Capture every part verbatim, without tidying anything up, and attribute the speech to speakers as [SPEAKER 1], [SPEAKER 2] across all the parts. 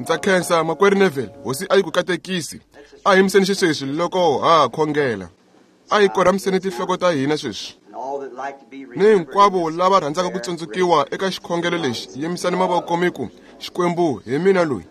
[SPEAKER 1] Ndza khensa makwerhu Neville, hosi a yi ku katekisi. A hi yimiseni xisweswi loko ha khongela. A hi korhamiseni tinhloko ta hina sweswi. Ni hinkwavo lava rhandzaka ku tsundzukiwa eka xikhongelo lexi, yimisani mavoko mi ku, Xikwembu hi mina loyi.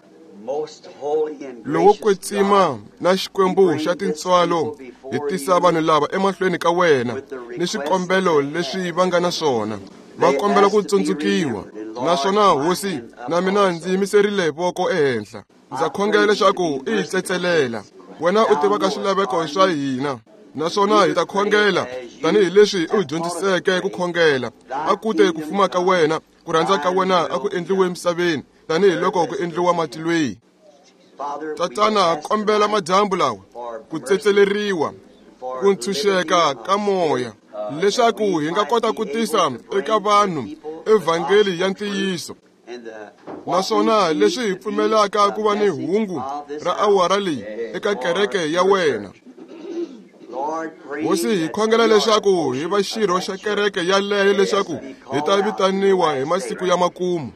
[SPEAKER 1] Lowo kwetsima na Xikwembu xa tintswalo, hi tisa vanhu lava emahlweni ka wena ni swikombelo leswi va nga na swona. Va kombela ku tsundzukiwa, naswona hosi na mina ndzi yimiserile voko ehenhla. Ndza khongela leswaku i hi tsetselela. Wena u tivaka swilaveko swa hina, naswona hi ta khongela tanihileswi u hi dyondziseke ku khongela. A ku te ku fuma ka wena, ku rhandza ka wena a ku endliwe emisaveni tanihiloko ku endliwa matilweni. Tatana, kombela madyambu lawa ku tsetseleriwa, ku ntshunxeka ka moya, leswaku hi nga kota ku tisa eka vanhu evhangeli ya ntiyiso, naswona leswi hi pfumelaka ku va ni hungu ra awara leyi eka kereke ya wena. Hosi, hi khongela leswaku hi va xirho xa kereke yaleyo leswaku hi ta vitaniwa hi masiku ya makumu.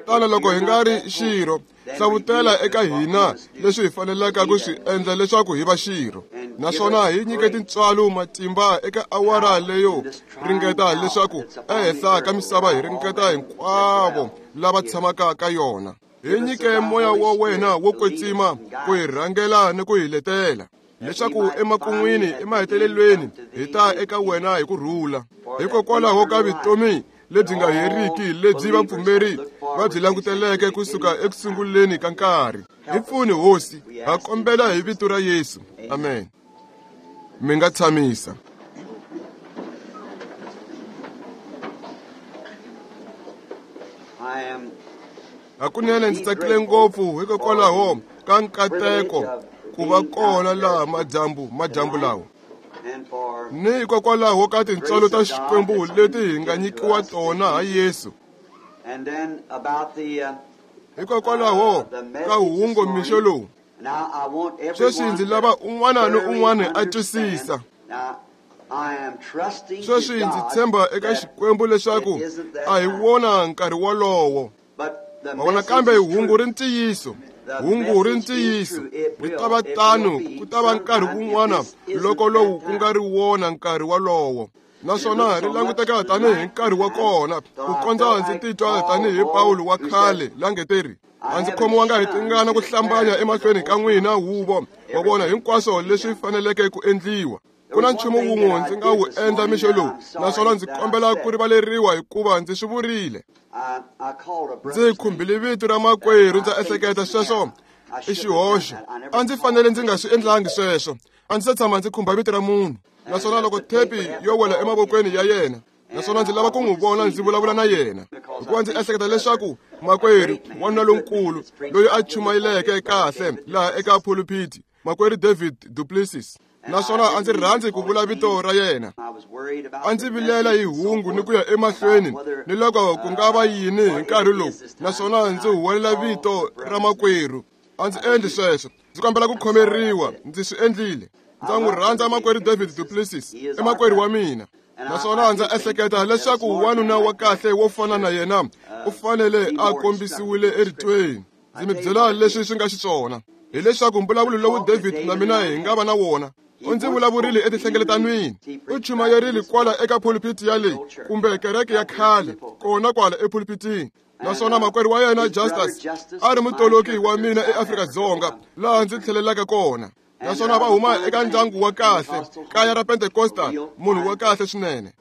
[SPEAKER 1] Tana loko hi nga ri xirho, hlavutela eka hina leswi hi faneleke ku swi endla leswaku hi va xirho, naswona hi nyike tintswalo matimba eka awara leyo ringeta leswaku ehenhla ka misava hi ringeta hinkwavo lava tshamaka ka yona. Hi nyike moya wa wena wo kwetsima ku hi rhangela ni ku hi letela, leswaku emakun'wini emahetelelweni hi ta eka wena hi ku rhula. Hikokwalaho ka vutomi lebyi nga heriki lebyi vapfumeri va byi languteleke kusuka ekusunguleni ka nkarhi. Hi pfuni hosi, ha kombela hi vito ra Yesu. Amen. Mi nga tshamisa. Hakunene ndzi tsakile ngopfu hikokwalaho ka nkateko ku va kona laha madyambu madyambu lawa, ni hikokwalaho ka tintswalo ta Xikwembu leti hi nga nyikiwa tona ha Yesu, hikokwalaho ka hungu mixo lowu. Sweswi ndzi lava un'wana ni un'wana a twisisa. Sweswi ndzi tshemba eka Xikwembu leswaku a hi wona nkarhi wolowo. Mavona, kambe hungu ri ntiyiso, hungu ri ntiyiso. Ri ta va tano, ku ta va nkarhi wun'wana loko lowu ku nga ri wona nkarhi wolowo, naswona ri languteka tanihi nkarhi wa kona, ku kondza ndzi titwa tanihi Pawulo wa khale la nge teri, a ndzi khomiwanga hi tingana ku hlambanya emahlweni ka n'wina huvo, wa vona hinkwaswo leswi faneleke ku endliwa. Ku na nchumu wun'we ndzi nga wu endla mixo lowu, naswona ndzi kombela ku rivaleriwa hikuva ndzi swi vurile. Ndzi khumbile vito ra makwerhu, ndza ehleketa sweswo i xihoxo. A ndzi fanele ndzi nga swi endlangi sweswo. A ndzi se tshama ndzi khumba vito ra munhu, naswona loko thepi yo wela emavokweni ya yena, naswona ndzi lava ku n'wi vona ndzi vulavula na yena, hikuva ndzi ehleketa leswaku makwerhu wanuna lonkulu loyi a chumayeleke kahle laha eka pulpit, makwerhu David Duplessis, naswona a ndzi rhandzi ku vula vito ra yena. A ndzi vilela hi hungu ni ku ya emahlweni ni loko ku nga va yini hi nkarhi lowu, naswona ndzi huwelela vito ra makwerhu. A ndzi endli sweswo, ndzi kombela ku khomeriwa, ndzi swi endlile. Ndza n'wi rhandza makwerhu David Duplessis, i makwerhu wa mina, naswona ndza ehleketa leswaku wanuna wa kahle wo fana na yena u fanele a kombisiwile eritweni. Ndzi mi byela leswi swi nga xiswona, hileswaku mbulavulo lowu David na mina hi nga va na wona, u ndzi vulavurile etinhlengeletanwini, u chumayerile kwala eka pulpit ya leyi kumbe kereke ya khale kona kwala epulpitini, naswona makwerhu wa yena Justus a ri mutoloki wa mina eAfrika-Dzonga laha ndzi tlhelelaka kona, naswona va huma eka ndyangu wa kahle, kaya ra Pentecostal, munhu wa kahle swinene.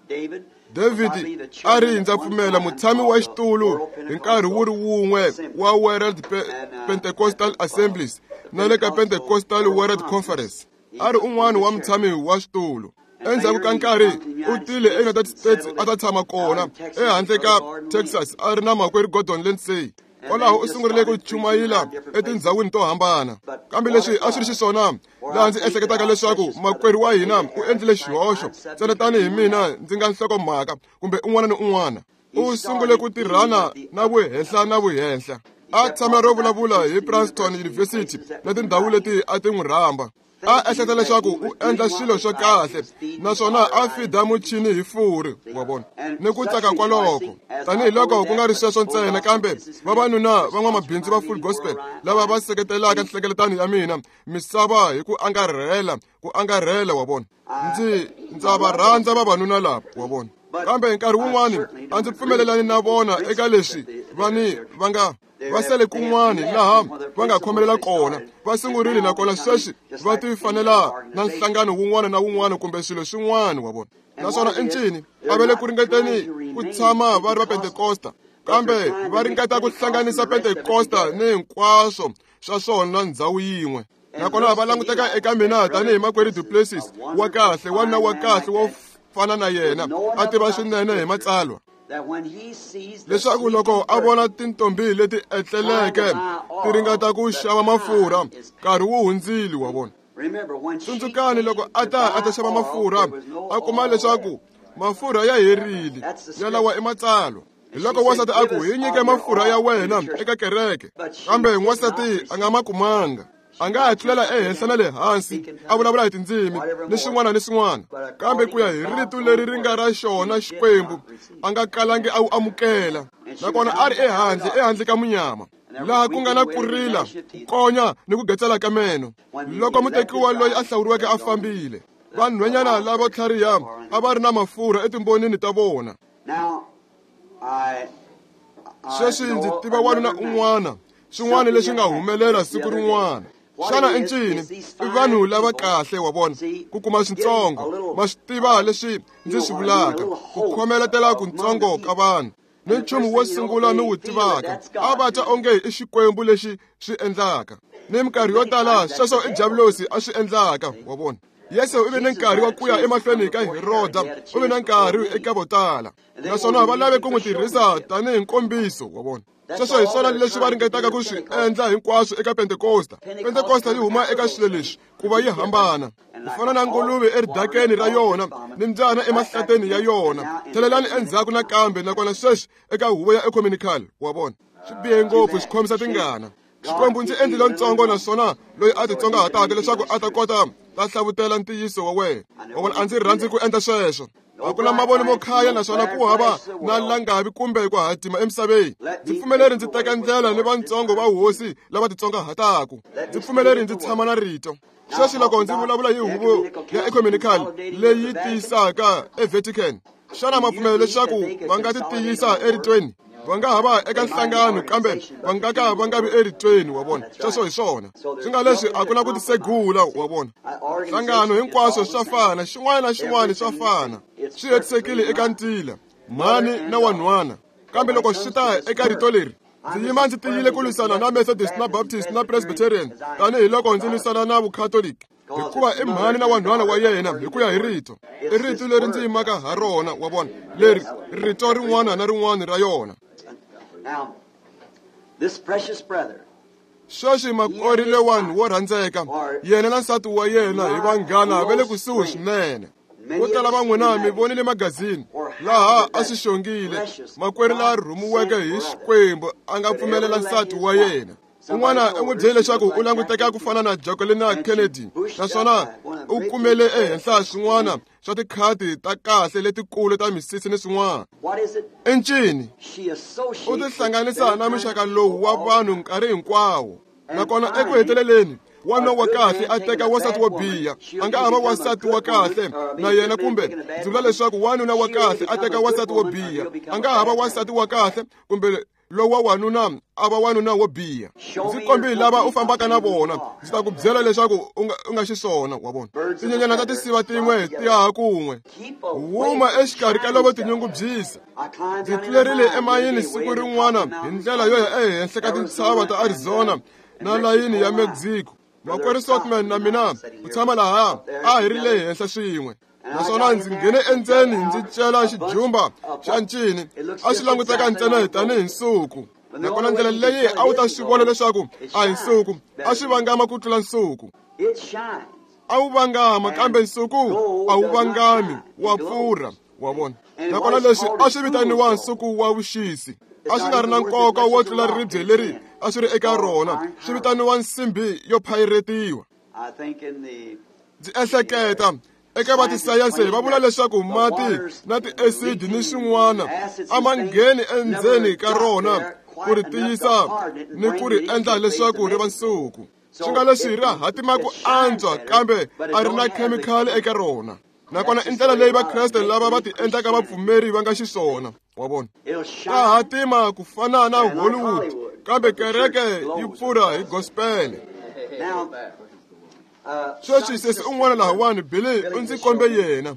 [SPEAKER 1] David a ri ndza pfumela mutshami wa xitulu hi nkarhi wu ri wun'we wa World Pe- Pentecostal Assemblies na le ka Pentecostal World Conference. A ri un'wana wa mutshami wa xitulu. Endzhaku ka nkarhi u tile eUnited States a ta tshama kona ehandle ka Texas a ri na makwerhu Gordon Lindsay. Kwalaho u sungurile ku chumayela etindhawini to hambana. Kambe leswi a swi ri xiswona laha ndzi ehleketaka leswaku makwerhu wa hina u endlile xihoxo, ntsena tanihi mina ndzi nga nhlokomhaka kumbe un'wana ni un'wana. U sungule ku tirhana na vuhenhla na vuhenhla. A tshama ro vulavula hi Princeton University na tindhawu leti a ti n'wi rhamba. A ehleketa leswaku u endla swilo swa kahle naswona a fida muchini hi furi, wa vona, ni ku tsaka kwaloko. Tanihiloko ku nga ri sweswo ntsena, kambe vavanuna van'wamabindzu va Full Gospel lava va seketelaka nhlengeletano ya mina misava hi ku angarhela ku angarhela, wa vona. Ndzi ndza va rhandza vavanuna lava, wa vona, kambe nkarhi wun'wani a ndzi pfumelelani na vona eka leswi vani va nga va sele kun'wani laha va nga khomelela kona. Va sungurile nakona sweswi va ti fanela na nhlangano wun'wana na wun'wana kumbe swilo swin'wana, wa vona. Naswona i ncini a va le ku ringeteni ku tshama va ri va Pentekosta, kambe va ringeta ku hlanganisa Pentekosta ni hinkwaswo swa swona ndhawu yin'we. Nakona va languteka eka mina tanihi makwerhu Du Plessis wa kahle, wanuna wa kahle wo fana na yena, a tiva swinene hi matsalwa, leswaku loko a vona tintombi leti etleleke ti ringeta ku xava mafurha, nkarhi wu hundzile, wa vona. Tsundzukani loko a ta a ta xava mafurha, a kuma leswaku mafurha ya herile, yalawa i matsalwa. Hi loko wansati a ku, hi nyike mafurha ya wena eka kereke, kambe n'wansati a nga ma kumanga. A nga ha tlulela ehenhla na le hansi a vulavula hi tindzimi ni swin'wana ni swin'wana, kambe ku ya hi rito leri ri nga ra xona Xikwembu a nga kalangi a wu amukela. Nakona a ri ehandle ehandle ka munyama, laha ku nga na ku rila, ku konya ni ku getsela ka meno. Loko mutekiwa loyi a hlawuriweke a fambile, vanhwanyana lavo tlhariha a va ri na mafurha etimbonini ta vona. Sweswi ndzi tiva wanuna un'wana, swin'wana leswi nga humelela siku rin'wana. Xana i ncini? I vanhu lava kahle, wa vona, ku kuma swintsongo. Ma swi tiva leswi ndzi swi vulaka, ku khomeletela kuntsongo ka vanhu. Ni nchumu wo sungula ni wu tivaka, a va twa onge i Xikwembu lexi swi endlaka. Ni minkarhi yo tala sweswo i diabulosi a swi endlaka, wa vona. Yesu u ve ni nkarhi wa ku ya emahlweni ka Heroda, u ve na nkarhi eka vo tala, naswona va lave ku n'wi tirhisa tanihi nkombiso, wa vona. Sweswo hi swona leswi va ringetaka ku swi endla hinkwaswo eka Pentekosta. Pentekosta yi huma eka swilo leswi ku va yi hambana, ku fana na nguluve eridakeni ra yona ni mbyana emahlateni ya yona. Tlhelelani endzhaku nakambe, nakona sweswi eka huvo ya ecumenical, wa vona. Swi bihe ngopfu, swi khomisa tingana. Xikwembu ndzi endlile ntsongo naswona loyi a titsongahataka leswaku a ta kota ta hlavutela ntiyiso wa wena, wa vona. A ndzi rhandzi ku endla sweswo. A ku na mavoni mo khaya naswona ku hava na langavi kumbe ku hatima emisaveni. Ndzi pfumeleri ndzi teka ndlela ni vantsongo va hosi lava titsongahataka. Ndzi pfumeleri ndzi tshama na rito. Sweswi loko ndzi vulavula hi huvo ya ecumenical leyi tiyisaka eVatican, xana ma pfumela leswaku va nga ti tiyisa eritweni? Va nga ha va eka nhlangano, kambe va nga ka va nga vi eritweni, wa vona. Sweswo hi swona. Swi nga leswi a ku na ku tisegula, wa vona. Nhlangano hinkwaswo swa fana, xin'wana na xin'wana swa fana. Swi hetisekile eka ntila, mhani na wanhwana. Kambe loko swi ta eka rito leri, ndzi yima ndzi tiyile ku lwisana na Methodist na Baptist na Presbyterian tanihiloko ndzi lwisana na Vukhatoliki, hikuva i mhani na wanhwana wa yena hi ku ya hi rito. I rito leri ndzi yimaka ha rona, wa vona, leri rito rin'wana na rin'wana ra yona. Sweswi makwerhu lewani wo rhandzeka, yena na nsati wa yena hi vanghana va le kusuhi swinene. Vo tala va n'wina mi vonile magazini laha a swi xongile, makwerhu la rhumiweke hi Xikwembu a nga pfumelela nsati wa yena. Un'wana u n'wi byele leswaku u languteka ku fana na Jacqueline Kennedy, naswona u kumele ehenhla swin'wana swa tikhadi ta kahle letikulu ta misisi ni swin'wana. I ncini? U tihlanganisa na muxaka lowu wa vanhu nkarhi hinkwawo. Nakona eku heteleleni, wanuna wa kahle a teka wansati wo biha. A nga ha va wansati wa kahle na yena, kumbe ndzi vula leswaku wanuna wa kahle a teka wansati wo biha. A nga ha va wansati wa kahle kumbe lowa wanuna a va wanuna wo biha. Ndzi kombi lava u fambaka na vona, ndzi ta ku byela leswaku u nga u nga xiswona, wa vona. Tinyenyana ta tisiva tin'we ti haha kun'we, huma exikarhi ka lavo tinyungubyisa. Ndzi tlulerile emayini siku rin'wana hi ndlela yo ya ehenhla ka tintshava ta Arizona na layini ya Mexico. Makwerhu Sotman na mina ku tshama laha a hi ri le henhla swin'we, naswona ndzi nghene endzeni ndzi cela xijumba xa ncini. A xi languteka ntsena tanihi nsuku, nakona ndlela leyi a wu ta swi vona leswaku a hi nsuku, a swi vangama ku tlula nsuku. A wu vangama, kambe nsuku a wu vangami, wa pfurha, wa vona. Nakona leswi a swi vitaniwa nsuku wa vuxisi, a swi nga ri na nkoka wo tlula ribye leri a swi ri eka rona. Swi vitaniwa nsimbi yo phayiretiwa. Ndzi ehleketa eka va tisayense va vula leswaku mati na ti-acid ni swin'wana a ma ngheni endzeni ka rona ku ri tiyisa ni ku ri endla leswaku ri va nsuku. Swi nga leswi ri hatima ku antswa kambe a ri na khemikhali eka rona. Nakona i ndlela leyi Vakreste lava va ti endlaka vapfumeri va nga xiswona, wa vona. Ta hatima ku fana na Hollywood, kambe kereke yi pfurha hi gospel. Sweswi sesi un'wana lahawani Billy u ndzi kombe yena.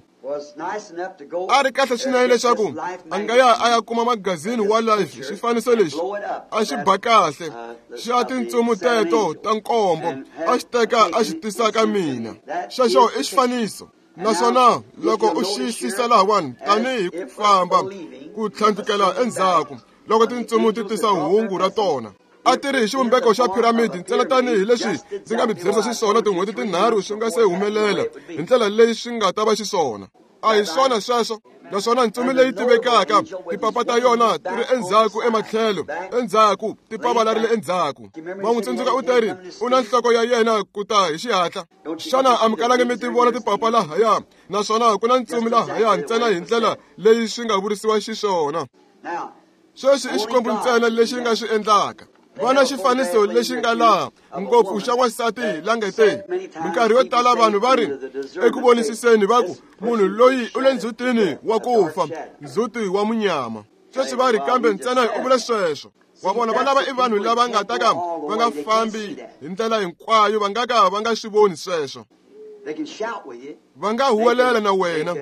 [SPEAKER 1] A ri kahle swinene leswaku a nga ya a ya kuma magazini wa Life, xifaniso lexi a xi ba kahle xa tintsumu teto ta nkombo, a xi teka a xi tisa ka mina. Xexo i xifaniso. Naswona loko u xiyisisa lahawani tanihi ku famba ku tlhandlukela endzhaku loko tintsumu ti tisa hungu ra tona, a ti ri hi xivumbeko xa piramidi ntsena tanihi leswi ndzi nga mi byerisa xiswona tin'hweti tinharhu swi nga se humelela hi ndlela leyi swi nga ta va xiswona. A hi swona sweswo. Naswona ntsumi leyi tivekaka tipapa ta yona ti ri endzhaku ematlhelo, endzhaku tipapa la ri le endzhaku. Va n'wi tsundzuka u teri u na nhloko ya yena ku ta hi xihatla. Xana a mi kalangi mi ti vona tipapa lahaya? Naswona ku na ntsumi lahaya ntsena hi ndlela leyi swi nga vurisiwa xiswona. Sweswi i Xikwembu ntsena lexi nga swi endlaka. Vona xifaniso lexi nga laha ngopfu xa wansati la nge te. Minkarhi yo tala vanhu va ri eku vonisiseni va ku munhu loyi u le ndzhutini wa ku fa, ndzhuti wa munyama. Sweswi va ri kambe ntsena u vule sweswo. Wa vona va lava i vanhu lava nga ta ka va nga fambi hi ndlela hinkwayo, va nga ka va nga swi voni sweswo. Va nga huwelela na wena,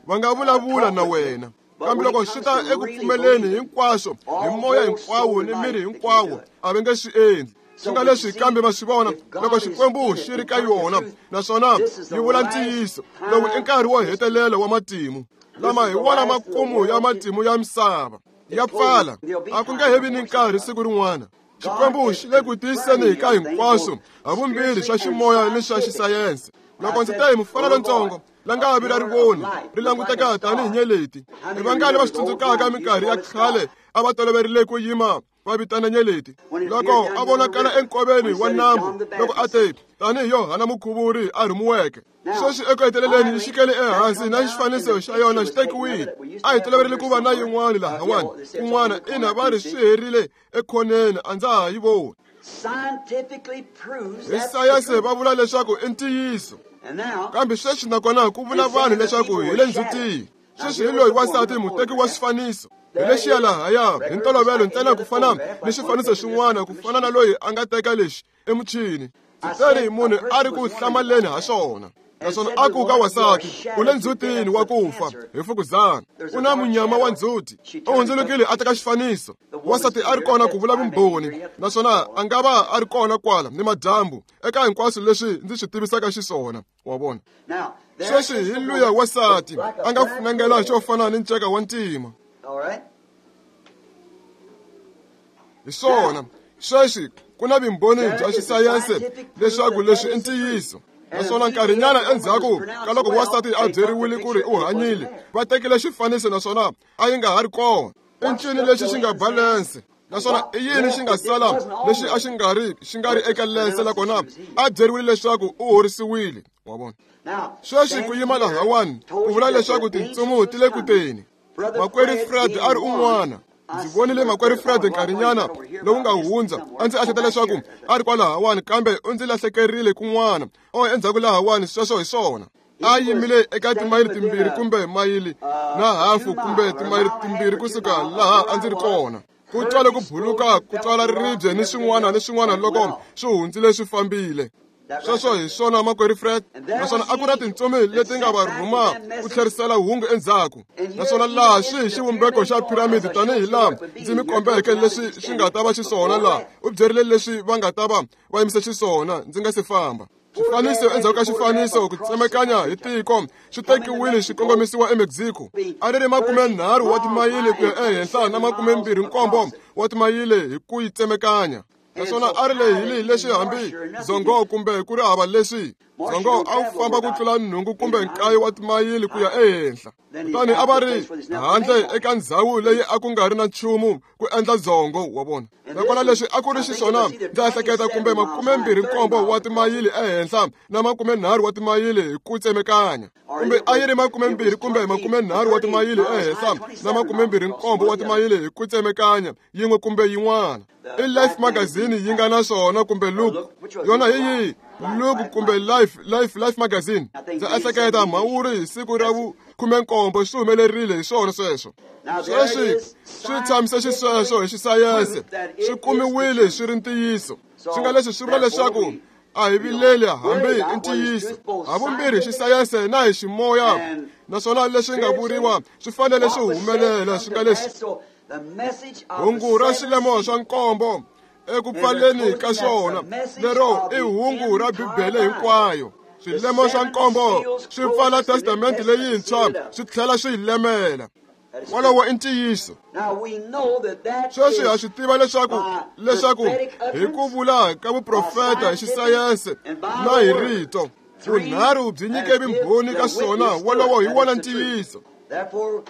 [SPEAKER 1] va nga vulavula na wena, kambe loko swi ta eku pfumeleni hinkwaswo hi moya hinkwawo ni miri hinkwawo, a va nge swi endli. Swi nga leswi kambe va swi vona loko Xikwembu xi ri ka yona, naswona yi vula ntiyiso. Lowu i nkarhi wo hetelela wa matimu lama hi wona makumu ya matimu ya misava ya pfala. A ku nge he vi ni nkarhi siku rin'wana. Xikwembu xi le ku tiyiseni ka hinkwaswo havumbirhi swa ximoya ni swa xisayense. Loko ndzi te hi mufana lontsongo la nga vi ra rivoni ri languteka tanihi nyeleti, i vangani va swi tsundzukaka minkarhi ya khale a va toloverile ku yima va vitana nyeleti loko a vonakala enkoveni wa nambu, loko a te tanihi Yohana Mukhuvuri a rhumiweke. Sweswi eku heteleleni yi xikele ehansi na xifaniso xa yona xi tekiwile. A hi toloverile ku va na yin'wana lahawani kun'wana, ina va ri swi herile ekhoneni, a ndza ha yi voni. Hi sayense va vula leswaku i ntiyiso, kambe sweswi nakona ku vula vanhu leswaku hi le ndzhutini. Sweswi hi loyi wansati muteki wa xifaniso hi lexiya lahaya hi ntolovelo ntsena ku fana ni xifaniso xin'wana, ku fana na loyi a nga teka lexi emuchini. Ndzi munhu a ri ku hlamaleni ha xona, naswona a ku ka wansati u le ndzhutini wa ku fa hi fukuzana, u na munyama wa ndzhuti. U hundzulukile a teka xifaniso. Wansati a ri kona ku vula vumbhoni, naswona a nga va a ri kona kwala ni madyambu eka hinkwaswo leswi ndzi swi tivisaka xiswona. Wa vona sweswi hi luya wansati a nga funengela xo fana ni nceka wa ntima. Hi swona sweswi ku na vumbhoni bya xisayense leswaku leswi i ntiyiso. Naswona nkarhinyana endzhaku ka loko wansati a byeriwile ku ri u hanyile, va tekile xifaniso naswona a yi nga ha ri kona. I ncini lexi xi nga balense? Naswona i yini xi nga sala lexi a xi nga ri xi nga ri eka lense nakona a byeriwile leswaku u horisiwile? Wa vona sweswi ku yima lahawani ku vula leswaku tintsumu ti le ku teni. Makwerhu Fred a ri un'wana. Ndzi vonile makwerhu Fred nkarhinyana lowu nga hundza, a ndzi ehleketa leswaku a ri kwalahawani, kambe u ndzi lahlekerile kun'wana. O endzhaku lahawani, sweswo hi swona. A yimile eka timayili timbirhi kumbe mayili na hafu kumbe timayili timbirhi kusuka laha a ndzi ri kona. Ku twale ku buluka, ku twala riribye ni swin'wana ni swin'wana loko swi hundzile swi fambile. Sweswo hi swona makwerhu Fred. Naswona a ku na tintsumi leti nga va rhuma ku tlherisela hungu endzhaku. Naswona laha swi hi xivumbeko xa piramidi tanihi laha ndzi mi kombeke leswi swi nga ta va xiswona laha. U byerile leswi va nga ta va va yimise xiswona ndzi nga se famba. Xifaniso endzhaku ka xifaniso ku tsemekanya hi tiko swi tekiwile xi kongomisiwa eMexico. A ri ri makumenharhu wa timayili ku ya ehenhla na makumembirhi nkombo wa timayili hi ku yi tsemekanya. Naswona a ri lehile leswi hambi zongo kumbe ku ri hava leswi. Dzongo a wu famba ku tlula nhungu kumbe nkaye wa timayili ku ya ehenhla. Kutani a va ri handle eka ndzhawu leyi a ku nga ri na nchumu ku endla dzongo wa vona. Nakona leswi a ku ri xiswona ndza ehleketa kumbe makumembirhi nkombo wa timayili ehenhla na makumenharhu wa timayili hi ku tsemekanya. Kumbe a yi ri makumembirhi kumbe makumenharhu wa timayili ehenhla na makumembirhi nkombo wa timayili hi ku tsemekanya yin'we kumbe yin'wana. I Life magazine yi nga na swona kumbe Look. Yona hi yihi? Look kumbe Life, Life, Life magazine. Ndza ehleketa mhawuri hi siku ra vu khumenkombo swi humelerile hi swona sweswo. Sweswi swi tshamise xisweswo hi xisayense, swi kumiwile swi ri ntiyiso. Swi nga leswi swi vula leswaku a hi vileli hambi i ntiyiso. Havumbirhi xisayense na hi ximoya, naswona leswi nga vuriwa swi fanele swi humelela. Swi nga leswi hungu ra swilemo swa nkombo eku pfaleni ka swona, lero i hungu ra Bibele hinkwayo. Swilemo swa nkombo swi pfala testamente leyintshwa swi tlhela swi yi lemela. Wolowo i ntiyiso. Sweswi ha swi tiva leswaku leswaku hi ku vula ka vuprofeta hi xisayense na hi rito, vunharhu byi nyike vumbhoni ka swona. Wolowo hi wona ntiyiso.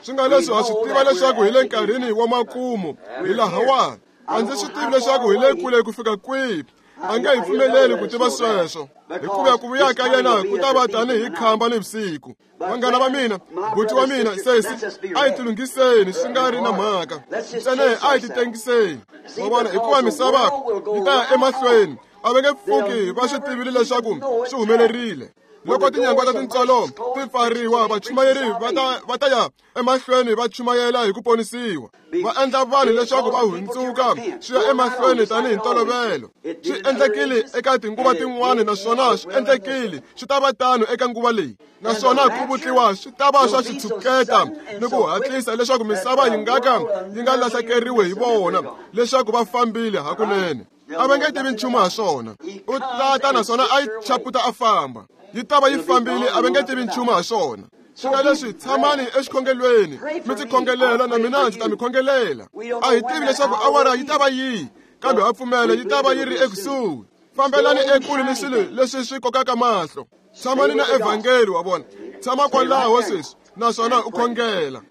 [SPEAKER 1] Swi nga leswi ha swi tiva leswaku hi le nkarhini wa makumu hi lahawani. A ndzi swi tivi leswaku hi le kule ku fika kwihi. A nge hi pfumeleli ku tiva sweswo, hikuva ku vuya ka yena ku ta va tanihi khamba nivusiku. Vanghana va mina, buti wa mina, sesi, a hi tilunghiseni swi nga ri na mhaka. Ntsena a hi titengiseni. Wa vona, hikuva misava yi ta ya emahlweni. A va nge pfuki va swi tivile leswaku swi humelerile. Loko tinyangwa ta tintswalo ti pfariwa, vachumayeri va ta va ta ya emahlweni va chumayela hi ku ponisiwa. Va endla vanhu leswaku va hundzuka swi ya emahlweni tanihi ntolovelo. Swi endlekile eka tinguva tin'wana naswona swi endlekile swi ta va tano eka nguva leyi. Naswona ku vutliwa swi ta va swa xitshuketa ni ku hatlisa leswaku misava yi nga ka yi nga lahlekeriwi hi vona leswaku va fambile hakunene. A va nge tivi nchumu ha swona. U tata naswona a yi chaputa a famba. Yi ta va yi fambile, a va nge tivi nchumu ha swona. Swi nga leswi tshamani exikhongelweni mi ndzi khongelela na mina ndzi ta mi khongelela. A hi tivi leswaku awara yi ta va yihi, kambe ha pfumela yi ta va yi ri ekusuhi. Fambelani ekule ni swilo leswi swi kokaka mahlo. Tshamani na evhangeli wa vona. Tshama kwalaho sweswi naswona u khongela.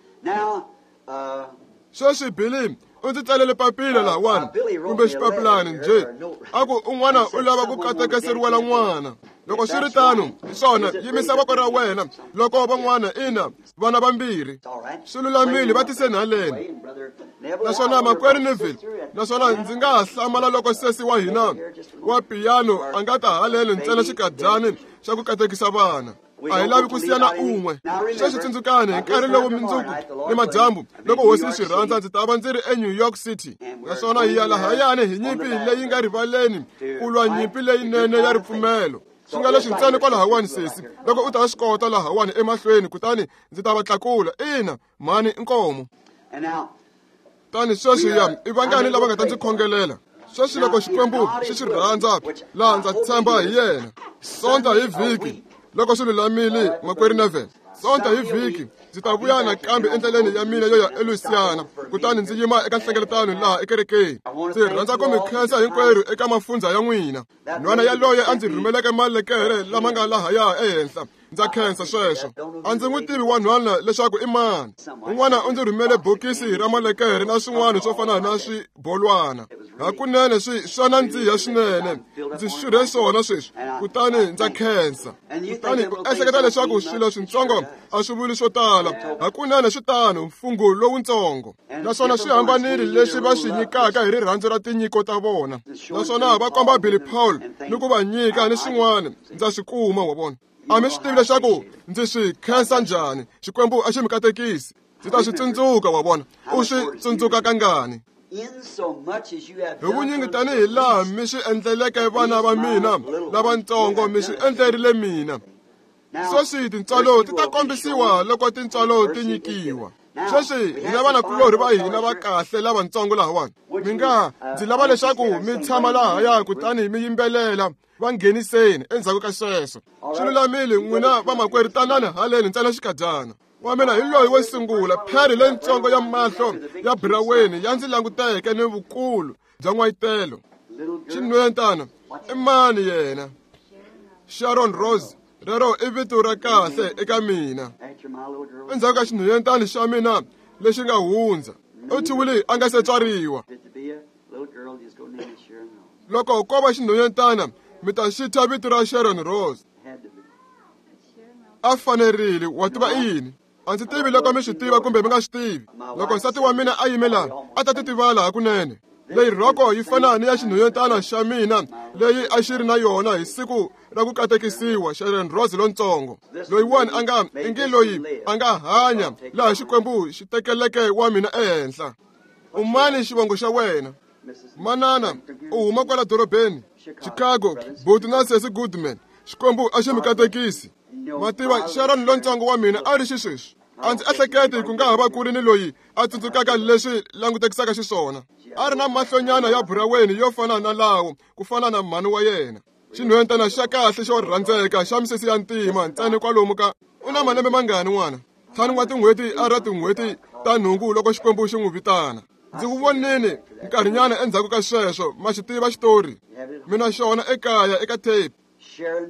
[SPEAKER 1] Sweswi Billy u ndzi tsalele papila lahawani kumbe xipapilani njhe, a ku un'wana u lava ku katekeseriwela n'wana. Loko swi ri tano, hi swona, yimisa voko ra wena. Loko van'wana ina vana vambirhi swi lulamile, va tiseni haleni. Naswona makwerhu Neville, naswona ndzi nga ha hlamala loko sesi wa hina wa piyano a nga ta haleni ntsena xikadyani xa ku katekisa vana. A hi lavi ku siya na un'we. Sweswi tsundzukani hi nkarhi lowu mundzuku ni madyambu loko hosi yi swi rhandza ndzi ta va ndzi ri eNew York City, naswona hi ya lahayani hi nyimpi leyi nga rivaleni ku lwa nyimpi leyinene ya ripfumelo. Swi nga leswi ntsena kwalahawani sesi, loko u ta swi kota lahawani emahlweni, kutani ndzi ta va tlakula. Ina, mhani inkomo. Tani sweswi ya i vangani lava nga ta ndzi khongelela? Sweswi loko Xikwembu xi swi rhandza, laha ndza tshemba hi yena. Sonta hi vhiki loko swi lulamile, makwerhu Neville. Sonta hi vhiki ndzi ta vuya nakambe endleleni ya mina yo ya eLouisiana, kutani ndzi yima eka nhlengeletano laha ekerekeni. Ndzi rhandza ku mi khensa hinkwerhu eka mafundza ya n'wina. Nhwana yaloye a ndzi rhumeleke malekere lama nga lahaya ehenhla, ndza khensa sweswo. A ndzi n'wi tivi wanhwana leswaku i mani. Un'wana u ndzi rhumele bokisi ra malekere na swin'wana swo fana na swibolwana. Hakunene swi swa nandziha swinene. Ndzi xurhe swona sweswi, kutani ndza khensa. Kutani u ehleketa leswaku swilo swintsongo a swi vuli swo tala. Hakunene swi tano, mfungho lowuntsongo. Naswona swi hambanile leswi va swi nyikaka hi rirhandzu ra tinyiko ta vona. Naswona va komba Billy Paul ni ku va nyika ni swin'wana, ndza swi kuma wa vona. A mi swi tivi leswaku ndzi swi khensa njhani. Xikwembu a xi mi katekisi. Ndzi ta swi tsundzuka wa vona. U swi tsundzuka kangani? Hi vunyingi tanihi laha mi swi endleleke vana va mina lavatsongo, mi swi endlerile mina. Sweswi tintswalo ti ta kombisiwa loko tintswalo ti nyikiwa. Sweswi hina vanakulorhi va hina va kahle lavatsongo lahawani. Mi nga ndzi lava leswaku mi tshama lahaya kutani mi yimbelela. Va ngheniseni endzhaku ka sweswo. Swi lulamile, n'wina vamakwerhu tanani haleni ntsena xikadyana. Wa mina hi loyi wo sungula, pheri leyintsongo ya mahlo ya buraweni ya ndzi languteke ni vukulu bya n'wayitelo. Xinhwentana i mani yena? Sharon Rose rero i vito ra kahle eka mina. Endzhaku ka xinhwanyetana xa mina lexi nga hundza, u thyiwile a nga se tswariwa. Loko ko va xinhwanyetana mi ta xi thya vito ra Sharon Rose. A fanerile, wa tiva i yini? A ndzi tivi loko mi swi tiva kumbe mi nga swi tivi. Loko nsati wa mina a yime laha, a ta titivala hakunene. Leyi rhoko yi fana ni ya xinhwanyetana xa mina leyi a xi ri na yona hi siku ra ku katekisiwa, Sharon Rose lontsongo. Loyiwani a nga ingi loyi a nga hanya laha Xikwembu xi tekeleke wa mina ehenhla. U mani xivongo xa wena? Manana, u huma kwala dorobeni Chicago, buti na sesi Goodman. Xikwembu a xi mi katekisi. Ma tiva Sharon lontsongo wa mina a ri xisweswi. A ndzi ehleketi ku nga ha va ku ri ni loyi a tsundzukaka leswi langutekisaka xiswona. A ri na mahlonyana ya buraweni yo fana na lawo ku fana na mhani wa yena. Xinhwanyetana xa kahle xo rhandzeka xa misisi ya ntima ntsena kwalomu ka u na malembe mangani n'wana? Ntlhanu wa tin'hweti a ra tin'hweti ta nhungu loko Xikwembu xi n'wi vitana. Ndzi ku vonile nkarhinyana endzhaku ka sweswo, ma xi tiva xitori. Mina xona ekaya eka tape.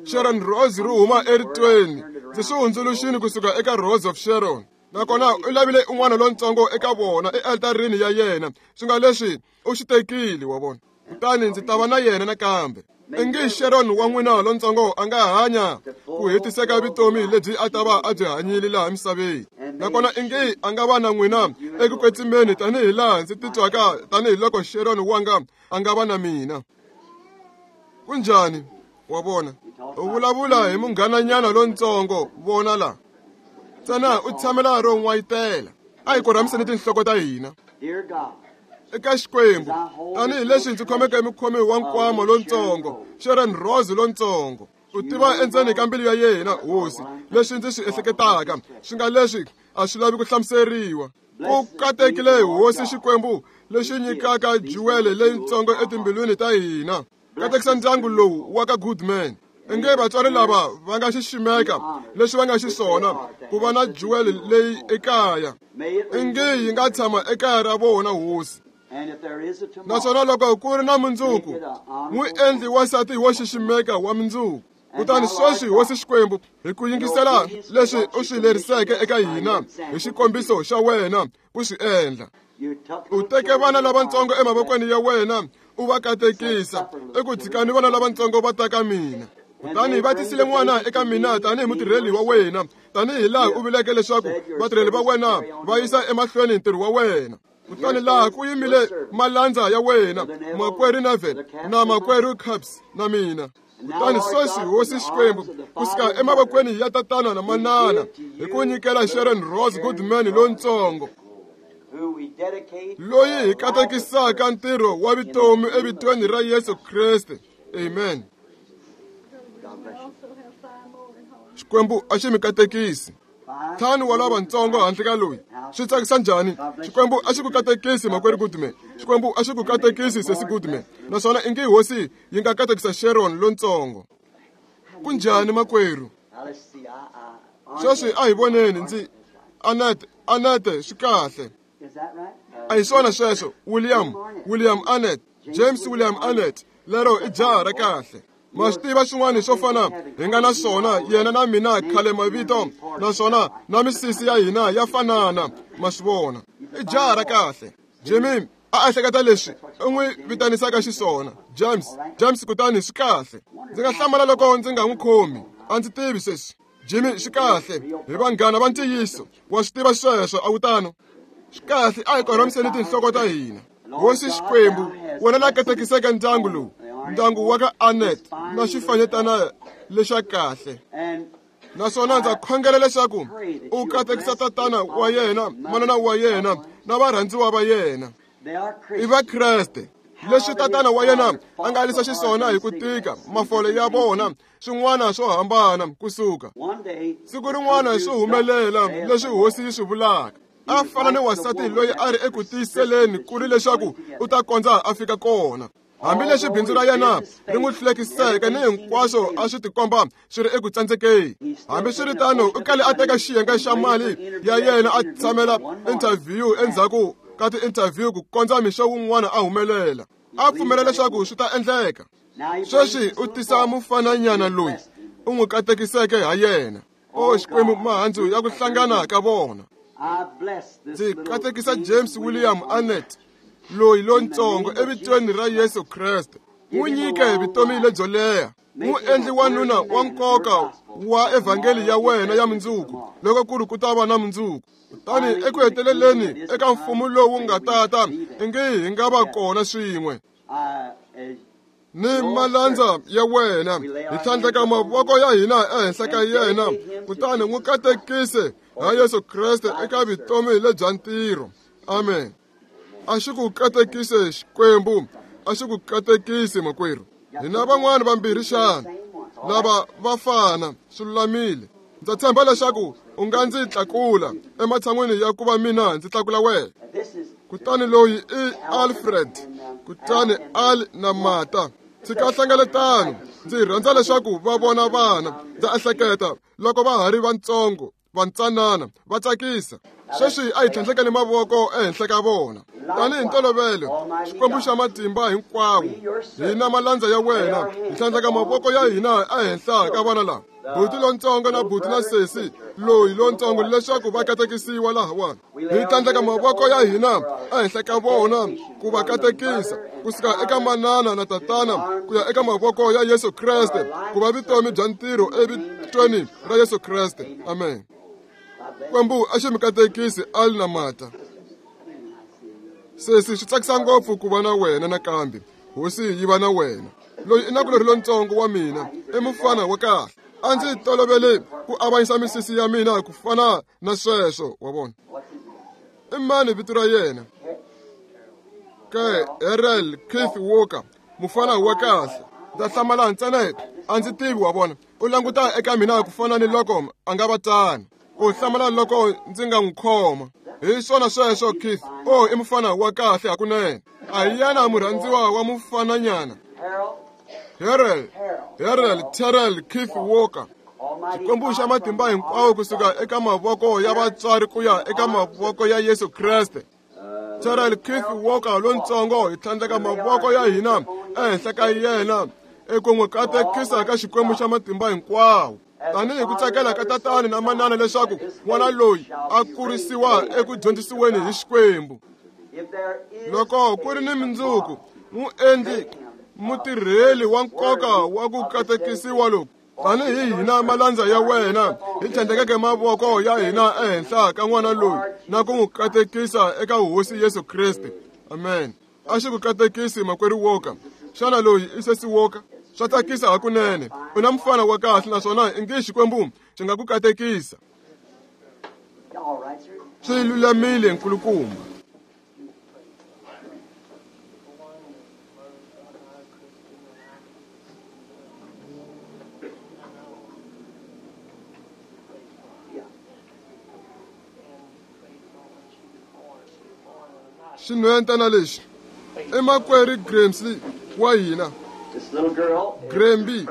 [SPEAKER 1] Sharon Rose ri huma eritweni. Ndzi swi hundzuluxini kusuka eka Rose of Sharon. Nakona u lavile un'wana lontsongo eka vona ealtarini ya yena, swi nga leswi u xi tekile wa vona. Kutani ndzi ta va na yena nakambe. Ingi Sharon wa n'wina lontsongo a nga hanya ku hetiseka vutomi lebyi a ta va a byi hanyile laha misaveni. Nakona ingi a nga va na n'wina eku kwetsimeni tanihi laha ndzi titwaka tanihiloko Sharon wanga a nga va na mina. Kunjhani? Wa vona, u vulavula hi munghananyana lontsongo, vona la. Ntsena u tshamela ro n'wayitela. A hi korhamiseni tinhloko ta hina. Eka Xikwembu, tanihileswi ndzi khomeke mukhomi wa nkwama lontsongo, Sharon Rose lontsongo. U tiva endzeni ka mbilu ya yena, Hosi, leswi ndzi swi ehleketaka, swi nga leswi a swi lavi ku hlamuseriwa. Ku katekile Hosi Xikwembu lexi nyikaka juwele leyintsongo etimbilwini ta hina. Katekisa ndyangu lowu wa ka Goodman. Inge vatswari lava va nga xiximeka leswi va nga xiswona ku va na jewel leyi ekaya. Inge yi nga tshama ekaya ra vona, Hosi. Naswona loko ku ri na mundzuku, n'wi endli wansati wo xiximeka wa mundzuku. Kutani sweswi, Hosi Xikwembu, hi ku yingisela leswi u swi leriseke eka hina hi xikombiso xa wena ku swi endla. U teke vana lavatsongo emavokweni ya wena u va katekisa, eku tshikani vana lavatsongo va ta ka mina. Kutani va tisile n'wana eka mina tanihi mutirheli wa wena, tanihi laha u vuleke leswaku vatirheli va wena va yisa emahlweni ntirho wa wena. Kutani laha ku yimile malandza ya wena, makwerhu Neville na makwerhu Capps na mina. Kutani sweswi, Hosi Xikwembu, kusuka emavokweni ya tatana na manana, hi ku nyikela Sharon Rose Goodman lontsongo, loyi hi katekisaka ntirho wa vutomi evitweni ra Yesu Kreste. Amen. Xikwembu a xi mi katekisi. Ntlhanu wa lavatsongo handle ka loyi. Swi tsakisa njhani? Xikwembu a xi ku katekisi, makwerhu Goodman. Xikwembu a xi ku katekisi, sesi Goodman. Naswona ingi Hosi yi nga katekisa Sharon lontsongo. Kunjhani, makwerhu? Sweswi a hi voneni ndzi Annette, Annette swi kahle. A hi swona sweswo, William, William Annette, James William Annette, lero i jaha ra kahle. Ma swi tiva swin'wana swo fana hi nga na swona yena na mina khale mavito, naswona na misisi ya hina ya fanana, ma swi vona. I jaha ra kahle. Jimmy a ehleketa leswi u n'wi vitanisaka xiswona, James, James kutani swi kahle. Ndzi nga hlamala loko ndzi nga n'wi khomi, a ndzi tivi sweswi. Jimmy swi kahle, hi vanghana va ntiyiso, wa swi tiva sweswo, a wu tano? Swi kahle, a hi korhamiseni tinhloko ta hina. Hosi Xikwembu, wena la katekiseke ndyangu lowu, ndyangu wa ka Annette na xifanyetana lexa kahle. Naswona ndza khongela leswaku u katekisa tatana wa yena, manana wa yena na varhandziwa va yena. I va Kreste. Leswi tatana wa yena a nga alisa xiswona hi ku tika mafole ya vona swin'wana swo hambana kusuka. Siku rin'wana swi humelela leswi Hosi yi swi vulaka. A fana ni wansati loyi a ri eku tiyiseleni ku ri leswaku u ta kondza a fika kona. Hambileswi bindzu ra yena ri n'wi hlulekiseke ni hinkwaswo a swi tikomba swi ri eku tsandzekeni. Hambiswiritano, u kale a teka xiyenge xa mali ya yena a tshamela interview endzhaku ka ti-interview ku kondza mixo wun'wana a humelela. A pfumela leswaku swi ta endleka. Sweswi u tisa mufananyana loyi u n'wi katekiseke ha yena. O Xikwembu, mahandzu ya ku hlangana ka vona. Ndzi katekisa James William Arnett loyi lontsongo evitweni ra Yesu Kreste. N'wi nyike vutomi lebyo leha, n'wi endli wanuna wa nkoka wa evhangeli ya wena ya mundzuku, loko ku ri ku ta va na mundzuku. Kutani eku heteleleni eka mfumo lowu nga tata, ingi hi nga va kona swin'we ni malandza ya wena, hi tlhandleka mavoko ya hina ehenhla ka yena, kutani n'wi katekise ha Yesu Kreste eka vutomi lebya ntirho. Amen. A xi ku katekise Xikwembu, a xi ku katekise makwerhu. Hina van'wana vambirhi xana lava va fana, swi lulamile. Ndza tshemba leswaku u nga ndzi tlakula ematshan'wini ya ku va mina ndzi tlakula wena. Kutani loyi i Alfred, kutani Al na Mata. Tshika hlengeletano, ndzi rhandza leswaku va vona vana. Ndza ehleketa loko va ha ri vantsongo, vantsanana, va tsakisa. Sweswi a hi tlhandlekeni mavoko ehenhla ka vona. Tanihi ntolovelo, Xikwembu xa matimba hinkwawo, hina malandza ya wena, hi tlhandleka mavoko ya hina ehenhla ka vana lava, buti lontsongo na buti na sesi loyi lontsongo, leswaku va katekisiwa lahawani. Hi tlhandleka mavoko ya hina ehenhla ka vona ku va katekisa, kusuka eka manana na tatana ku ya eka mavoko ya Yesu Kreste, ku va vutomi bya ntirho evitweni ra Yesu Kreste. Amen. Xikwembu a xi mi katekisi Al na Mata. Sesi, swi tsakisa ngopfu ku va na wena nakambe. Hosi yi va na wena. Loyi i nakulorhi lontsongo wa mina, i mufana wa kahle. A ndzi tolovele ku avanyisa misisi ya mina ku fana na sweswo, wa vona. I mani vito ra yena? Ke Errol Keith Walker, mufana wa kahle. Ndza hlamala ntsena, a ndzi tivi, wa vona. U languta eka mina ku fana ni loko a nga va tano. U hlamala loko ndzi nga n'wi khoma. Hi swona sweswo Keith. O i mufana wa kahle hakunene. A hi yena murhandziwa wa mufananyana. Harold, Harold Terrell Keith Walker. Xikwembu xa matimba hinkwawo, kusuka eka mavoko ya vatswari ku ya eka mavoko ya Yesu Kreste. Terrell Keith Walker lontsongo, hi tlhandleka mavoko ya hina ehenhla ka yena eku n'wi katekisa ka Xikwembu xa matimba hinkwawo. Tanihi ku tsakela ka tatana na manana leswaku n'wana loyi a kurisiwa eku dyondzisiweni hi Xikwembu. Loko ku ri ni mundzuku, muendli mutirheli wa nkoka wa ku katekisiwa loku, tanihi hina malandza ya wena, hi tlhandlekeke mavoko ya hina ehenhla ka n'wana loyi na ku n'wi katekisa eka Hosi Yesu Kreste. Amen. A xi ku katekisi makwerhu Walker. Xana loyi i sesi Walker? Swa tsakisa hakunene. U na mufana wa kahle naswona ingi Xikwembu xi nga ku katekisa. Swi lulamile nkulukumba. Xinhwentana lexi i makwerhu Grimsley wa hina. Grimby,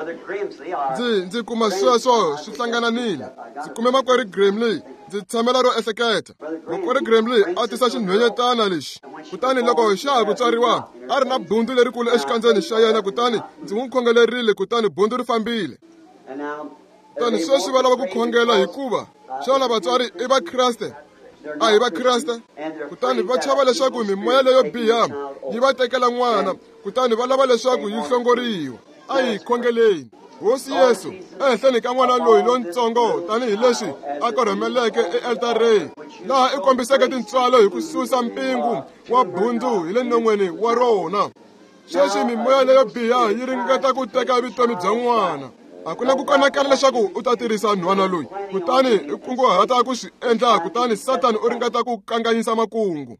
[SPEAKER 1] ndzi ndzi kuma sweswo swi hlangananile. Ndzi kume makwerhu Grimley, ndzi tshamela ro ehleketa. Makwerhu Grimley a tisa xinhwenyetana lexi, kutani loko xa ha ku tswariwa a ri na bundzu lerikulu exikandzeni xa yena, kutani ndzi n'wi khongelerile, kutani bundzu ri fambile. Kutani sweswi va lava ku khongela hikuva xana vatswari i Vakreste? A hi Vakreste? Kutani va chava leswaku mimoya leyo biha yi va tekela n'wana, kutani va lava leswaku yi hlongoriwa. A hi khongeleni. Hosi Yesu, ehenhleni ka n'wana loyi lontsongo, tanihileswi a korhomeleke ealtareni, laha i kombiseke tintswalo hi ku susa mpingu wa bundzu hi le non'weni wa rona. Sweswi mimoya leyo biha yi ringeta ku teka vutomi bya n'wana. A ku na ku kanakana leswaku u ta tirhisa nhwana loyi, kutani i kunguhata ku swi endla, kutani Sathani u ringeta ku kanganyisa makungu.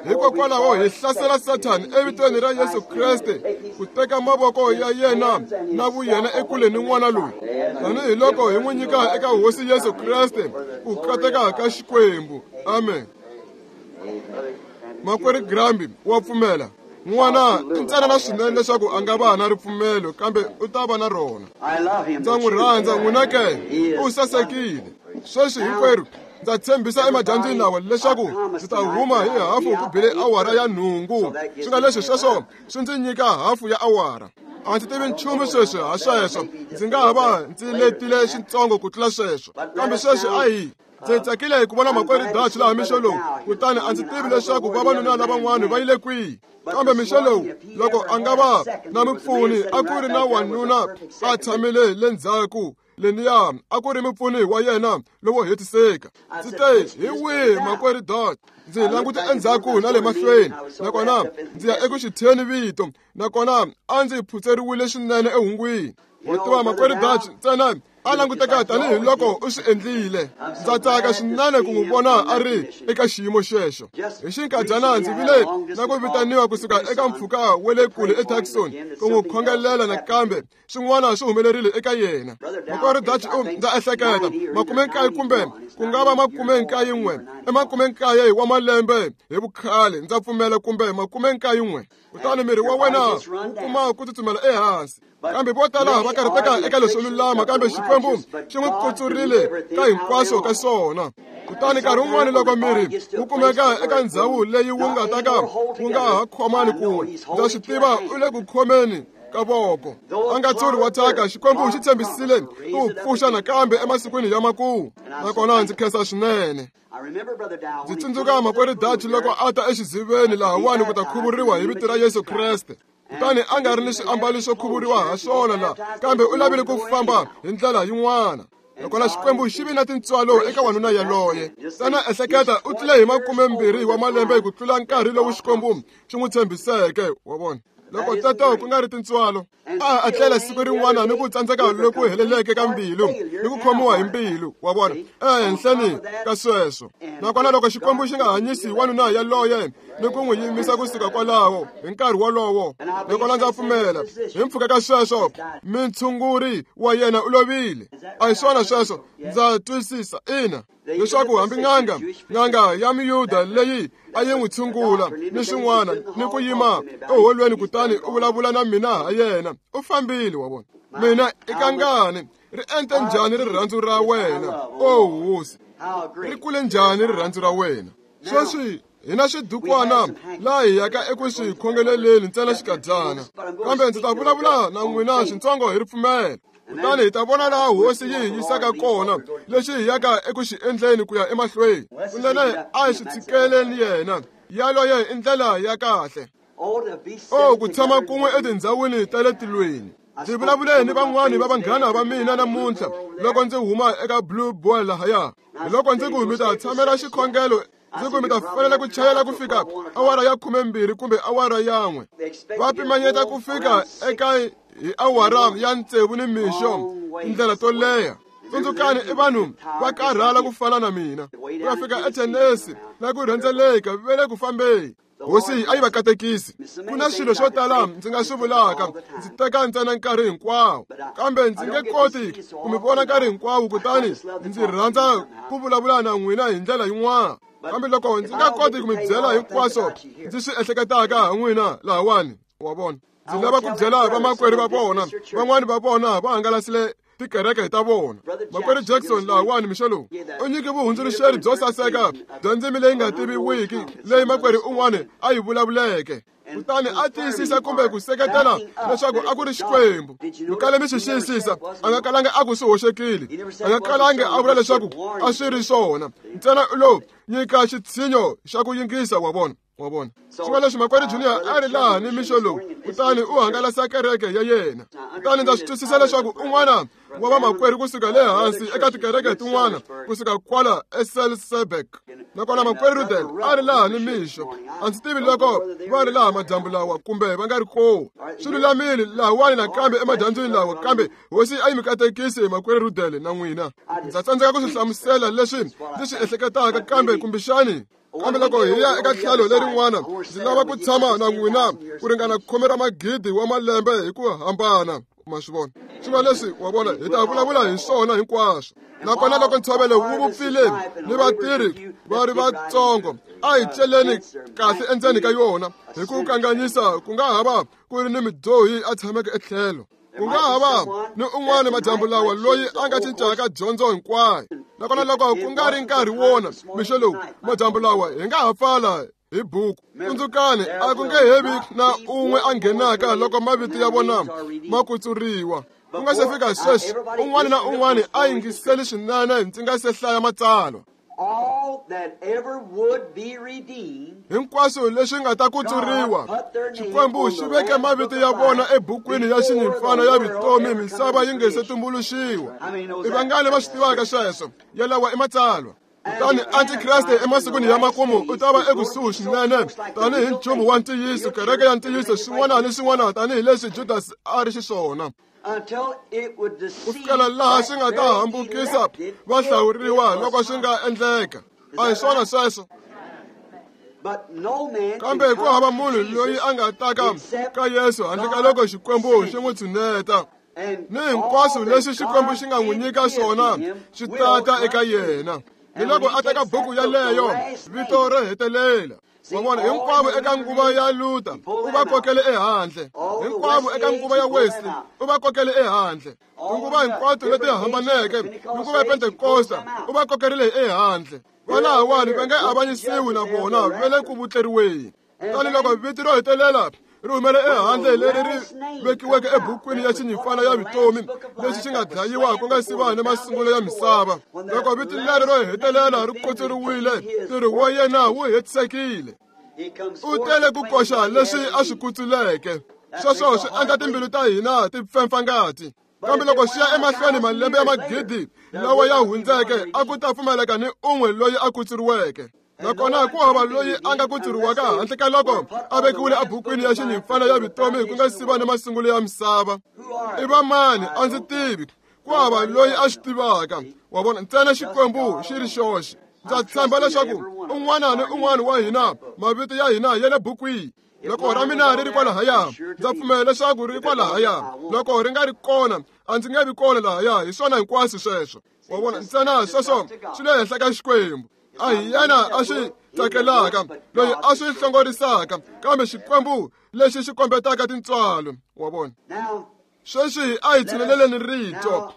[SPEAKER 1] Hikokwalaho hi hlasela Sathani evitweni ra Yesu Kreste ku teka mavoko ya yena na vuyena ekule ni n'wana loyi, tanihiloko hi n'wi nyika eka Hosi Yesu Kreste ku kateka ka Xikwembu. Amen. Makwerhu Gramby wa pfumela. N'wana i ntsanana swinene leswaku a nga va na ripfumelo, kambe u ta va na rona. Ndza n'wi rhandza n'wina ke, u sasekile. Sweswi hinkwerhu ndza tshembisa emadyambyini lawa leswaku ndzi ta huma hi hafu ku bile awara ya nhungu. Swi nga leswi sweswo swi ndzi nyika hafu ya awara. A ndzi tivi nchumu sweswi ha sweswo. Ndzi nga ha va ndzi letile xitsongo ku tlula sweswo. Kambe sweswi a hi ndzi tsakile ku vona makwerhu Dutch laha mixo lowu, kutani a ndzi tivi leswaku vavanuna lavan'wana va yile kwihi. Kambe mixo lowu, loko a nga va na mupfuni, a ku ri na wanuna a tshamile le ndzhaku leniya, a ku ri mupfuni wa yena lowo hetiseka. Ndzi te, hi wihi makwerhu Dutch? Ndzi langute endzhaku na le mahlweni, nakona ndzi ya eku xitheni vito, nakona a ndzi phutseriwile swinene ehungwini. Wa tiva makwerhu Dutch ntsena a languteka tanihiloko u swi endlile. Ndza tsaka swinene ku n'wi vona a ri eka xiyimo xexo. Hi xinkadyana ndzi vile na ku vitaniwa kusuka eka mpfhuka wa le kule eTucson ku n'wi khongelela nakambe swin'wana swi humelerile eka yena. Makwerhu Dutch u ndza ehleketa makume nkaye kumbe ku nga va makume nkaye n'we i makume nkaye wa malembe hi vukhale, ndza pfumela, kumbe makume nkaye n'we. Kutani miri wa wena wu kuma ku tsutsumela ehansi. Kambe vo tala va karhateka eka leswo lulama, kambe Xikwembu xi n'wi kutsurile ka hinkwaswo ka swona. Kutani nkarhi wun'wani loko miri wu kumeka eka ndhawu leyi wu nga ta ka wu nga ha khomani kun'we, ndza swi tiva u le ku khomeni ka voko. A nga tsuri wa thyaka, Xikwembu xi tshembisile ku wu pfuxa nakambe emasikwini ya makumu. Nakona ndzi khensa swinene. Ndzi tsundzuka makwerhu Dutch loko a ta exiziveni lahawani ku ta khuvuriwa hi vito ra Yesu Kreste. Kutani a nga ri ni swiambalo swo khuvuriwa ha swona la, kambe u lavile ku famba hi ndlela yin'wana. Nakona Xikwembu xi vi na tintswalo eka wanuna yaloye. Ntsena ehleketa, u tlule hi makumembirhi wa malembe ku tlula nkarhi lowu Xikwembu xi n'wi tshembiseke, wa vona. Loko teto ku nga ri tintswalo, a a tlela siku rin'wana ni ku tsandzeka loku heleleke ka mbilu ni ku khomiwa hi mbilu, wa vona, ehenhleni ka sweswo. Nakona loko Xikwembu xi nga hanyisi wanuna yaloye ni ku n'wi yimisa kusuka kwalaho hi nkarhi wolowo, nakona ndza pfumela hi mpfhuka ka sweswo mintshunguri wa yena u lovile. A hi swona sweswo, ndza twisisa, ina, leswaku hambi n'anga n'anga ya miyuda leyi a yi n'wi tshungula ni swin'wana ni ku yima eholweni kutani u vulavula na mina ha yena, u fambile, wa vona. Mina i kangani ri ente njhani rirhandzu ra wena, o hosi, ri kule njhani rirhandzu ra wena. Sweswi hi na swidukwana laha hi yaka eku swi khongeleleni ntsena xikadyana, kambe ndzi ta vulavula na n'wina swintsongo hi ripfumelo. Kutani hi ta vona laha hosi yi hi yisaka kona, lexi hi yaka eku xi endleni ku ya emahlweni. Kunene a hi swi tshikeleni yena, yaloye i ndlela ya kahle. O ku tshama kun'we etindhawini ta le tilweni. Ndzi vulavule ni van'wani va vanghana va mina namuntlha loko ndzi huma eka Blue Boy lahaya. Hi loko ndzi ku mi ta tshamela xikhongelo, ndzi ku mi ta fanele ku chayela ku fika awara ya khumembirhi kumbe awara yan'we. Va pimanyeta ku fika eka hi awara ya tsevu ni mixo, tindlela to leha. Tsundzukani, i vanhu va karhala ku fana na mina. Ku ya fika eTennessee na ku rhendzeleka ve le ku fambeni. Hosi a yi va katekisi. Ku na swilo swo tala ndzi nga swi vulaka, ndzi teka ntsena nkarhi hinkwawo, kambe ndzi nge koti ku mi vona nkarhi hinkwawo, kutani ndzi rhandza ku vulavula na n'wina hi ndlela yin'wana. Kambe loko ndzi nga koti ku mi byela hinkwaswo ndzi swi ehleketaka ha n'wina lahawani, wa vona. Ndzi lava ku byela vamakwerhu va vona, van'wani va vona va hangalasile tikereke ta vona. Makwerhu Jackson lahawani mixo lowu u nyike vuhundzuluxeri byo saseka bya ndzimi leyi nga tiviwiki leyi makwerhu un'wana a yi vulavuleke, kutani a tiyisisa kumbe ku seketela leswaku a ku ri Xikwembu. Mi kale mi swi xiyisisa, a nga kalanga a ku swi hoxekile, a nga kalangi a vula leswaku a swi ri swona, ntsena u lo nyika xitshinyo xa ku yingisa, wa vona, wa vona. Swi nga leswi makwerhu Junior a ri laha ni mixo lowu, kutani u hangalasa kereke ya yena. Kutani ndza swi twisisa leswaku un'wana wa vamakwerhu kusuka le hansi eka tikereke tin'wana kusuka kwala eSelseberg, nakona makwerhu Rudel a ri laha ni mixo. A ndzi tivi loko va ri laha madyambu lawa kumbe va nga ri kona. Swi lulamile lahawani nakambe emadyambyini lawa, kambe hosi a yi mi katekisi makwerhu Rudel na n'wina. Ndza tsandzeka ku swi hlamusela leswi ndzi swi ehleketaka, kambe kumbexani kambe loko hi ya eka tlhelo lerin'wana, ndzi lava ku tshama na n'wina ku ringana khume ra magidi wa malembe hi ku hambana, ma swi vona. Swi nga leswi, wa vona, hi ta vulavula hi swona hinkwaswo. Nakona loko ntshovelo wu vupfile ni vatirhi va ri vatsongo, a hi celeni kahle endzeni ka yona hi ku kanganyisa. Ku nga ha va ku ri ni mudyohi a tshameke etlhelo, ku nga ha va ni un'wana madyambu lawa loyi a nga cincaka dyondzo hinkwayo. Nakona loko ku nga ri nkarhi wona mixo lowu, madyambu lawa hi nga ha pfala hi buku. Tsundzukani, a ku nge he vi na un'we a nghenaka loko mavito ya vona ma kutsuriwa. Ku nga se fika sweswi, un'wana na un'wana a yingiseli swinene ndzi nga se hlaya matsalwa. Hinkwaswo leswi nga ta kutsuriwa, Xikwembu xi veke mavito ya vona ebukwini ya xinyimpfana ya vutomi misava yi nge se tumbuluxiwa. I vangani va swi tivaka sweswo? Yalawa i matsalwa. Kutani antikreste emasikwini ya makumu u ta va ekusuhi swinene tanihi nchumu wa ntiyiso, kereke ya ntiyiso, swin'wana ni swin'wana tanihileswi Judasi a ri xiswona. Ku fikela laha swi nga ta hambukisa vahlawuriwa loko swi nga endleka. A hi swona sweswo. Kambe ku hava munhu loyi a nga taka ka Yesu handle ka loko Xikwembu xi n'wi tshuneta. Ni hinkwaswo leswi Xikwembu xi nga n'wi nyika swona swi tata eka yena. Ni loko a teka buku yaleyo, vito ro hetelela. Wa vona, hinkwavo eka nguva ya Luther u va kokele ehandle. Hinkwavo eka nguva ya Wesley u va kokele ehandle. Tinguva hinkwato leti hambaneke, nguva ya Pentekosta u va kokerile ehandle. Valahawani va nge avanyisiwi na vona va le ku vutleriweni. Kutani loko vito ro hetelela ri humele ehandle leri ri vekiweke ebukwini ya xinyimpfana ya vutomi lexi xi nga dlayiwa ku nga si va ni masungulo ya misava, loko vito leri ro hetelela ri kutsuriwile, ntirho wa yena wu hetisekile. U tele ku koxa leswi a swi kutsuleke. Sweswo swi endla timbilu ta hina ti pfempfa ngati. Kambe loko swi ya emahlweni malembe ya magidi lawa ya hundzeke, a ku ta pfumaleka ni un'we loyi a kutsuriweke. Nakona ku hava loyi a nga kutsuriwaka handle ka loko a vekiwile ebukwini ya xinyimpfana ya vutomi ku nga si va ni masungulo ya misava. I va mani? A ndzi tivi. Ku hava loyi a swi tivaka. Wa vona, ntsena Xikwembu xi ri xoxe. Ndza tshemba leswaku un'wana ni un'wana wa hina mavito ya hina ya le bukwini. Loko ra mina ri ri kwalahaya, ndza pfumela leswaku ri kwalahaya. Loko ri nga ri kona, a ndzi nge vi kona lahaya. Hi swona hinkwaswo sweswo. Wa vona, ntsena sweswo swi le henhla ka Xikwembu. A hi yena a swi tsakelaka, loyi a swi hlongorisaka, kambe Xikwembu lexi xi kombetaka tintswalo. Wa vona, sweswi a hi tshineleleni rito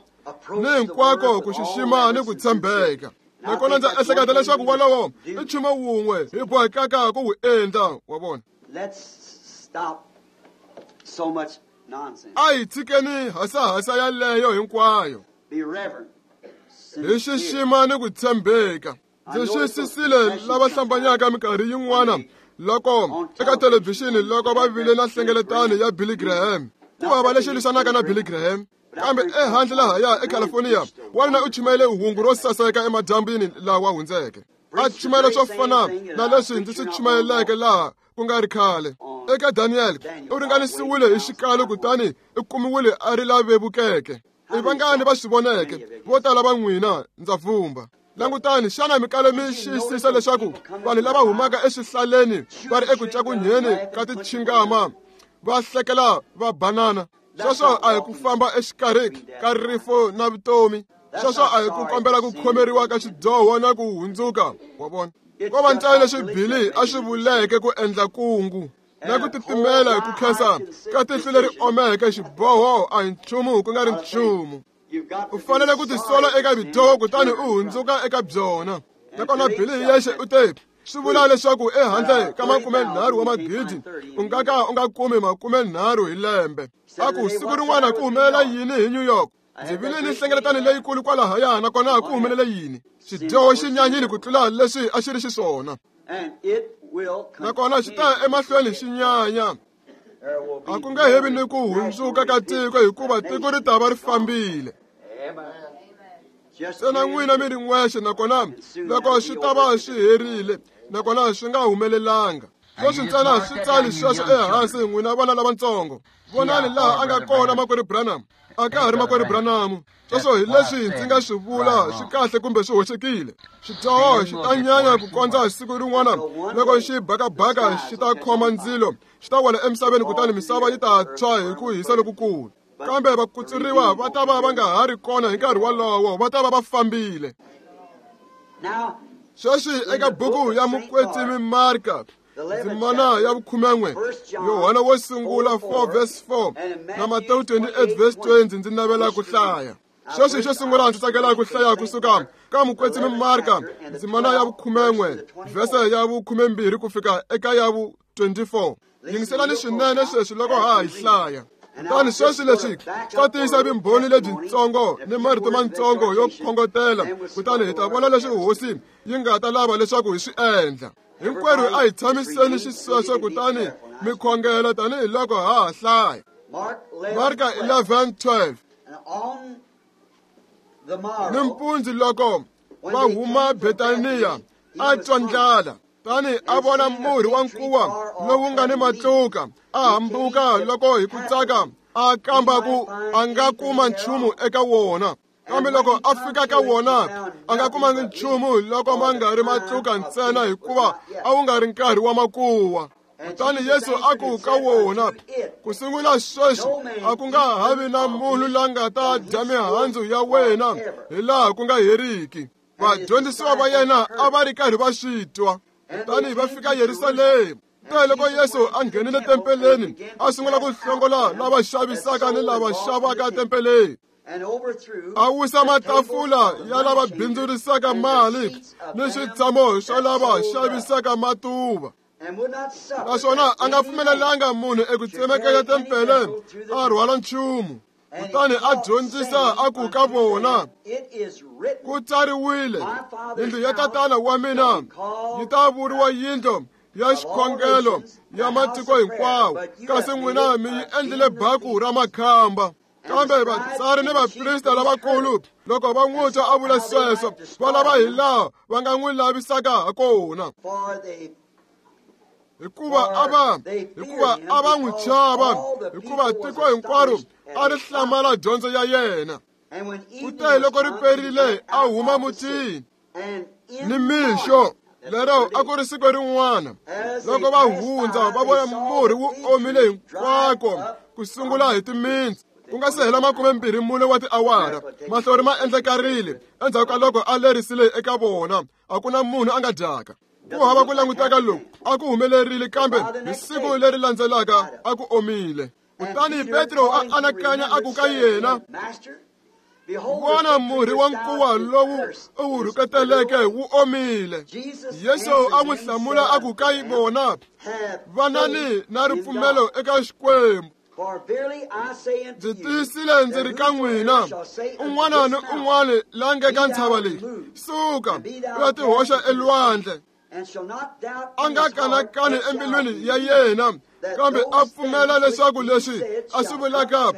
[SPEAKER 1] ni hinkwako ku xixima ni ku tshembeka. Nakona ndza ehleketa leswaku wolowo i nchumu wun'we hi bohekaka ku wu endla. Wa vona, a hi tshikeni hasahasa yaleyo hinkwayo, hi xixima ni ku tshembeka. Ndzi xiyisisile lava hlambanyaka minkarhi yin'wana loko eka thelevhixini loko va vile na nhlengeletano ya Billy Graham. Ku hava lexi lwisanaka na Billy Graham, kambe ehandle lahaya eCalifornia wanuna u chumayele hungu ro saseka emadyambini lawa hundzeke. A chumayela swo fana na leswi ndzi swi chumayeleke laha ku nga ri khale. Eka Daniel u ringanisiwile hi xikalo kutani u kumiwile a ri la vevukeke. I vangani va swi voneke? Vo tala va n'wina ndza vumba. Langutani, xana mikalo mi xiyisisa leswaku vanhu lava humaka eswihlaleni va ri eku cakunyeni ka tichingama va hlekela va banana? Sweswo a hi ku famba exikarhi ka rifu na vutomi. Sweswo a hi ku kombela ku khomeriwa ka xidyoho na ku hundzuka. Wa vona, ko va ntsena leswi Billy a swi vuleke ku endla kungu na ku titimela hi ku khensa ka tihlo leri omeke. Xiboho a hi nchumu ku nga ri nchumu. U fanele ku tisola eka vudyoho kutani u hundzuka eka byona. Nakona Billy hi yexe u te swi vula leswaku ehandle ka makumenharhu wa magidi u nga ka u nga kumi makumenharhu hi lembe. A ku siku rin'wana ku humelela yini hi New York? Ndzi vile ni nhlengeletano leyikulu kwalahaya, nakona ku humelele yini? Xidyoho xi nyanyile ku tlula leswi a xi ri xiswona, nakona xi ta ya emahlweni xi nyanya. A ku nge he vi ni ku hundzuka ka tiko hikuva tiko ri ta va ri fambile. Ntsena n'wina mi ri n'wexe, nakona loko swi ta va swi herile, nakona swi nga humelelanga. Sweswi ntsena swi tsali sweswo ehansi, n'wina vana lavatsongo. Vonani laha a nga kona makwerhu Branham. A ka ha ri makwerhu Branham. Sweswo hi leswi ndzi nga swi vula swi kahle kumbe swi hoxekile. Xidyoho xi ta nyanya ku kondza siku rin'wana loko xi bakabaka xi ta khoma ndzilo, xi ta wela emisaveni kutani misava yi ta tshwa hi ku hisa lokukulu. Kambe vakutsuriwa va ta va va nga ha ri kona hi nkarhi wolowo, va ta va va fambile. Sweswi eka buku ya Mukwetsimi Marka, ndzimana ya vukhumen'we, Yohana wo sungula four verse four na Matewu twenty-eight verse twenty, ndzi navela ku hlaya. Sweswi xo sungula ndzi tsakela ku hlaya kusuka ka Mukwetsimi Marka ndzimana ya vukhumen'we vhese ya vukhumembirhi ku fika eka ya vu twenty-four. Yingiselani swinene sweswi loko ha hi hlaya. Kutani sweswi leswi swa tiyisa vumbhoni lebyitsongo ni marito matsongo yo khongotela, kutani hi ta vona leswi hosi yi nga ta lava leswaku hi swi endla. Hinkwerhu a hi tshamiseni xisweswo kutani mi khongela tanihiloko ha ha hlaya. Marka eleven twelve. Nimpundzu loko va huma Betaniya a twa ndlala, tani a vona murhi wa nkuwa lowu nga ni matluka, a hambuka loko hi ku tsaka a kamba ku a nga kuma nchumu eka wona. Kambe loko a fika ka wona a nga kumangi nchumu loko ma nga ri matluka ntsena, hikuva a wu nga ri nkarhi wa makuwa. Kutani Yesu a ku ka wona, ku sungula sweswi a ku nga ha vi na munhu la nga ta dya mihandzu ya wena hi laha ku nga heriki. Vadyondzisiwa va yena a va ri karhi va swi twa. Kutani va fika Yerusalema. Kutani loko Yesu a nghenile tempeleni, a sungula ku hlongola lava xavisaka ni lava xavaka tempeleni. A wisa matafula ya lava bindzurisaka mali ni switshamo swa lava xavisaka matuva. Naswona a nga pfumelelanga munhu eku tsemekanya tempele a rhwala nchumu. Kutani a dyondzisa a ku ka vona, ku tsariwile, yindlu ya tatana wa mina yi ta vuriwa yindlu ya xikhongelo ya matiko hinkwawo, kasi n'wina mi yi endlile baku ra makhamba. Kambe vatsari ni vaprista lavakulu loko va n'wi twa a vula sweswo, va lava hi laha va nga n'wi lavisaka ha kona. Hikuva a va hikuva a va n'wi chava, hikuva tiko hinkwaro a ri hlamala dyondzo ya yena. Kute loko ri perile a huma mutini ni mixo lero a ku ri siku rin'wana, loko va hundza va vona murhi wu omile hinkwako ku sungula hi timintsu. Ku nga se hela makumembirhi mune wa tiawara, mahlori ma endlekarile endzhaku ka loko a lerisile eka vona, a ku na munhu a nga dyaka. Ku hava ku languteka loku a ku humelerile, kambe hi siku leri landzelaka a ku omile. Kutani Petro a anakanya a ku ka yena, vona murhi wa nkuwa lowu u wu rhuketeleke wu omile. Yesu a n'wi hlamula a ku ka vona, vanani na ripfumelo eka Xikwembu. Ndzi tiyisile ndzi ri ka n'wina, un'wana ni un'wana la nge ka ntshava leyi, suka u ya tihoxa elwandle, a nga kanakani embilwini ya yena, kambe a pfumela leswaku leswi a swi vulaka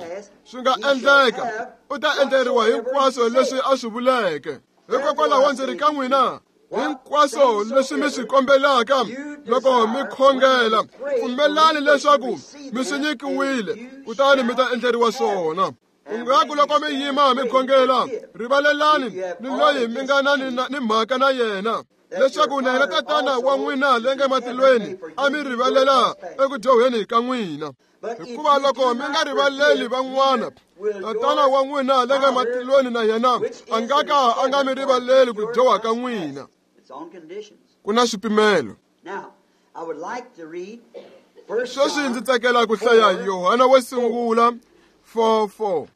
[SPEAKER 1] swi nga endleka, u ta endleriwa hinkwaswo leswi a swi vuleke. Hikokwalaho ndzi ri ka n'wina, hinkwaswo leswi mi swi kombelaka loko mi khongela, pfumelani leswaku mi swi nyikiwile, kutani mi ta endleriwa swona. Kungaku loko mi yima mi khongela, rivalelani ni loyi mi nga na ni mhaka na yena, leswaku na yena tatana wa n'wina le nge matilweni a mi rivalela eku dyoheni ka n'wina. Hikuva loko mi nga rivaleli van'wana, tatana wa n'wina le nge matilweni na yena a nga ka a nga mi rivaleli ku dyoha ka n'wina. Ku na swipimelo. Sweswi ndzi tsakela ku hlaya Yohana wo sungula four four.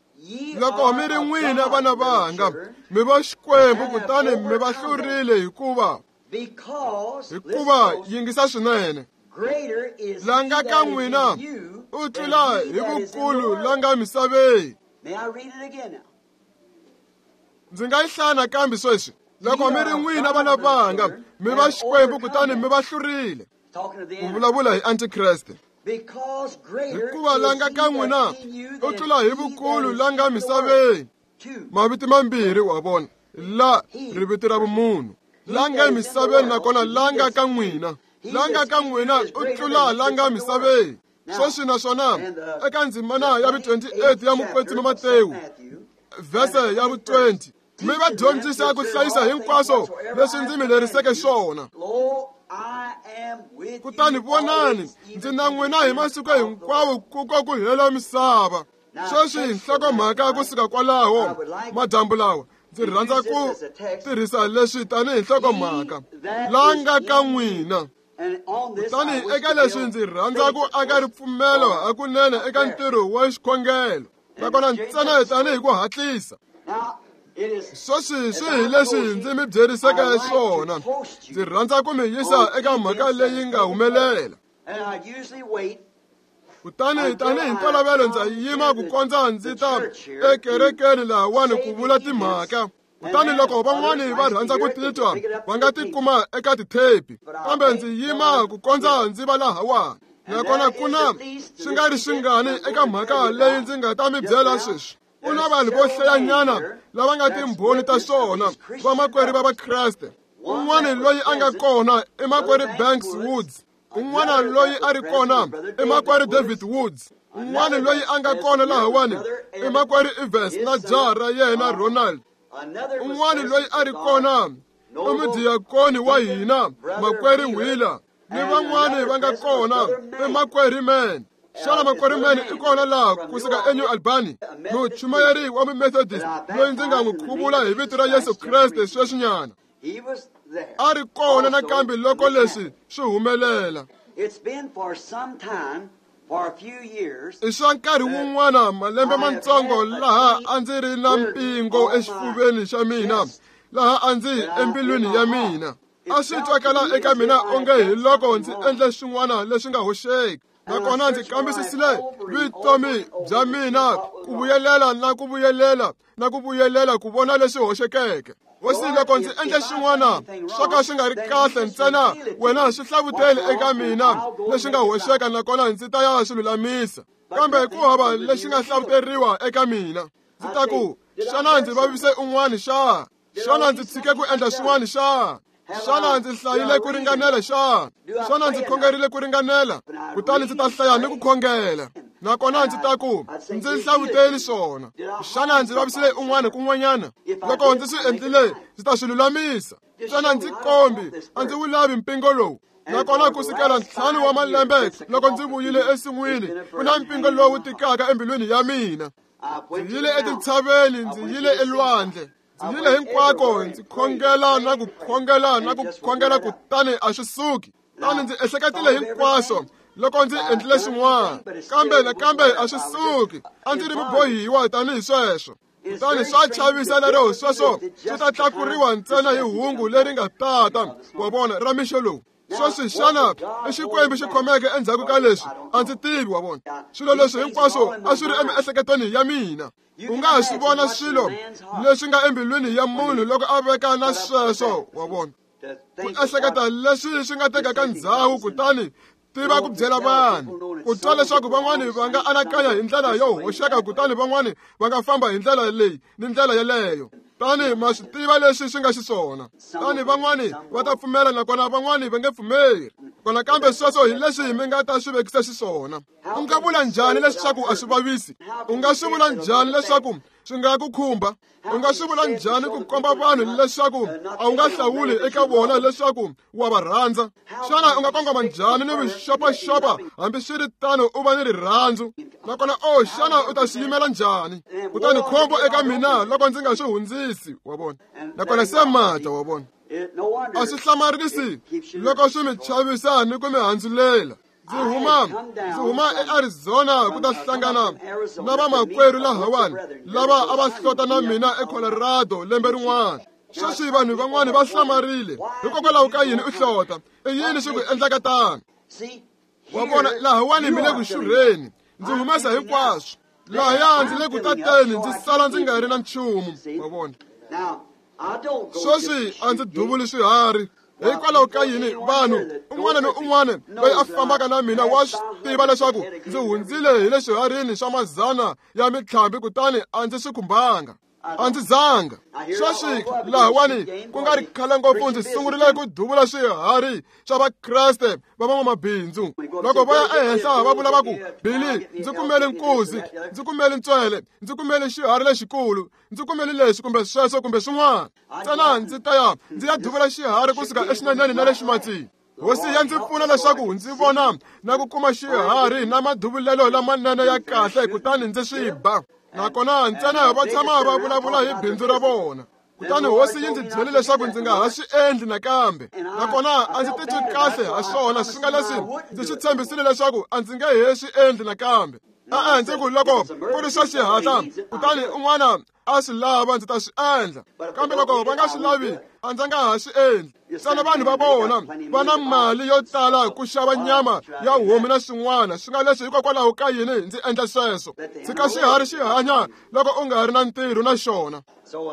[SPEAKER 1] Loko mi ri n'wina vana vanga, mi va Xikwembu kutani mi va hlurile, hikuva hikuva yingisa swinene, la nga ka n'wina u tlula hi vukulu la nga misaveni. Ndzi nga yi hlaya nakambe sweswi. Loko mi ri n'wina vana vanga, mi va Xikwembu kutani mi va hlurile. Ku vulavula hi Antikreste. Hikuva la nga ka n'wina u tlula hi vukulu la nga misaveni. Mavito mambirhi wa vona, la riviti ra vumunhu, la nga emisaveni nakona la nga ka n'wina. La nga ka n'wina u tlula la nga misaveni. Sweswi naswona eka ndzimana ya vu twenty-eight ya Mukwetsimi Matewu vhese ya vu twenty, mi va dyondzisa ku hlayisa hinkwaswo leswi ndzi mi leriseke swona. Kutani vonani, ndzi na n'wina hi masiku hinkwawo ku ko ku hela misava. Sweswi nhlokomhaka kusuka kwalaho madyambu lawa, ndzi rhandza ku tirhisa leswi tanihi nhlokomhaka, la nga ka n'wina. Kutani eka leswi ndzi rhandza ku aka ripfumelo hakunene eka ntirho wa xikhongelo, nakona ntsena tanihi ku hatlisa. Sweswi swi hi leswi ndzi mi byeriseke swona. Ndzi rhandza ku mi yisa eka mhaka leyi nga humelela. Kutani tanihi ntolovelo ndza yima ku kondza ndzi ta ekerekeni lahawani ku vula timhaka. Kutani loko van'wani va rhandza ku titwa va nga ti kuma eka tithepi, kambe ndzi yima ku kondza ndzi va lahawani. Nakona ku na swi nga ri swingani eka mhaka leyi ndzi nga ta mi byela sweswi. Ku na vanhu vo hlayanyana lava nga timbhoni ta swona, vamakwerhu va Vakreste. Un'wana loyi a nga kona i makwerhu Banks Woods. Un'wana loyi a ri kona i makwerhu David Woods. Un'wana loyi a nga kona lahawani i makwerhu Evans na jaha ra yena Ronald. Un'wana loyi a ri kona i mudiyakoni wa hina makwerhu Wheeler. Ni van'wani va nga kona i makwerhu Man. Xana makwerhu Man i kona laha kusuka eNew Albany, muchumayeri wa Mumethodist loyi ndzi nga n'wi khuvula hi vito ra Yesu Kreste sweswinyana. A ri kona nakambe loko leswi swi humelela. I swa nkarhi wun'wana malembe matsongo laha a ndzi ri na mpingo exifuveni xa mina, laha a ndzi embilwini ya mina. A swi twakala eka mina onge hi loko ndzi endle swin'wana leswi nga hoxeki. Nakona ndzi kambisisile vutomi bya mina ku vuyelela na ku vuyelela na ku vuyelela ku vona leswi hoxekeke. Hosi, loko ndzi endle swin'wana swo ka swi nga ri kahle ntsena wena swi hlavuteli eka mina leswi nga hoxeka, nakona ndzi ta ya swi lulamisa. Kambe ku hava lexi nga hlavuteriwa eka mina. Ndzi ta ku, xana ndzi vavise un'wana xa? Xana ndzi tshike ku endla swin'wana xa? Xana ndzi hlayile ku ringanela xa? Xana ndzi khongerile ku ringanela? Kutani ndzi ta hlaya ni ku khongela. Nakona ndzi ta ku, ndzi hlavuteli swona. Xana ndzi vavisile un'wana kun'wanyana? Loko ndzi swi endlile, ndzi ta swi lulamisa. Xana ndzi kombi, a ndzi wu lavi mpingo lowu. Nakona ku sukela ntlhanu wa malembe loko ndzi vuyile ensin'wini, ku na mpingo lowu tikaka embilwini ya mina. Ndzi yile etintshaveni, ndzi yile elwandle. Ndzi yile hinkwako, ndzi khongela na ku khongela na ku khongela, kutani a swi suki. Tani ndzi ehleketile hinkwaswo loko ndzi endlile swin'wana, kambe nakambe a swi suki. A ndzi ri mubohiwa tanihi sweswo. Kutani swa chavisa lero sweswo swi ta tlakuriwa ntsena hi hungu leri nga tata wa vona ra mixo lowu. Sweswi xana i Xikwembu xi khomeke endzhaku ka leswi? A ndzi tivi, wa vona. Swilo leswi hinkwaswo a swi ri emiehleketweni ya mina. U nga ha swi vona swilo leswi nga embilwini ya munhu loko a veka na sweswo, wa vona. Ku ehleketa leswi swi nga tekaka ndzhawu, kutani tiva ku byela vanhu. Ku twa leswaku van'wani va nga anakanya hi ndlela yo hoxeka, kutani van'wani va nga famba hi ndlela leyi ni ndlela yeleyo. Tani ma swi tiva leswi swi nga xiswona. Tani van'wani va ta pfumela, nakona van'wani va nge pfumeri. Kona kambe sweswo hi leswi mi nga ta swi vekisa xiswona. U nga vula njhani leswaku a swi vavisi? U nga swi vula njhani leswaku swi nga ku khumba? U nga swi vula njhani ku komba vanhu leswaku a wu nga hlawuli eka vona leswaku wa va rhandza? Xana u nga kongoma njhani ni vuxopaxopa hambi swi ri tano u va ni rirhandzu? Nakona o xana u ta swi yimela njhani? Kutani khombo eka mina loko ndzi nga swi hundzisi, wa vona. Nakona se mata, wa vona. A swi hlamarisi loko swi mi chavisa ni ku mi handzulela. Ndzi huma ndzi huma eArizona ku ta hlangana na vamakwerhu lahawani lava a va hlota na mina eColorado lembe rin'wana. Sweswi vanhu van'wani va hlamarile, hikokwalaho ka yini u hlota? I yini swi ku endlaka tano? Wa vona, lahawani mi le ku xurheni. Ndzi humesa hinkwaswo. Lahaya ndzi le ku tateni, ndzi sala ndzi nga ri na nchumu, wa vona. Sweswi a ndzi duvuli swiharhi. Hikwalaho ka yini vanhu un'wana ni un'wana loyi a fambaka na mina wa swi tiva leswaku ndzi hundzile hi le swiharhini swa mazana ya mintlhambi, kutani a ndzi swi khumbanga, a ndzi zanga. Sweswi lahawani ku nga ri khale ngopfu ndzi sungurile ku duvula swiharhi swa Vakreste va van'wamabindzu. Loko va ya ehenhla va vula va ku, Billy, ndzi kumele nkuzi, ndzi kumele ntswele, ndzi kumele xiharhi lexikulu, ndzi kumele leswi kumbe sweswo kumbe swin'wana. Ntsena ndzi ta ya ndzi ya duvula xiharhi kusuka exineneni na le ximatsini. Hosi ya ndzi pfuna leswaku ndzi vona na ku kuma xiharhi na maduvulelo lamanene ya kahle, kutani ndzi swi ba. Nakona ntsena va tshama va vulavula hi bindzu ra vona. Kutani hosi yi ndzi byele leswaku ndzi nga ha swi endli nakambe. Nakona a ndzi titwi kahle ha swona, swi nga leswi ndzi swi tshembisile leswaku a ndzi nge he swi endli nakambe. E-e, ndzi ku loko ku ri swa xihatla kutani un'wana a swi lava ndzi ta swi endla, kambe loko va nga swi lavi a ndzi nga ha swi endli. Ntsena vanhu va vona va na mali yo tala ku xava nyama ya homu na swin'wana, swi nga leswi hikokwalaho ka yini ndzi endla sweswo. Tshika xiharhi xi hanya loko u nga ri na ntirho na xona.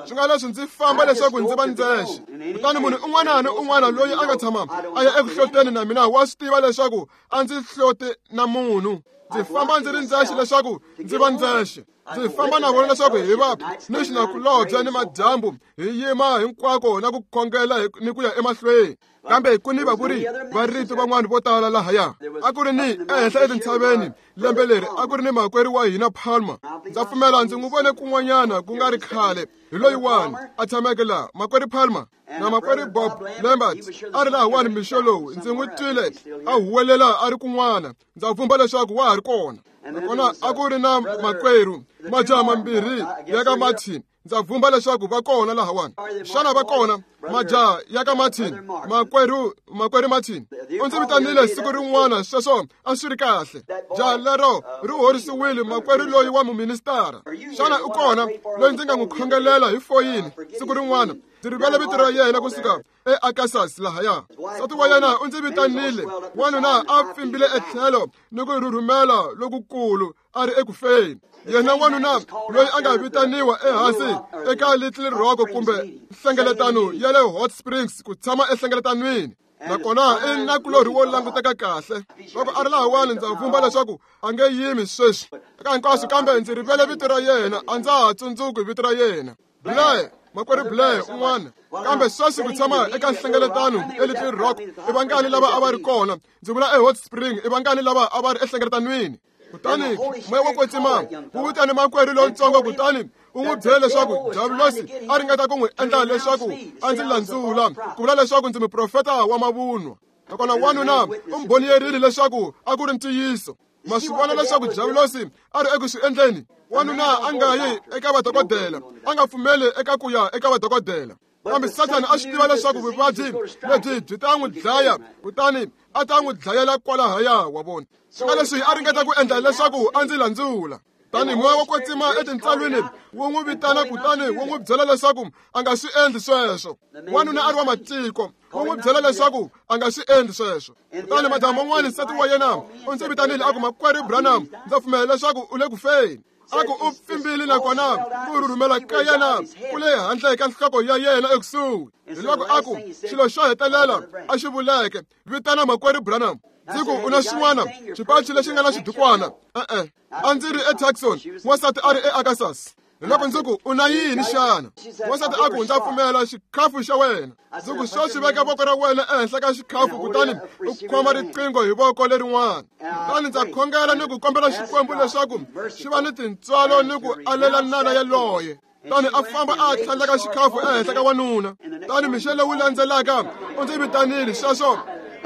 [SPEAKER 1] Swi nga leswi ndzi famba leswaku ndzi va ndzexe. Kutani munhu un'wana ni un'wana loyi a nga tshama a ya eku hloteni na mina wa swi tiva leswaku a ndzi hloti na munhu. Ndzi famba ndzi ri ndzexe leswaku ndzi va ndzexe. Ndzi famba na vona leswaku hi va ni xinakulobye ni madyambu, hi yima hinkwako na ku khongela ni ku ya emahlweni. Kambe ku ni vavuri va rito van'wana vo tala lahaya. A ku ri ni ehenhla etintshaveni lembe leri a ku ri ni makwerhu wa hina Palmer. Ndza pfumela ndzi n'wi vone kun'wanyana ku nga ri khale, hi loyiwani a tshameke laha, makwerhu Palmer na makwerhu Bob Lambert a ri lahawani mixo lowu. Ndzi n'wi twile a huwelela a ri kun'wana, ndza pfumba leswaku wa ha ri kona. Nakona a ku ri na makwerhu majaha mambirhi ya ka Martin, ndza pfumba leswaku va kona lahawani. Xana va kona majaha ya ka Martin? Makwerhu makwerhu Martin u ndzi vitanile siku rin'wana, sweswo a swi ri kahle. Jaha lero ri horisiwile, makwerhu loyi wa muministara. Xana u kona loyi ndzi nga n'wi khongelela hi foyini siku rin'wana? Ndzi rivele vito ra yena kusuka eArkansas lahaya. Nsati wa yena u ndzi vitanile, wanuna a pfimbile etlhelo ni ku rhurhumela lokukulu a ri ekufeni. Yena wanuna loyi a nga vitaniwa ehansi eka Little Rock kumbe nhlengeletano ya le Hot Springs ku tshama enhlengeletanweni, nakona i nakulorhi wo languteka kahle. Loko a ri lahawani ndza vumba leswaku a nge yimi sweswi eka hinkwaswo, kambe ndzi rivele vito ra yena, a ndza ha tsundzuki vito ra yena. Blair, makwerhu Blair un'wana. Kambe sweswi ku tshama eka nhlengeletano eLittle Rock i vangani lava a va ri kona? Ndzi vula eHot Spring, i vangani lava a va ri enhlengeletanweni? Kutani moya wo kwetsima wu vitane makwerhu lontsongo, kutani u n'wi byele leswaku diabulosi a ringeta ku n'wi endla leswaku a ndzi landzula, ku vula leswaku ndzi muprofeta wa mavunwa. Nakona wanuna u mbhoniyerile leswaku a ku ri ntiyiso. Ma swi vona leswaku diabulosi a ri eku swi endleni. Wanuna a nga yi eka vadokodela, a nga pfumeli eka ku ya eka vadokodela. Kambe Sathana a swi tiva leswaku vuvabyi lebyi byi ta n'wi dlaya, kutani a ta n'wi dlayela kwalahaya, wa vona. Swi nga leswi a ringeta ku endla leswaku a ndzi landzula. Tani moya wo kwetsima etintsalwini wu n'wi vitana, kutani wu n'wi byela leswaku a nga swi endli sweswo. Wanuna a ri wa matiko, wu n'wi byela leswaku a nga swi endli sweswo. Kutani madyambu man'wana nsati wa yena u ndzi vitanile a ku, makwerhu Branham, ndza pfumela leswaku u le ku feni. A ku u pfimbile, nakona ku rhurhumela ka yena ku le handle ka nhloko ya yena ekusuhi. Hi loko a ku xilo xo hetelela a xi vuleke, vitana makwerhu Branham. Ndzi ku u na xin'wana xipachi lexi nga na xidukwana? E-e, a ndzi ri eTucson, wansati a ri eArkansas. Hi loko ndzi ku u na yini xana? Wansati a ku ndza pfumela xikhafu xa wena. Ndzi ku sweswi veka voko ra wena ehenhla ka xikhafu, kutani u khoma riqingho hi voko lerin'wana. Kutani ndza khongela ni ku kombela Xikwembu leswaku xi va ni tintswalo ni ku alela nala yaloye. Kutani a famba a tlhandleka xikhafu ehenhla ka wanuna. Kutani mixo lowu landzelaka u ndzi vitanile, sweswo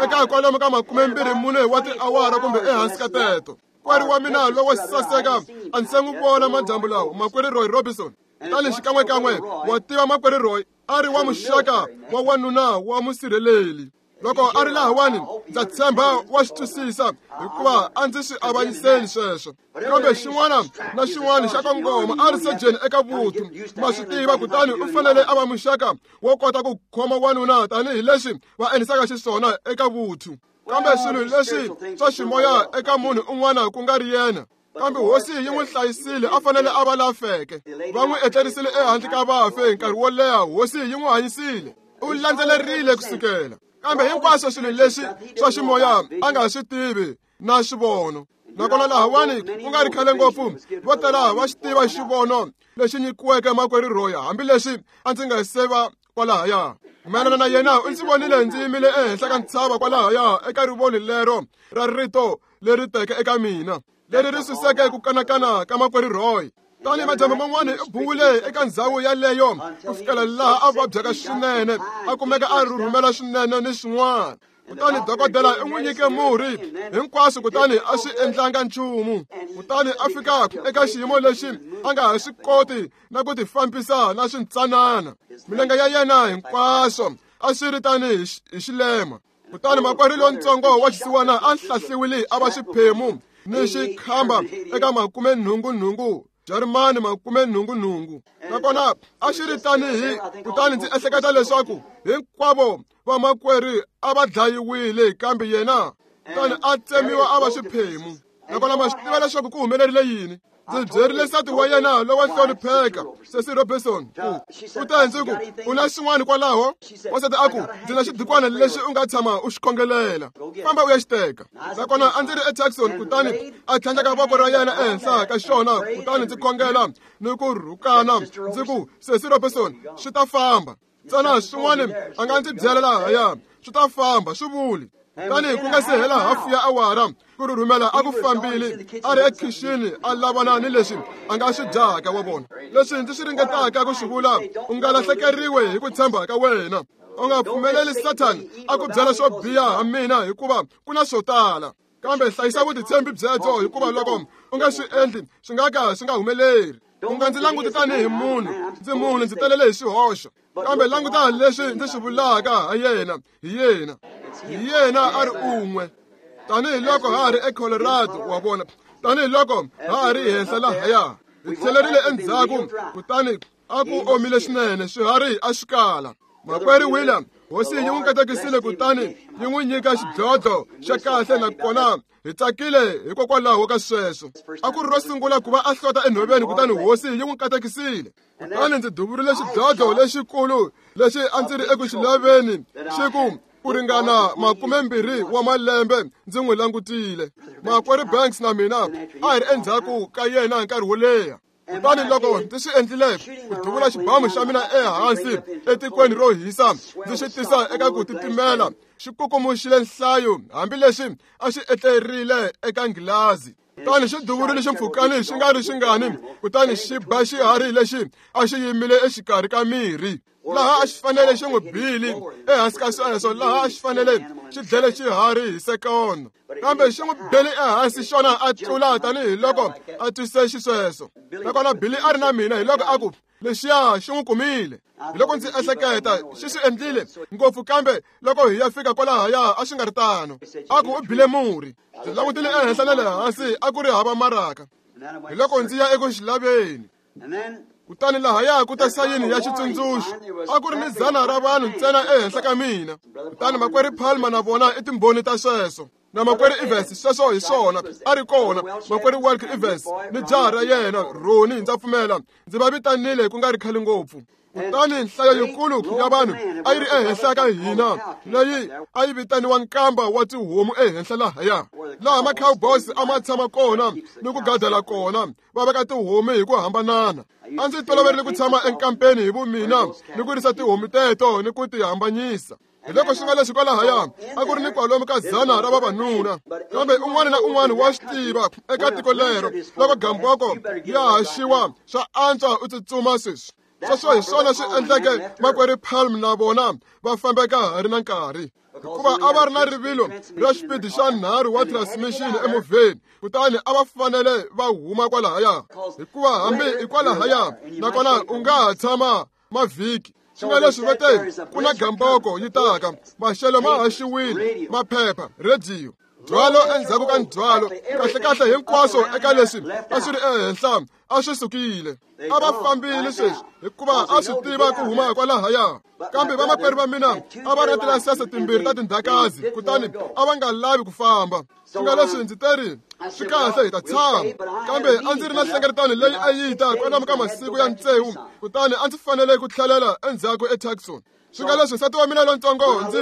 [SPEAKER 1] eka kwalomu ka makumembirhi mune wa tiawara kumbe ehansi ka teto. Makwerhu wa mina lowo saseka a ndzi se n'wi vona madyambu lawa, makwerhu Roy Robinson. Kutani xikan'wekan'we wa tiva makwerhu Roy a ri wa muxaka wa wanuna wa musirheleli. Loko a ri lahawani ndza tshemba wa swi twisisa, hikuva a ndzi swi avanyiseli sweswo. Kambe xin'wana na xin'wana xa kongoma a ri sejeni eka vuthu, ma swi tiva, kutani u fanele a va muxaka wo kota ku khoma wanuna tanihileswi va endlisaka xiswona eka vuthu. Kambe swilo leswi swa ximoya eka munhu un'wana ku nga ri yena. Kambe hosi yi n'wi hlayisile, a fanele a va la feke. Va n'wi etlerisile ehandle ka vafi nkarhi wo leha, hosi yi n'wi hanyisile. U landzelerile kusukela. Kambe hinkwaswo swilo leswi swa ximoya a nga swi tivi na xivono. Nakona lahawani ku nga ri khale ngopfu, vo tala va xi tiva xivono lexi nyikiweke makwerhu Roy, hambileswi a ndzi nga se va kwalahaya. Mayelana na yena u ndzi vonile ndzi yimile ehenhla ka ntshava kwalahaya eka rivoni lero ra rito leri teke eka mina, leri ri suseke ku kanakana ka makwerhu Roy. Tani madyambu man'wana u buwile eka ndzhawu yaleyo ku fikela laha a vabyaka swinene, a kumeka a rhurhumela swinene ni swin'wana. Kutani dokodela u n'wi nyike murhi hinkwaswo, kutani a swi endlanga nchumu. Kutani a fika eka xiyimo lexi a nga ha swi koti na ku tifambisa na swintsanana. Milenge ya yena hinkwaswo a swi ri tani hi xilema. Kutani makwerhu lontsongo wa xisiwana a hlahliwile a va xiphemu ni xikhamba eka makume nhungu nhungu Jarimani makume nhungu nhungu nakona a xi ri tanihi kutani ndzi ehleketa leswaku hinkwavo vamakwerhu a va dlayiwile kambe yena kutani a tsemiwa a va xiphemu nakona ma swi tiva leswaku ku humelerile yini ndzi byerile nsati wa yena lowa hlonipheka Sesi Robertson ku u te ndzi ku u na xin'wana kwalaho wansati a ku ndzi na xidikwana lexi u nga tshama u xi khongelela famba u ya xi teka nakona a ndzi ri eTucson kutani a tlhandleka voko ra yena ehenhla ka xona kutani ndzi khongela ni ku rhukana ndzi ku Sesi Robertson swi ta famba ntsena swin'wana a nga ndzi byela lahaya swi ta famba swi vuli kutani ku nga se hela hafu ya awara ku rhurhumela a ku fambile a ri ekhixini a lavana ni leswi a nga swi dyaka wa vona leswi ndzi swi ringetaka ku swi vula u nga lahlekeriwe hi ku tshemba ka wena u nga pfumeleli Sathani a ku byela swo biha ha mina hikuva ku na swo tala kambe hlayisa vutitshembi byebyo hikuva loko u nga swi endli swi nga ka swi nga humeleri u nga ndzi languti tanihi munhu ndzi munhu ndzi telele hi swihoxo kambe languta leswi ndzi swi vulaka ha yena hi yena hi yena a ri un'we tanihiloko ha ha ri eColorado wa vona tanihiloko ha ha ri henhla lahaya hi tlhelerile endzhaku kutani a ku omile swinene swiharhi a swi kala makwerhu William hosi yi n'wi katekisile kutani yi n'wi nyika xidlodlo xa kahle nakona hi tsakile hikokwalaho ka sweswo a ku ri ro sungula ku va a hlota enhoveni kutani hosi yi n'wi katekisile kutani ndzi duvurile xidlodlo lexikulu lexi a ndzi ri eku xi laveni xi ku ku ringana makumembirhi wa malembe ndzi n'wi langutile makwerhu Banks na mina a hi ri endzhaku ka yena nkarhi wo leha kutani loko ndzi swi endlile ku duvula xibamu xa mina ehansi etikweni ro hisa ndzi xi tisa eka ku titimela xi kukumuxile nhlayo hambileswi a xi etlerile eka nghilazi kutani xi duvurile ximpfhukani xi nga ri xingani kutani xi ba xiharhi lexi a xi yimile exikarhi ka mirhi laha a xi fanele xi n'wi bile ehansi ka sweswo laha a xi fanele xi dlele xiharhi hi sekondo kambe xi n'wi bele ehansi xona a tlula tanihiloko a twise xisweswo nakona Billy a ri na mina hiloko a ku lexiya xi n'wi kumile hiloko ndzi ehleketa xi swi endlile ngopfu kambe loko hi ya fika kwalahaya a swi nga ri tano a ku u bile murhi ndzi langutile ehenhla na le hansi a ku ri hava maraka hiloko ndzi ya eku xi laveni kutani lahaya ku ta sayini ya xitsundzuxo a ku ri ni dzana ra vanhu ntsena ehenhla ka mina kutani makwerhu Palmer na vona i timbhoni ta sweswo na makwerhu Evans sweswo hi swona a ri kona makwerhu Walker Evans ni jaha ra yena Roni ndza pfumela ndzi va vitanile ku nga ri khale ngopfu kutani nhlayo yikulu ya vanhu a yi ri ehenhla ka hina leyi a yi vitaniwa nkamba wa tihomu ehenhla lahaya laha ma-cowboys a ma tshama kona ni ku gadela kona va veka tihomu hi ku hambanana a ndzi toloverile ku tshama enkampeni hi vumina ni ku risa tihomu teto ni ku ti hambanyisa hiloko swi nga leswi kwalahaya a ku ri ni kwalomu ka dzana ra vavanuna kambe un'wana na un'wana wa swi tiva eka tiko lero loko gamboko ya haxiwa swa antswa u tsutsuma sweswi sweswo hi swona swi endleke makwerhu Palm na vona va fambeka ha ri na nkarhi hikuva a va ri na rivilo ra xipidi xa nharhu wa transmission emovheni kutani a va fanele va huma kwalahaya hikuva hambi i kwalahaya nakona u nga ha tshama mavhiki swi nga leswi va te ku na gamboko yi taka maxelo ma haxiwile maphepha rhediyo ndzhwalo endzhaku ka ndzhwalo kahlekahle hinkwaswo eka leswi a swi ri ehenhla a swi sukile a va fambile sweswi hikuva a swi tiva ku huma kwalahaya kambe vamakwerhu va mina a va ri na tilayisense timbirhi ta tindhakazi kutani a va nga lavi ku famba swi nga leswi ndzi teri swi kahle hi ta tshama kambe a ndzi ri na nhlengeletano leyi a yi ta kwalomu ka masiku ya tsevu kutani a ndzi fanele ku tlhelela endzhaku eTucson swi nga leswi nsati wa mina lontsongo ndzi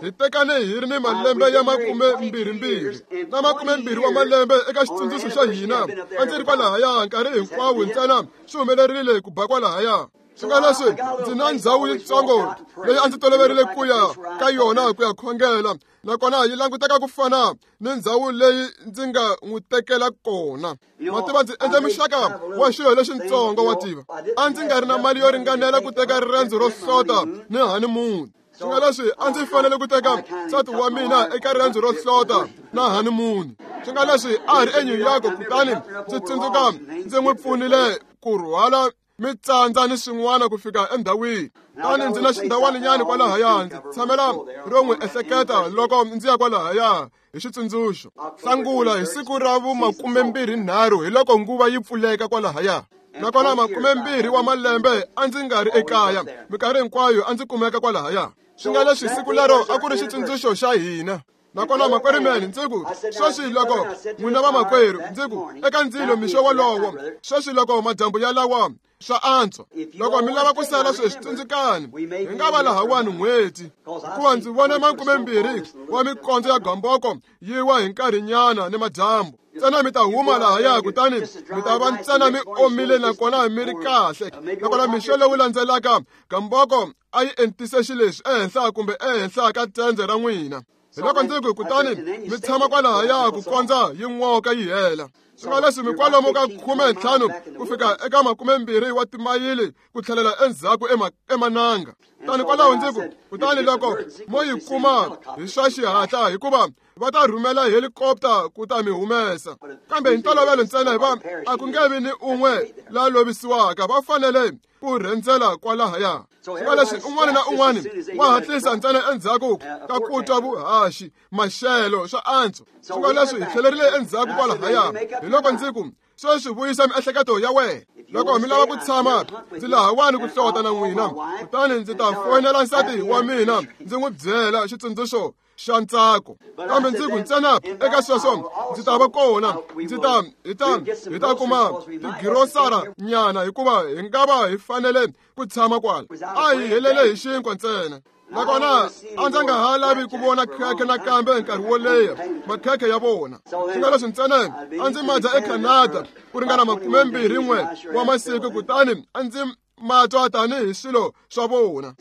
[SPEAKER 1] hi tekane hi ri ni malembe ya makumembirhimbirhi na makumembirhi wa malembe eka xitsundzuxo xa hina a ndzi ri kwalahaya nkarhi hinkwawo ntsena swi humelerile ku ba kwalahaya swi nga leswi ndzi na ndhawu yitsongo leyi a ndzi toloverile ku ya ka yona ku ya khongela nakona yi languteka ku fana ni ndhawu leyi ndzi nga n'wi tekela kona wa tiva ndzi endle muxaka wa xilo lexintsongo wa tiva a ndzi nga ri na mali yo ringanela ku teka rirendzo ro hlota ni honeymoon swi nga leswi a ndzi fanele ku teka nsati wa mina eka rirendzo ro hlota na honeymoon swi nga leswi a hi ri eNew York kutani ndzi tsundzuka ndzi n'wi pfunile ku rhwala mi tsandza ni swin'wana ku fika endhawini. Tani ndzi na xindhawaninyana kwalahaya, ndzi tshamela ro n'wi ehleketa loko ndzi ya kwalahaya hi xitsundzuxo. Hlangula hi siku ra vumakumembirhi-nharhu hi loko nguva yi pfuleka kwalahaya. Nakona makumembirhi wa malembe a ndzi nga ri ekaya, minkarhi hinkwayo a ndzi kumeka kwalahaya. Swi nga leswi siku lero a ku ri xitsundzuxo xa hina. Nakona makwerhu mene ndzi ku sweswi loko n'wina vamakwerhu ndzi ku eka ndzilo mixo wolowo, sweswi loko madyambu ya lawa swa antswa loko mi lava ku sala sweswi tsundzukani hi nga va lahawani n'hweti, hikuva ndzi vone makumembirhi wa mikondzo ya gamboko yi wa hi nkarhinyana ni madyambu. Ntsena mi ta huma lahaya kutani mi ta va ntsena mi omile nakona mi ri kahle. Nakona mixo lowu landzelaka gamboko a yi entise xileswi ehenhla kumbe ehenhla ka tende ra n'wina. Hi loko ndzi ku kutani mi tshama kwalahaya ku kondza yi n'oka yi hela. Swi nga leswi mi kwalomu ka khume ntlhanu ku fika eka makumembirhi wa timayili ku tlhelela endzhaku emananga. Tani kwalaho ndzi ku kutani loko mo yi kuma hi swa xihatla, hikuva va ta rhumela helikopta ku ta mi humesa. Kambe hi ntolovelo ntsena hi va a ku nge vi ni un'we la lovisiwaka, va fanele ku rhendzela kwalahaya. Swi nga leswi un'wana na un'wana wa hatlisa ntsena endzhaku ka ku twa vuhaxi maxelo swa antswa. Swi nga leswi hi tlhelerile endzhaku kwalahaya. Hi loko ndzi ku sweswi vuyisa miehleketo ya wena. Loko mi lava ku tshama ndzi lahawani ku hlota na n'wina, kutani ndzi ta foyinela nsati wa mina ndzi n'wi byela xitsundzuxo xa ntsako. Kambe ndzi ku ntsena eka sweswo ndzi ta va kona, ndzi ta hi ta hi ta kuma tigirosara nyana, hikuva hi nga va hi fanele ku tshama kwala. A hi helele hi xinkwa ntsena. Nakona a ndzi nga ha lavi ku vona khekhe nakambe nkarhi wo leha makhekhe ya vona. Swi nga leswi ntsena a ndzi ma dya eCanada ku ringana makumembirhi n'we wa masiku, kutani a ndzi ma twa tanihi swilo swa vona.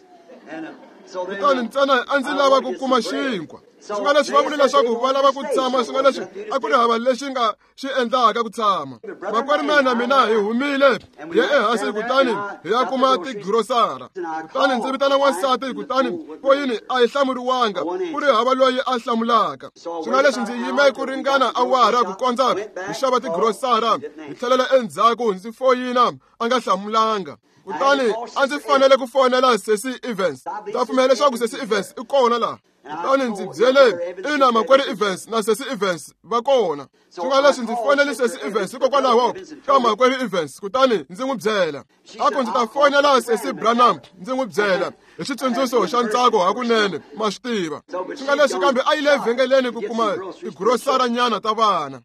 [SPEAKER 1] Kutani ntsena a ndzi lava ku kuma xinkwa. Swi nga leswi va vule leswaku va lava ku tshama, swi nga leswi a ku ri hava lexi nga xi endlaka ku tshama. Makwerhu na mina hi humile hi ya ehansi kutani hi ya kuma tigirosara. Kutani ndzi vitana wansati, kutani foyini a yi hlamuriwanga, ku ri hava loyi a hlamulaka. Swi nga leswi ndzi yime ku ringana awara ku kondza hi xava tigirosara, hi tlhelela endzhaku ndzi foyina a nga hlamulanga. Kutani a ndzi fanele ku fonela Sesi Evans. Ndza pfumela leswaku Sesi Evans i kona laha. Kutani ndzi byele ina makwerhu Evans na Sesi Evans va kona. Swi nga leswi ndzi fonele Sesi Evans hikokwalaho ka makwerhu Evans, kutani ndzi n'wi byela. A ku ndzi ta fonela Sesi Branham ndzi n'wi byela hi xitsundzuxo xa ntsako hakunene, ma swi tiva. Swi nga leswi kambe a yi le vhengeleni ku kuma tigirosara nyana ta vana.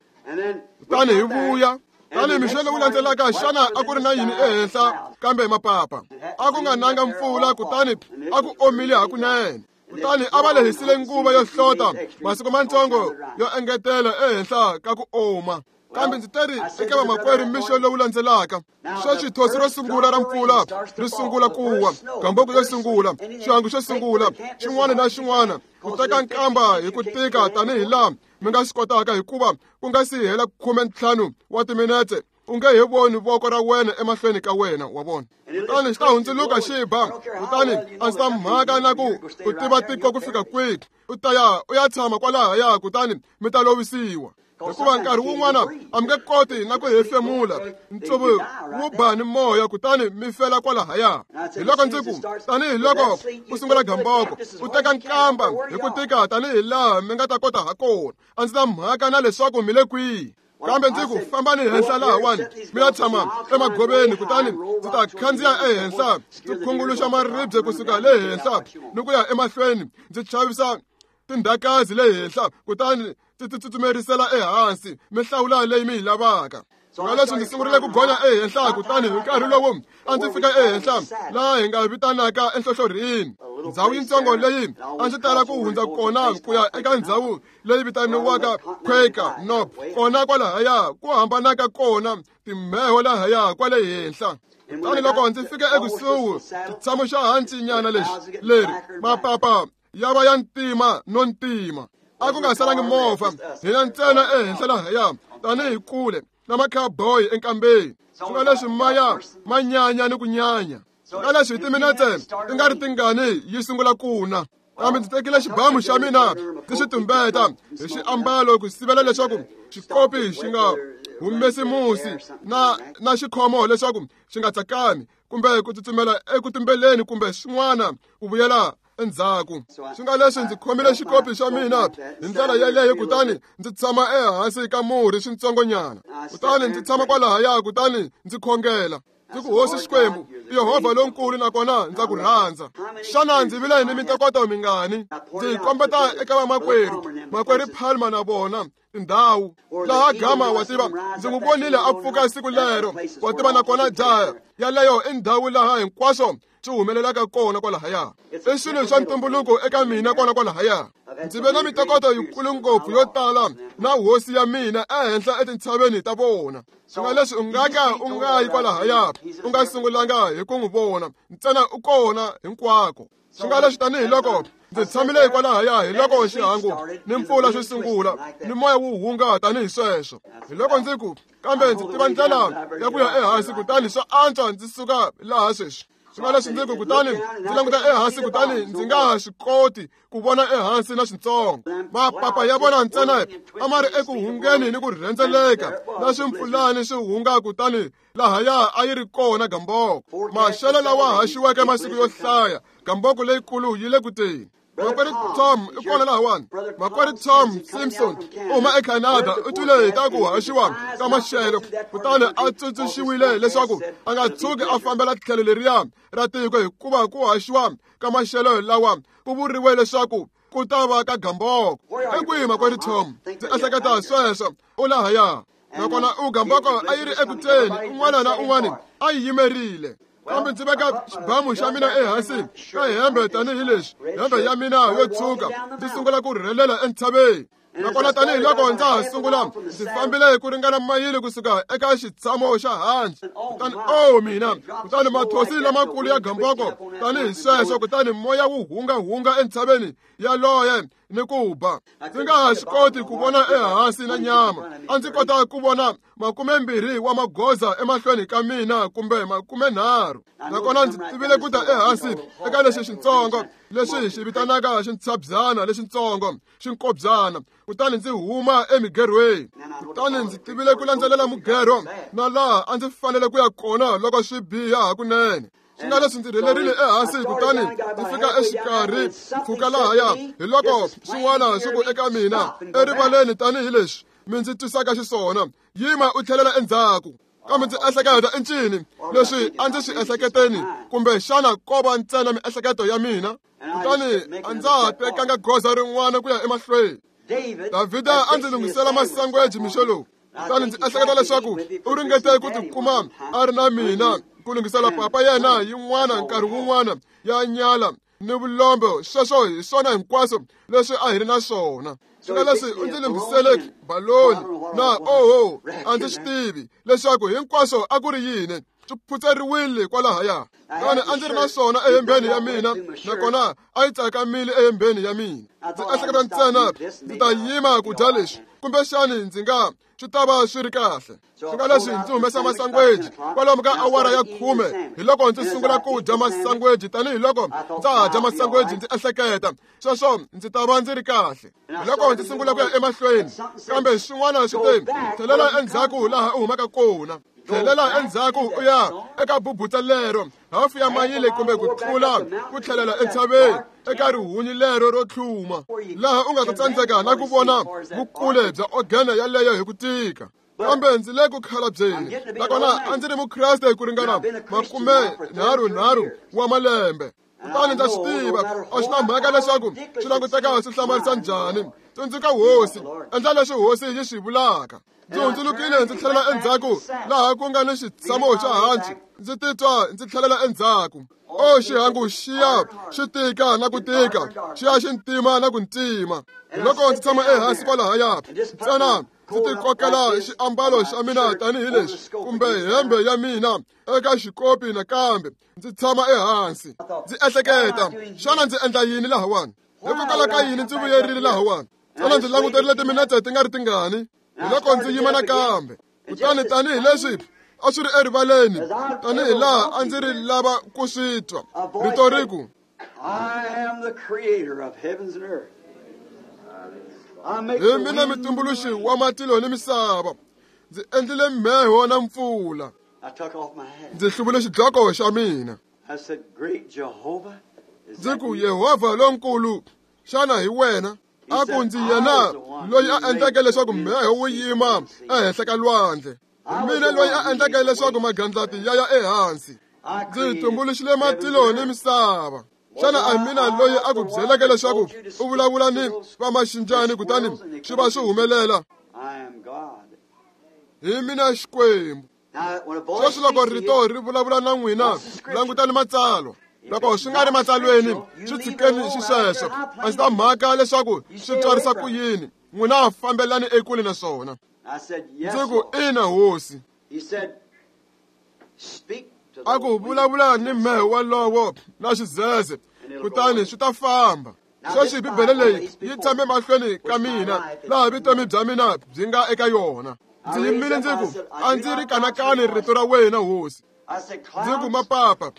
[SPEAKER 1] Kutani hi vuya. Tani mixo lowu landzelaka xana a ku ri na yini ehenhla kambe mapapa? A ku nga nanga mpfula, kutani a ku omile hakunene. Kutani a va lehisile nguva yo hlota masiku matsongo yo engetela ehenhla ka ku oma. Kambe ndzi teri eka vamakwerhu mixo lowu landzelaka, sweswi thosi ro sungula ra mpfula ri sungula ku wa, gamboko yo sungula, xihangu xo sungula, xin'wana na xin'wana, ku teka nkamba hi ku tika tanihi laha mi nga swi kotaka, hikuva ku nga si hela khume ntlhanu wa timinetse u nge he voni voko ra wena emahlweni ka wena, wa vona. Kutani xi ta hundzuluka xi ba, kutani a ndzi ta mhaka na ku u tiva tiko ku fika kwihi, u ta ya u ya tshama kwalahaya, kutani mi ta lovisiwa. Hikuva nkarhi wun'wana a mi nge koti na ku hefemula, ntsuvu wu ba ni moya, kutani mi fela kwalahaya. Hi loko ndzi ku tanihi loko ku sungula gamboko, u teka nkamba hi ku tika tanihi laha mi nga ta kota ha kona. A ndzi na mhaka na leswaku mi le kwihi. Kambe ndzi ku fambani henhla lahawani mi ya tshama emagoveni, kutani ndzi ta khandziya ehenhla ndzi khunguluxa maribye kusuka le henhla ni ku ya emahlweni, ndzi chavisa tindhakazi le henhla, kutani ndzi ti tsutsumerisela ehansi, mi hlawula leyi mi yi lavaka. Nga leswi ndzi sungurile ku gonya ehenhla, kutani hi nkarhi lowu a ndzi fika ehenhla laha hi nga vitanaka enhlohlorhini, ndhawu yitsongo leyi a ndzi tala ku hundza kona ku ya eka ndhawu leyi vitaniwaka Quaker Knob, kona kwalahaya ku hambanaka kona timheho lahaya kwale henhla. Kutani loko ndzi fika ekusuhi xitshamo xa hansinyana lexi leri mapapa ya va ya ntima no ntima, a ku nga salangi movha, hina ntsena ehenhla lahaya tanihi kule na ma-cowboy enkambeni. Swi nga leswi maya ma nyanya ni ku nyanya. Swi nga leswi hi timinetse ti nga ri tingani yi sungula ku na. Kambe ndzi tekile xibamu xa mina ndzi xi tumbeta hi xiambalo ku sivela leswaku xikopi xi nga humesi musi na na xikhomo leswaku xi nga tsakami kumbe ku tsutsumela eku tumbeleni kumbe swin'wana ku vuyela endzhaku. Swi nga leswi ndzi khomile xikopi xa mina hi ndlela yeleyo kutani ndzi tshama ehansi ka murhi swintsongonyana. Kutani ndzi tshama kwalahaya kutani ndzi khongela. Ndzi ku hosi Xikwembu, Yehovha lonkulu nakona ndza ku rhandza. Xana ndzi vile ni mintokoto mingani? Ndzi kombeta eka vamakwerhu, makwerhu Palmer na vona tindhawu laha Gama wa tiva ndzi n'wi vonile a pfuka siku lero wa tiva nakona jaha yaleyo i ndhawu laha hinkwaswo swi humelelaka kona kwalahaya. I swilo swa ntumbuluko eka mina kona kwalahaya. Ndzi ve na mintokoto yikulu ngopfu yo tala na hosi ya mina ehenhla etintshaveni ta vona. Swi nga leswi u nga ka u nga yi kwalahaya u nga sungulanga hi ku n'wi vona ntsena u kona hinkwako. Swi nga leswi tanihiloko ndzi tshamile kwalahaya hi loko xihangu ni mpfula swi sungula ni moya wu hunga tanihi sweswo. Hi loko ndzi ku kambe ndzi tiva ndlela ya ku ya ehansi kutani swa antswa ndzi suka laha sweswi. Swi nga leswi ndzi ku kutani ndzi languta ehansi kutani ndzi nga ha swi koti ku vona ehansi na swintsongo. Mapapa ya vona ntsena a ma ri eku hungeni ni ku rhendzeleka na swimpfulani swi hunga kutani lahaya a yi ri kona gamboko. Maxelo lawa haxiweke masiku yo hlaya, gamboko leyikulu yi le ku teni. Makwerhu Tom i kona lahawani. Makwerhu Tom Simpson u huma eCanada u twile hi ta ku haxiwa ka maxelo kutani a tsundzuxiwile leswaku a nga tshuki a fambela tlhelo leriya ra tiko hikuva ku haxiwa ka maxelo lawa ku vuriwe leswaku ku ta va ka gamboko. I kwihi makwerhu Tom? Ndzi ehleketa sweswo u lahaya. Nakona u gamboko a yi ri eku teni un'wana na un'wana a yi yimerile. Kambe ndzi veka xibamu xa mina ehansi ka hembe tanihileswi hembe ya mina yo tshuka ndzi sungula ku rhelela entshaveni. Nakona tanihiloko ndza ha sungula ndzi fambile ku ringana mayili kusuka eka xitshamo xa hanci. Kutani o mina kutani mathosi lamakulu ya gamboko tanihi sweswo kutani moya wu hungahunga entshaveni yaloye ni ku ba. Ndzi nga ha swi koti ku vona ehansi na nyama. A ndzi kota ku vona makumembirhi wa magoza emahlweni ka mina kumbe makumenharhu. Nakona ndzi tivile ku ta ehansi eka lexi xintsongo lexi hi xi vitanaka xintshabyana lexintsongo xinkobyana kutani ndzi huma emigerhweni. Kutani ndzi tivile ku landzelela mugerho na laha a ndzi fanele ku ya kona loko swi biha hakunene. Swi nga leswi ndzi rhelerile ehansi kutani ndzi fika exikarhi mpfhuka lahaya hi loko swin'wana swi ku eka mina erivaleni tanihileswi mi ndzi twisaka xiswona, yima u tlhelela endzhaku. Kambe ndzi ehleketa i ncini leswi a ndzi swi ehleketeni kumbe xana ko va ntsena miehleketo ya mina? Kutani a ndza ha tekanga goza rin'wana ku ya emahlweni. Davhida a ndzi lunghisela masangweji mixo lowu. Kutani ndzi ehleketa leswaku u ringete ku tikuma a ri na mina ku lunghisela papa yena yin'wana nkarhi wun'wana ya nyala ni vulombe. Sweswo hi swona hinkwaswo leswi a hi ri na swona. Swi nga leswi u ndzi lunghisele baloni na oho a ndzi swi tivi leswaku hinkwaswo a ku ri yini. Swi phutseriwile kwalahaya. Kutani a ndzi ri na swona ehembeni ya mina nakona a yi tsakamile ehembeni ya mina. Ndzi ehleketa ntsena ndzi ta yima ku dya leswi kumbexani ndzi nga swi ta va swi ri kahle. Swi nga leswi ndzi humesa masangweji kwalomu ka awara ya khume hi loko ndzi sungula ku dya masangweji tanihiloko ndza ha dya masangweji ndzi ehleketa sweswo ndzi ta va ndzi ri kahle. Hi loko ndzi sungula ku ya emahlweni kambe swin'wana swi te tlhelela endzhaku laha u humaka kona. Tlhelela endzhaku u ya eka bubutsa lero hafu ya mayile kumbe ku tlula ku tlhelela entshaveni eka rihunyi lero ro tlhuma laha u nga ta tsandzeka na ku vona vukule bya ogene yaleyo hi ku tika. Kambe ndzi le ku khalabyeni nakona a ndzi ri mukreste ku ringana makume nharhu nharhu wa malembe. Kutani ndza swi tiva a swi na mhaka leswaku swi languteka swi hlamarisa njhani. Tsundzuka hosi, endla leswi hosi yi swi vulaka. Ndzi hundzulukile ndzi tlhelela endzhaku laha ku nga ni xitshamo xa hanci. Ndzi titwa ndzi tlhelela endzhaku. O xihangu xiya xi tika na ku tika, xi ya xi ntima na ku ntima. Hi loko ndzi tshama ehansi kwalahaya ntsena ndzi tikokela xiambalo xa mina tanihileswi kumbe hembe ya mina eka xikopi nakambe ndzi tshama ehansi. Ndzi ehleketa xana ndzi endla yini lahawani? Hikokwalaho ka yini ndzi vuyerile lahawani? Xana ndzi languterile timinete ti nga ri tingani? Hi loko ndzi yima nakambe. Kutani tanihileswi a swi ri erivaleni tanihi laha a ndzi ri lava ku swi twa rito ri ku, hi mina mutumbuluxi wa matilo ni misava. Ndzi endlile mheho na mpfula. Ndzi hluvule xidloko xa mina. Ndzi ku, Yehovha lonkulu, xana hi wena? A ku, ndzi yena loyi a endleke leswaku mheho wu yima ehenhla ka lwandle. Hi mina loyi a endleke leswaku magandlati ya ya ehansi. Ndzi tumbuluxile matilo ni misava. Xana a hi mina loyi a ku byeleke leswaku u vulavula ni vamaxinjani kutani swi va swi humelela? Hi mina Xikwembu. Sweswi loko rito ri vulavula na n'wina, langutani matsalwa. Loko swi nga ri matsalweni, swi tshikeni xisweswo. A ndzi ta mhaka leswaku swi twarisa ku yini. N'wina fambelani ekule na swona. Ndzi ku, ina hosi. A ku vulavula ni mheho walowo na xidzedze, kutani swi ta famba. Sweswi Bibele leyi yi tshame mahlweni ka mina, laha vutomi bya mina byi nga eka yona. Ndzi yimile ndzi ku, a ndzi ri kanakani rito ra wena hosi. Ndzi ku, mapapa,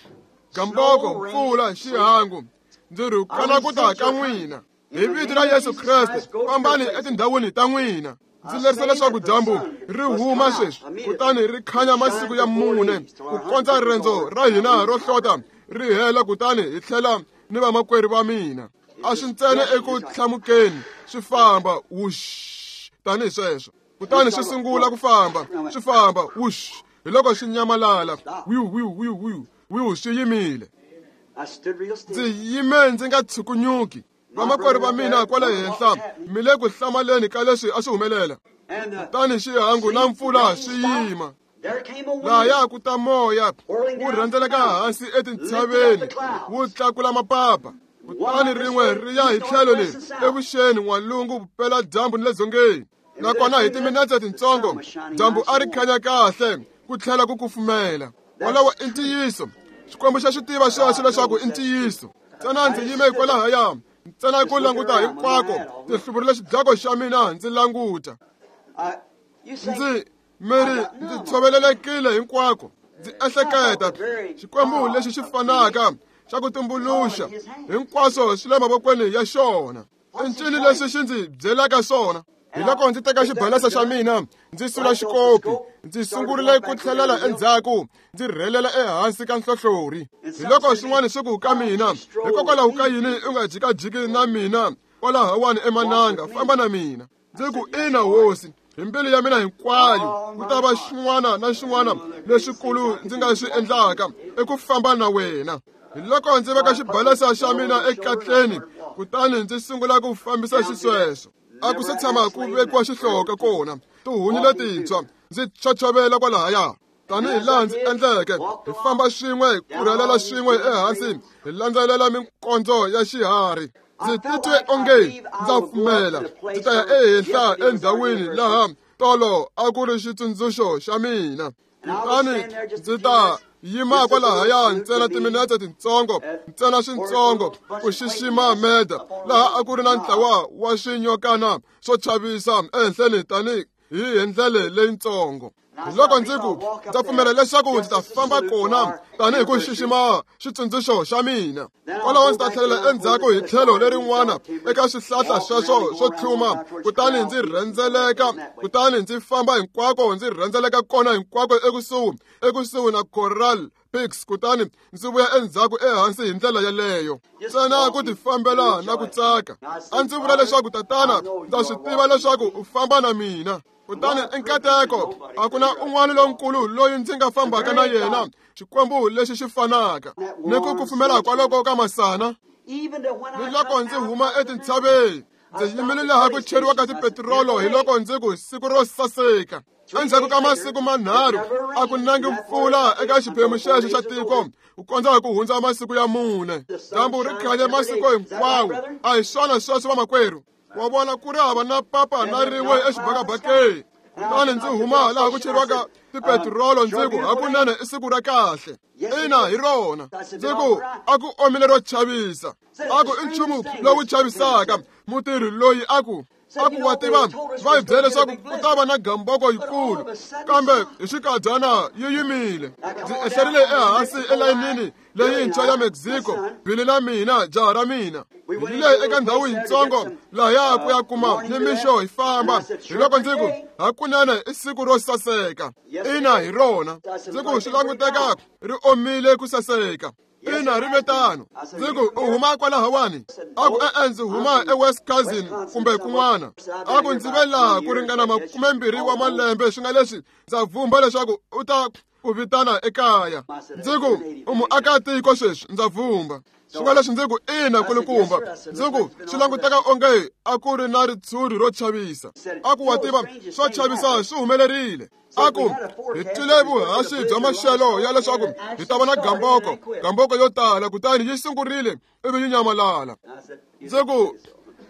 [SPEAKER 1] gamboko, mpfula, xihangu, ndzi rhukana ku ta ka n'wina. Hi vito ra Yesu Kreste, fambani etindhawini ta n'wina. Ndzi lerisa leswaku dyambu ri huma sweswi, kutani ri khanya masiku ya mune, ku kondza riendzo ra hina ro hlota ri hela, kutani hi tlhela ni vamakwerhu va mina. A swi ntsena eku hlamukeni, swi famba wush tanihi sweswo. Kutani swi sungula ku famba, swi famba wush, hi loko swi nyamalala, wiu wiu wiu wiu wiu, swi yimile. Ndzi yime ndzi nga tshukunyuki. Vamakwerhu va mina kwala henhla mi le ku hlamaleni ka leswi a swi humelela. Kutani xihangu na mpfula swi yima. Lahaya ku ta moya wu rhendzeleka hansi etintshaveni, wu tlakula mapapa. Kutani rin'we ri ya hi tlhelo leri evuxeni, n'walungu, vupeladyambu ni le dzongeni. Nakona hi timinetse tintsongo dyambu a ri khanya kahle ku tlhela ku kufumela. Wolowo i ntiyiso. Xikwembu xa swi tiva sweswo leswaku i ntiyiso. Ntsena ndzi yime kwalahaya, ntsena ku languta hinkwako, ndzi hluvurile xidloko xa mina ndzi languta. Ndzi miri ndzi tshovelelekile hinkwako. Ndzi ehleketa, Xikwembu lexi xi fanaka xa ku tumbuluxa hinkwaswo swi le mavokweni ya xona. I ncini leswi xi ndzi byelaka swona? Hi loko ndzi teka xibalesa xa mina, ndzi sula xikopi, ndzi sungurile ku tlhelela endzhaku, ndzi rhelela ehansi ka nhlohlorhi. Hi loko swin'wana swi ku ka mina, hikokwalaho ka yini u nga jikajiki na mina kwalahawani emananga, famba na mina. Ndzi ku, ina hosi, hi mbilu ya mina hinkwayo, ku ta va xin'wana na xin'wana lexikulu ndzi nga swi endlaka i ku famba na wena. Hi loko ndzi veka xibalesa xa mina ekatleni, kutani ndzi sungula ku fambisa xisweswo. A ku se tshama ku vekiwa xihloka kona, tihunyi letintshwa ndzi chochovela kwalahaya. Tanihi laha ndzi endleke, hi famba swin'we, ku rhelela swin'we ehansi, hi landzelela minkondzo ya xiharhi. Ndzi titwe onge ndza pfumela, ndzi ta ya ehenhla endhawini laha tolo a ku ri xitsundzuxo xa mina. Kutani ndzi ta yima kwalahaya ntsena timinetse tintsongo, ntsena swintsongo, ku xixima meda, laha a ku ri na ntlawa wa swinyokana swo chavisa ehenhleni tani hi ndlele leyintsongo. Hi loko ndzi ku, ndza pfumela leswaku ndzi ta famba kona tanihi ku xixima xitsundzuxo xa mina. Kwalaho ndzi ta tlhelela endzhaku hi tlhelo lerin'wana eka swihlahla sweswo swo tlhuma, kutani ndzi rhendzeleka, kutani ndzi famba hinkwako, ndzi rhendzeleka kona hinkwako ekusuhi ekusuhi na Coral Peaks, kutani ndzi vuya endzhaku ehansi hi ndlela yeleyo. Ntsena ku tifambela na ku tsaka. A ndzi vula leswaku, Tatana, ndza swi tiva leswaku u famba na mina. Kutani i nkateko, a ku na un'wana lonkulu loyi ndzi nga fambaka na yena, Xikwembu lexi xi fanaka ni ku kufumela kwaloko ka masana. Ni loko ndzi huma etintshaveni, ndzi yimile laha ku cheriwaka tipetirolo, hi loko ndzi ku, siku ro saseka. Endzhaku ka masiku manharhu a ku nangi mpfula eka xiphemu xexo xa tiko, ku kondza ku hundza masiku ya mune. Dyambu ri khanye masiku hinkwawo. A hi swona sweswo vamakwerhu? Wa vona ku ri hava na papa na rin'we exibakabakeni. Kutani ndzi huma laha ku cheriwaka tipetirolo, ndzi ku, hakunene i siku ra kahle. Ina, hi rona. Ndzi ku, a ku omile ro chavisa. A ku i nchumu lowu chavisaka. Mutirhi loyi a ku, A ku wa tiva va hi byele leswaku ku ta va na gamboko yikulu, kambe hi xinkadyana yi yimile. Ndzi ehlerile ehansi elayinini leyintshwa ya Mexico, Billy na mina, jaha ra mina. Hi yile eka ndhawu yitsongo lahaya ku ya kuma nimixo hi famba. Hi loko ndzi ku hakunene i siku ro saseka. Ina hi rona. Ndzi ku swi languteka ri omile ku saseka. Ina ri ve tano. Ndzi ku u huma kwalahawani? A ku e-e ndzi huma eWisconsin kumbe kun'wana. A ku ndzi ve laha ku ringana makumembirhi wa malembe, swi nga leswi ndza vumba leswaku u ta ku vitana ekaya. Ndzi ku u muakatiko sweswi, ndza vumba. Swi nga leswi ndzi ku ina kulukumba. Ndzi ku swi languteka onge a ku ri na ritshuri ro chavisa. A ku wa tiva swo chavisa swi humelerile. A ku hi twile vuhaxi bya maxelo ya leswaku hi ta va na gamboko, gamboko yo tala, kutani yi sungurile ivi yi nyamalala. Ndzi ku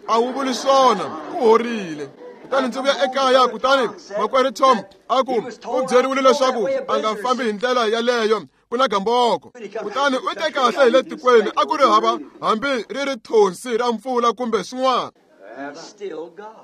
[SPEAKER 1] a wu vuli swona, ku horile. Kutani ndzi vuya ekaya, kutani makwerhu Tom a ku u byeriwile leswaku a nga fambi hi ndlela yaleyo, ku na gamboko. Kutani u te kahle hi le tikweni, a ku ri hava hambi ri ri thonsi ra mpfula kumbe swin'wana.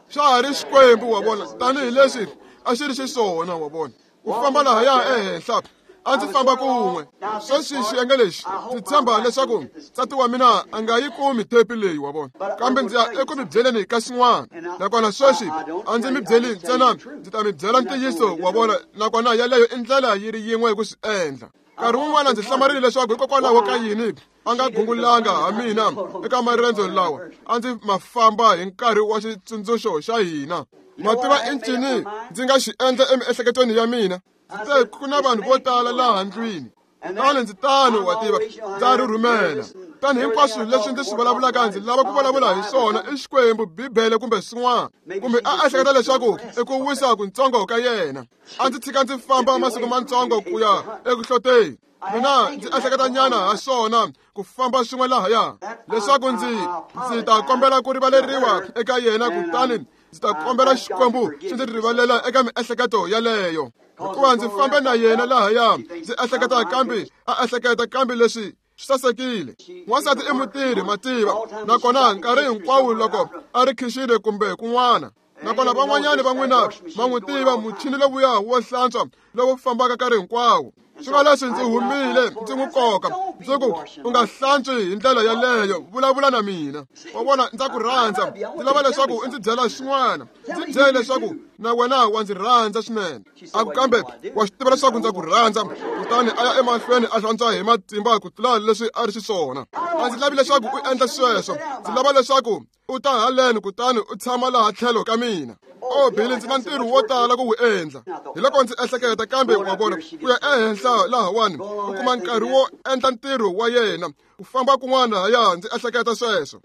[SPEAKER 1] Swa ha ri Xikwembu, wa vona, tanihileswi a xi ri xiswona, wa vona. Ku famba lahaya ehenhla, a ndzi famba kun'we. Sweswi xiyenge lexi ndzi tshemba leswaku nsati wa mina a nga yi kumi thepi leyi, wa vona, kambe ndzi ya eku mi byeleni ka xin'wana. Nakona sweswi a ndzi mi byeli ntsena, ndzi ta mi byela ntiyiso, wa vona, nakona yaleyo i ndlela yi ri yin'we ku swi endla. Nkarhi wun'wana ndzi hlamarile leswaku hikokwalaho ka yini a nga gungulanga ha mina eka marendzo lawa a ndzi ma famba hi nkarhi wa xitsundzuxo xa hina. Ma tiva i ncini ndzi nga xi endla emiehleketweni ya mina? Ndzi te ku na vanhu vo tala laha ndlwini. Kutani ndzi tano, wa tiva, ndza rhurhumela. Tani hinkwaswo leswi ndzi swi vulavulaka ndzi lava ku vulavula hi swona i Xikwembu, Bibele kumbe swin'wana. Kumbe a ehleketa leswaku i ku wisa kuntsongo ka yena. A ndzi tshika ndzi famba masiku mantsongo ku ya eku hloteni. Mina ndzi ehleketa nyana ha swona ku famba swin'we lahaya, leswaku ndzi ndzi ta kombela ku rivaleriwa eka yena, kutani ndzi ta kombela Xikwembu xi ndzi rivalela eka miehleketo yaleyo. Hikuva ndzi fambe na yena lahaya, ndzi ehleketa kambe a ehleketa kambe leswi swi sasekile. N'wansati i mutirhi, mativa, nakona nkarhi hinkwawo loko a ri khixini kumbe kun'wana. Nakona van'wanyani va n'wina va n'wi tiva muchini lowuya wo hlantswa lowu fambaka nkarhi hinkwawo. Swi nga leswi ndzi humile ndzi n'wi koka, ndzi ku u nga hlantswi hi ndlela yaleyo, vulavula na mina. Wa vona, ndza ku rhandza, ndzi lava leswaku u ndzi byela xin'wana, ndzi byele leswaku na wena wa ndzi rhandza swinene. A ku kambe wa swi tiva leswaku ndza ku rhandza. Kutani a ya emahlweni a hlantswa hi matimba ku tlula leswi a ri xiswona. A ndzi lavi leswaku u endla sweswo, ndzi lava leswaku u ta haleni kutani u tshama laha tlhelo ka mina. O Billy, ndzi na ntirho wo tala ku wu endla. Hi loko ndzi ehleketa, kambe wa vona, ku ya ehenhla lahawani u kuma nkarhi wo endla ntirho wa yena, u famba kun'wana haya, ndzi ehleketa sweswo.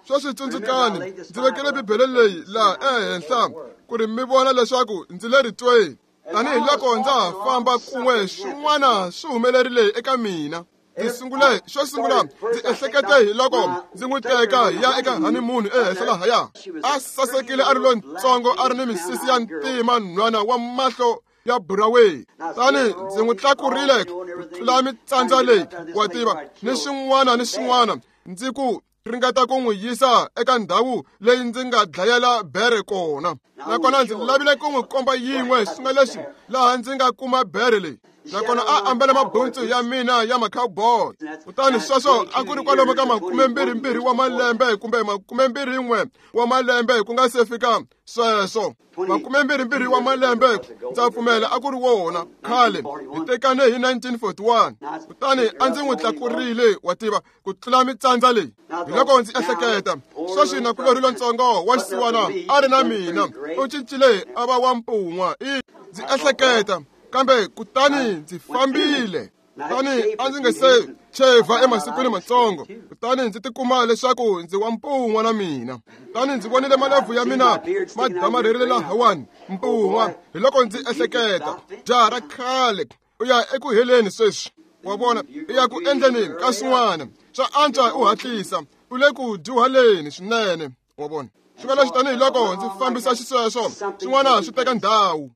[SPEAKER 1] Sweswi tsundzukani, ndzi vekele Bibele leyi laha ehenhla ku ri mi vona leswaku ndzi le ritweni. Tanihi loko ndza ha famba kun'we, swin'wana swi humelerile eka mina. Ndzi sungule, xo sungula ndzi ehlekete hi loko ndzi n'wi teka hi ya eka honeymoon ehenhla lahaya. A sasekile, a ri lontsongo, a ri ni misisi ya ntima, nhwana wa mahlo ya buraweyi. Tani ndzi n'wi tlakurile ku tlula mitsandza leyi, wa tiva, ni swin'wana ni swin'wana, ndzi ku ringeta ku n'wi yisa eka ndhawu leyi ndzi nga dlayela bere kona. Nakona ndzi lavile ku n'wi komba yin'we, swi nga leswi laha ndzi nga kuma bere leyi. Nakona a ambele mabuntsu ya mina ya ma-cowboy. Kutani sweswo a ku ri kwalomu ka makumembirhimbirhi wa malembe kumbe makumembirhin'we wa malembe ku nga se fika sweswo. Makumembirhimbirhi wa malembe, ndza pfumela a ku ri wona khale. Hi tekane hi nineteen forty-one. Kutani a ndzi n'wi tlakurile, wa tiva, ku tlula mitsandza leyi. Hi loko ndzi ehleketa, sweswi nakulorhi lontsongo wa xisiwana a ri na mina, u cincile a va wa mpun'wa. I ndzi ehleketa, kambe kutani ndzi fambile. Kutani a ndzi nge se chevha emasikwini matsongo, kutani ndzi tikuma leswaku ndzi wa mpun'wa na mina. Kutani ndzi vonile malebvu ya mina ma damarherile lahawani, mpun'wa. Hi loko ndzi ehleketa, jaha ra khale, u ya eku heleni sweswi, wa vona, u ya ku endleni ka swin'wana. Swa antswa u hatlisa, u le ku dyuhaleni swinene, wa vona. Swi nga leswi tanihi loko ndzi fambisa xisweswo, swin'wana swi teka ndhawu.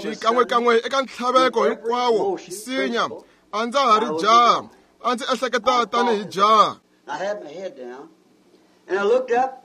[SPEAKER 1] Xikan'wekan'we eka ntlhaveko hinkwawo, nsinya, a ndza ha ri jaha, a ndzi ehleketa tanihi jaha.
[SPEAKER 2] I had my head down, and I looked up,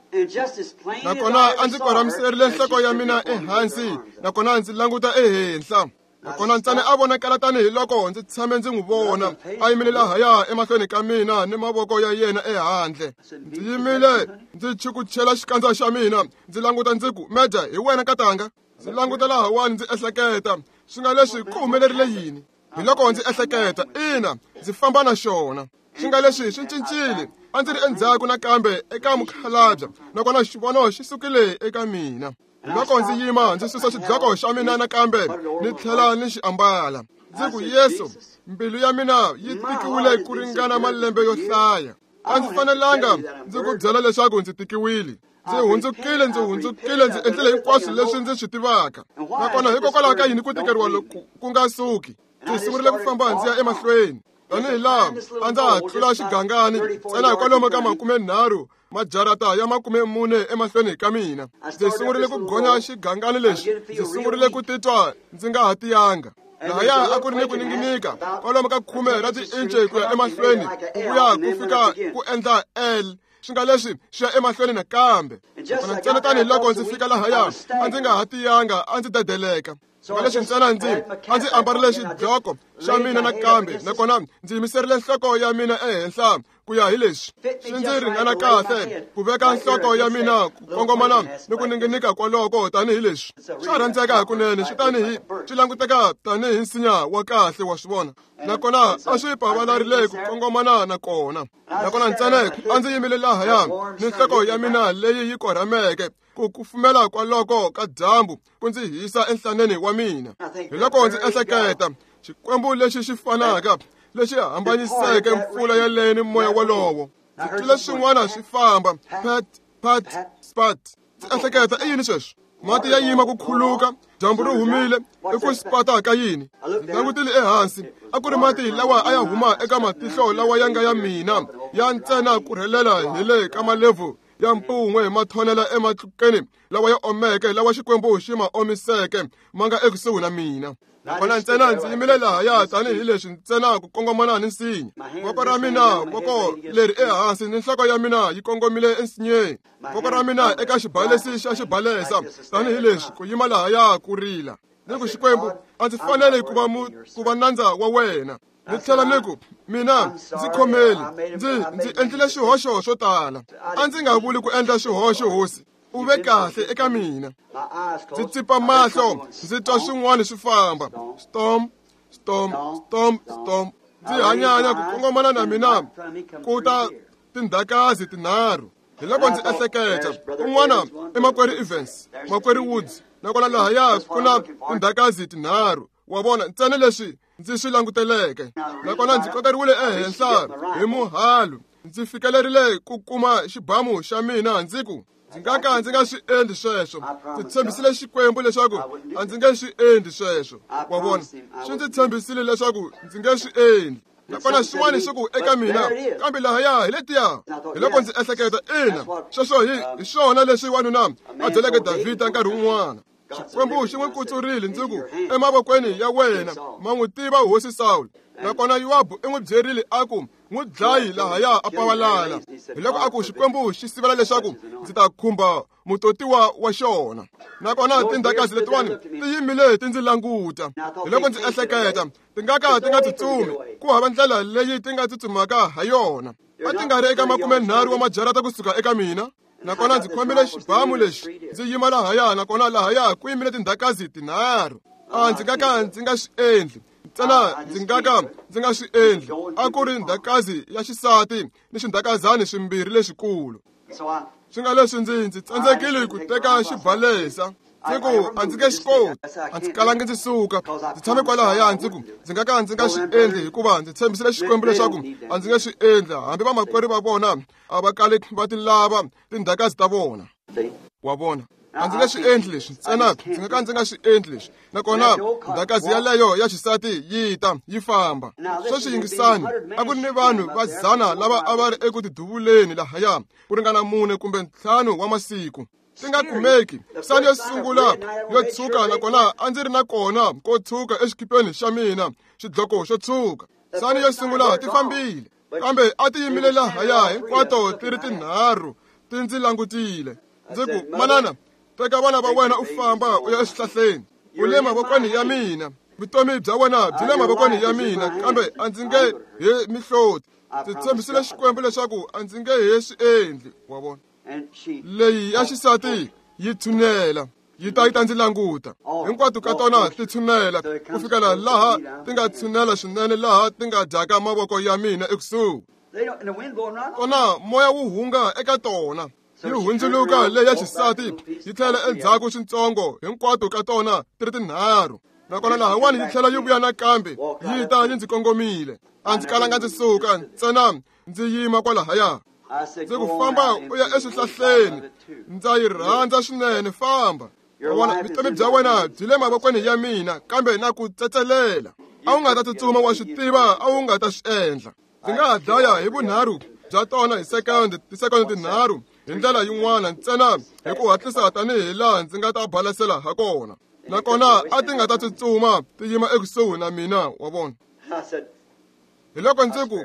[SPEAKER 1] Nakona a ndzi korhamiserile nhloko ya mina ehansi, nakona ndzi languta ehenhla. Nakona ntsena a vonakala tanihiloko ndzi tshame ndzi n'wi vona a yimile lahaya emahlweni ka mina ni mavoko ya yena ehandle. Ndzi yimile ndzi chukuchela xikandza xa mina, ndzi languta ndzi ku, Meja, hi wena katanga. Ndzi languta lahawani ndzi ehleketa, swi nga leswi ku humelerile yini? Hi loko ndzi ehleketa, ina, ndzi famba na xona. Swi nga leswi swi cincile, a ndzi ri endzhaku nakambe eka mukhalabye, nakona xivono xi sukile eka mina. Loko ndzi yima ndzi susa xidloko xa mina nakambe ni tlhela ni xi ambala. Ndzi ku, Yesu, mbilu ya mina yi tikiwile ku ringana malembe yo hlaya. A ndzi fanelanga ndzi ku byela leswaku ndzi tikiwile. Ndzi hundzukile, ndzi hundzukile, ndzi endlile hinkwaswo leswi ndzi swi tivaka. Nakona hikokwalaho ka yini ku tikeriwa loku ku nga suki? Ndzi sungurile ku famba ndzi ya emahlweni. Tanihi laha a ndza ha tlula xigangani ntsena hikwalomu ka makumenharhu majarata ya makume mune emahlweni ka mina. Ndzi sungurile ku gonya xigangani lexi, ndzi sungurile ku titwa ndzi nga ha tiyanga. Lahaya a ku ri ni ku ninginika kwalomu ka khume ra tiinci ku ya emahlweni, ku vuya ku fika ku endla L. Swi nga leswi swi ya emahlweni nakambe. Nakona ntsena tanihiloko ndzi fika lahaya, a ndzi nga ha tiyanga, a ndzi dedeleka. Swi leswi ntsena ndzi a ndzi ambarile xidloko xa mina nakambe, nakona ndzi yimiserile nhloko ya mina ehenhla ku ya hi leswi. Swi ndzi ringana kahle ku veka nhloko ya mina ku kongomana ni ku ninginika kwaloko tanihi leswi. Swa rhandzeka hakunene, swi tanihi swi languteka tanihi nsinya wa kahle, wa swi vona. Nakona a swi pavalarile ku kongomana na kona. Nakona ntsena a ndzi yimile lahaya ni nhloko ya mina leyi yi korhameke, ku kufumela kwaloko ka dyambu ku ndzi hisa enhlaneni wa mina. Hi loko ndzi ehleketa, Xikwembu lexi xi fanaka lexi hambanyiseke mpfula yaleyo ni moya wolowo. Ndzi twile swin'wana swi famba, pat, pat, spat. Ndzi ehleketa, i yini sweswo? Mati ya yima ku khuluka, dyambu ri humile, i ku spata ka yini? Ndzi langutile ehansi, a ku ri mati lawa a ya huma eka matihlo lawa ya nga ya mina, ya ntsena ku rhelela hi le ka malebvu ya mpun'we ma thonela ematlukeni lawa ya omeke, lawa Xikwembu xi ma omiseke, ma nga ekusuhi na mina. Nakona ntsena ndzi yimile lahaya tanihileswi ntsena ku kongomana ni nsinya. Voko ra mina, voko leri ehansi ni nhloko ya mina yi kongomile ensinyeni. Voko ra mina eka xibalesi xa xibalesa tanihileswi ku yima lahaya ku rila. Ni ku, Xikwembu, a ndzi fanele ku va mu ku va nandza wa wena. Ni tlhela ni ku, mina ndzi khomeli, ndzi ndzi endlile swihoxo swo tala. A ndzi nga vuli ku endla swihoxo, hosi. U ve kahle eka mina. Ndzi tsipa mahlo, ndzi twa swin'wana swi famba. Storm, storm, storm, storm. Ndzi hanyanya ku kongomana na mina ku ta tindhakazi tinharhu. Hi loko ndzi ehleketa, un'wana i makwerhu Evans, makwerhu Woods, nakona lahaya ku na tindhakazi tinharhu. Wa vona, ntsena leswi ndzi swi languteleke. Nakona ndzi kokeriwile ehenhla hi muhalu. Ndzi fikelerile ku kuma xibamu xa mina, ndzi ku, ndzi nga ka ndzi nga swi endli sweswo. Ndzi tshembisile Xikwembu leswaku a ndzi nge swi endli sweswo. Wa vona, swi ndzi tshembisile leswaku ndzi nge swi endli. Nakona swin'wana swi ku eka mina, kambe lahaya hi letiya. Hi loko ndzi ehleketa, ina, sweswo hi hi swona leswi wanuna a byeleke Davhida nkarhi wun'wana. Xikwembu xi n'wi kutsurile, ndzi ku, emavokweni ya wena ma n'wi tiva hosi Sawulo. Nakona Yowabu i n'wi byerile a ku, n'wi dlayi lahaya a pavalala. Hi loko a ku, Xikwembu xi sivela leswaku ndzi ta khumba mutotiwa wa xona. Nakona tindhakazi letiwani ti yimile ti ndzi languta. Hi loko ndzi ehleketa, ti nga ka ti nga tsutsumi, ku hava ndlela leyi ti nga tsutsumaka ha yona. A ti nga ri eka makumenharhu wa majarata kusuka eka mina. Nakona ndzi khomile xibamu lexi, ndzi yima lahaya, nakona lahaya ku yimile tindhakazi tinharhu. A ndzi nga ka ndzi nga swi endli, ntsena ndzi nga ka ndzi nga swi endli. A ku ri ndhakazi ya xisati ni xindhakazani swimbirhi leswikulu. Swi nga leswi ndzi ndzi tsandzekile ku teka xibalesa. Ndzi ku, a ndzi nge swi koti, a ndzi kalangi ndzi suka. Ndzi tshame kwalahaya, ndzi ku, ndzi nga ka ndzi nga swi endli hikuva ndzi tshembisile Xikwembu leswaku a ndzi nge swi endli, hambi vamakwerhu va vona a va kali va ti lava tindhakazi ta vona. Wa vona, a ndzi nge swi endli leswi, ntsena ndzi nga ka ndzi nga swi endli leswi. Nakona ndhakazi yaleyo ya xisati yi ta yi famba. Sweswi yingisani, a ku ri ni vanhu va dzana lava a va ri eku tiduvuleni lahaya ku ringana mune kumbe ntlhanu wa masiku. Ti nga kumeki. Sani yo sungula yo tshuka, nakona a ndzi ri na kona ko tshuka exikipeni xa mina, xidloko xo tshuka. Sani yo sungula ti fambile, kambe a ti yimile lahaya hinkwato ti ri tinharhu Ti ndzi langutile. Ndzi ku, manana, teka vana va wena u famba u ya exihlahleni. U le mavokweni ya mina. Vutomi bya wena byi le mavokweni ya mina, kambe a ndzi nge he mihloti. Ndzi tshembisile Xikwembu leswaku a ndzi nge he swi endli, wa vona. Leyi ya xisati yi tshunela, yi ta yi ta ndzi languta. Hinkwato ka tona ti tshunela ku fikela laha ti nga tshunela swinene laha ti nga dyaka mavoko ya mina ekusuhi. Kona moya wu hunga eka tona. Yi hundzuluka leyi ya xisati yi tlhela endzhaku swintsongo, hinkwato ka tona ti ri tinharhu. Nakona lahawani yi tlhela yi vuya nakambe, yi ta yi ndzi kongomile. A ndzi kalanga ndzi suka, ntsena ndzi yima kwalahaya. Ndzi ku, famba u ya eswihlahleni, ndza yi rhandza swinene, famba. Wa vona, vutomi bya wena byi le mavokweni ya mina, kambe na ku tsetselela. A wu nga ta tsutsuma, wa swi tiva, a wu nga ta swi endla. Ndzi nga ha dlaya hi vunharhu bya tona hi sekondi, tisekondi tinharhu hi ndlela yin'wana ntsena hi ku hatlisa tanihi laha ndzi nga ta balasela ha kona. Nakona a ti nga ta tsutsuma ti yima ekusuhi na mina, wa vona. Hi loko ndzi ku,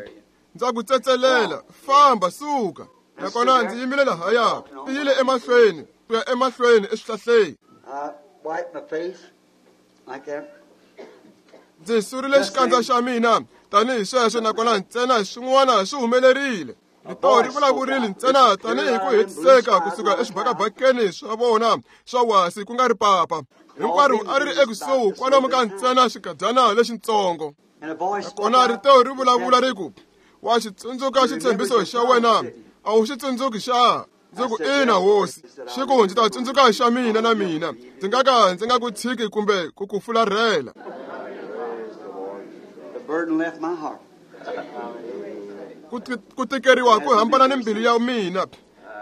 [SPEAKER 1] ndza ku tsetselela, famba, suka. Nakona ndzi yimile lahaya, ti yile emahlweni, ku ya emahlweni eswihlahleni. Ndzi surile xikandza xa mina tanihi sweswo, nakona ntsena swin'wana swi humelerile. Rito ri vulavurile ntsena tanihi ku hetiseka kusuka exibakabakeni swa vona swa wasi, ku nga ri papa. Hinkwaro a ri ri ekusuhi kwalomu ka ntsena xikadyana lexintsongo. Nakona rito ri vulavula ri ku, wa xi tsundzuka xitshembiso xa wena, a wu xi tsundzuki xa? Ndzi ku, ina hosi. Xi ku, ndzi ta tsundzuka xa mina na mina, ndzi nga ka ndzi nga ku tshiki kumbe ku ku fularhela. Ku tikeriwa ku hambana ni mbilu ya mina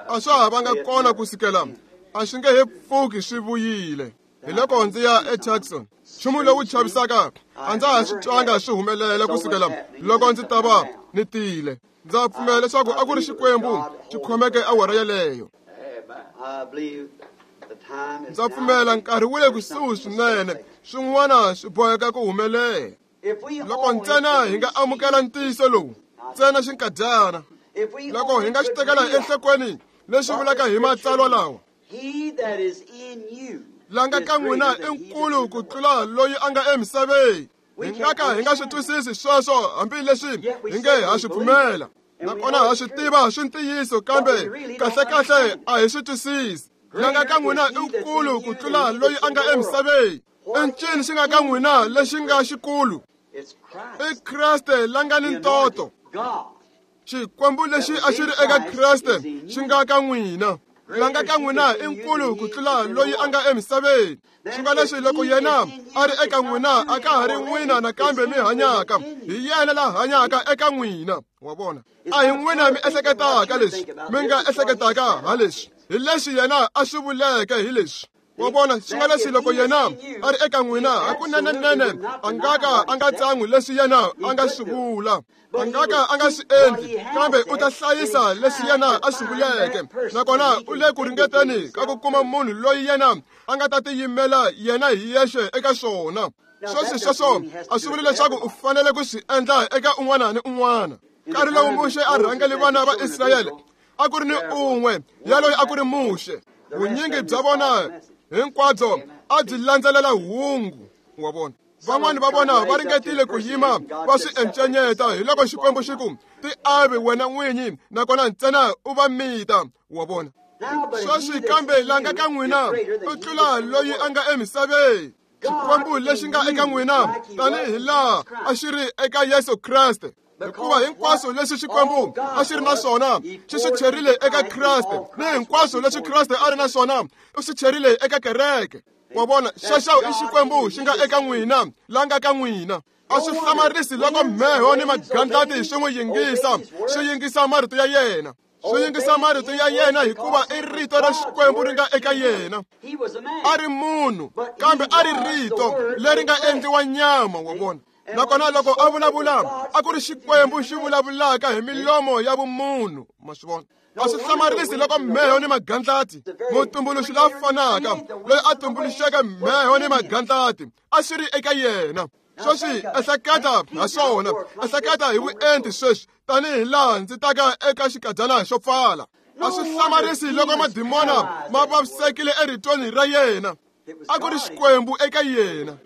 [SPEAKER 1] a swa ha vanga kona ku sukela, a swi nge he pfuki swi vuyile. Hi loko ndzi ya eTucson, nchumu lowu chavisaka a ndza ha swi twanga swi humelela ku sukela loko ndzi ta va ni tile. Ndza pfumela leswaku a ku ri Xikwembu xi khomeke awara yeleyo. Ndza pfumela nkarhi wu le kusuhi swinene, swin'wana swi boheka ku humelela. Loko ntsena hi nga amukela ntiyiso lowu, ntsena xinkadyana, loko hi nga xi tekela enhlokweni leswi vulaka hi matsalwa lawa, la nga ka n'wina i nkulu ku tlula loyi a nga emisaveni. Hi nga ka hi nga swi twisisi sweswo, hambileswi hi nge ha swi pfumela. Nakona ha swi tiva swi ntiyiso, kambe kahlekahle a hi swi twisisi. La nga ka n'wina i nkulu ku tlula loyi a nga emisaveni. I ncini xi nga ka n'wina lexi nga xikulu? I Kreste la nga ni ntoto. Xikwembu lexi a xi ri eka Kreste xi nga ka n'wina. La nga ka n'wina i nkulu ku tlula loyi a nga emisaveni. Swi nga leswi loko yena a ri eka n'wina, a ka ha ri n'wina nakambe mi hanyaka, hi yena la hanyaka eka n'wina. Wa vona, a hi n'wina mi ehleketaka leswi, mi nga ehleketaka ha leswi, hi leswi yena a swi vuleke hi leswi. Wa vona, swi nga leswi loko yena a ri eka n'wina, hakunenenene a nga ka a nga tsan'wi leswi yena a nga swi vula, a nga ka a nga swi endli, kambe u ta hlayisa leswi yena a swi vuleke. Nakona u le ku ringeteni ka ku kuma munhu loyi yena a nga ta tiyimela yena hi yexe eka swona. Sweswi sweswo a swi vuli leswaku u fanele ku swi endla eka un'wana ni un'wana. Nkarhi lowu Muxe a rhangele vana va Israyele, a ku ri ni un'we yaloyi a ku ri Muxe. Vunyingi bya vona hinkwabyo a byi landzelela hungu, wa vona. Van'wani va vona va ringetile ku yima va swi encenyeta, hi loko Xikwembu xi ku, ti avi wena n'winyi, nakona ntsena u va mita, wa vona. Sweswi kambe la nga ka n'wina u tlula loyi a nga emisaveni. Xikwembu lexi nga eka n'wina tanihi laha a xi ri eka Yesu Kreste. Hikuva hinkwaswo leswi Xikwembu a xi ri na swona xi swi cherile eka Kreste, ni hinkwaswo leswi Kreste a ri na swona u swi cherile eka kereke. Wa vona, xexo i Xikwembu xi nga eka n'wina, la nga ka n'wina. A swi hlamarisi loko mheho ni magandlati swi n'wi yingisa, swi yingisa marito ya yena. Swi yingisa marito ya yena hikuva i rito ra Xikwembu ri nga eka yena. A ri munhu, kambe a ri rito leri nga endliwa nyama, wa vona. Nakona loko a vulavula, a ku ri Xikwembu xi vulavulaka hi milomo ya vumunhu, ma swi vona. A swi hlamarisi loko mheho ni magandlati, mutumbuluxi la fanaka loyi a tumbuluxeke mheho ni magandlati, a swi ri eka yena. Sweswi ehleketa ha swona, ehleketa hi vuenti sweswi, tanihi laha ndzi taka eka xikadyana xo pfala. A swi hlamarisi loko madimona ma vavisekile eritweni ra yena. A ku ri Xikwembu eka yena.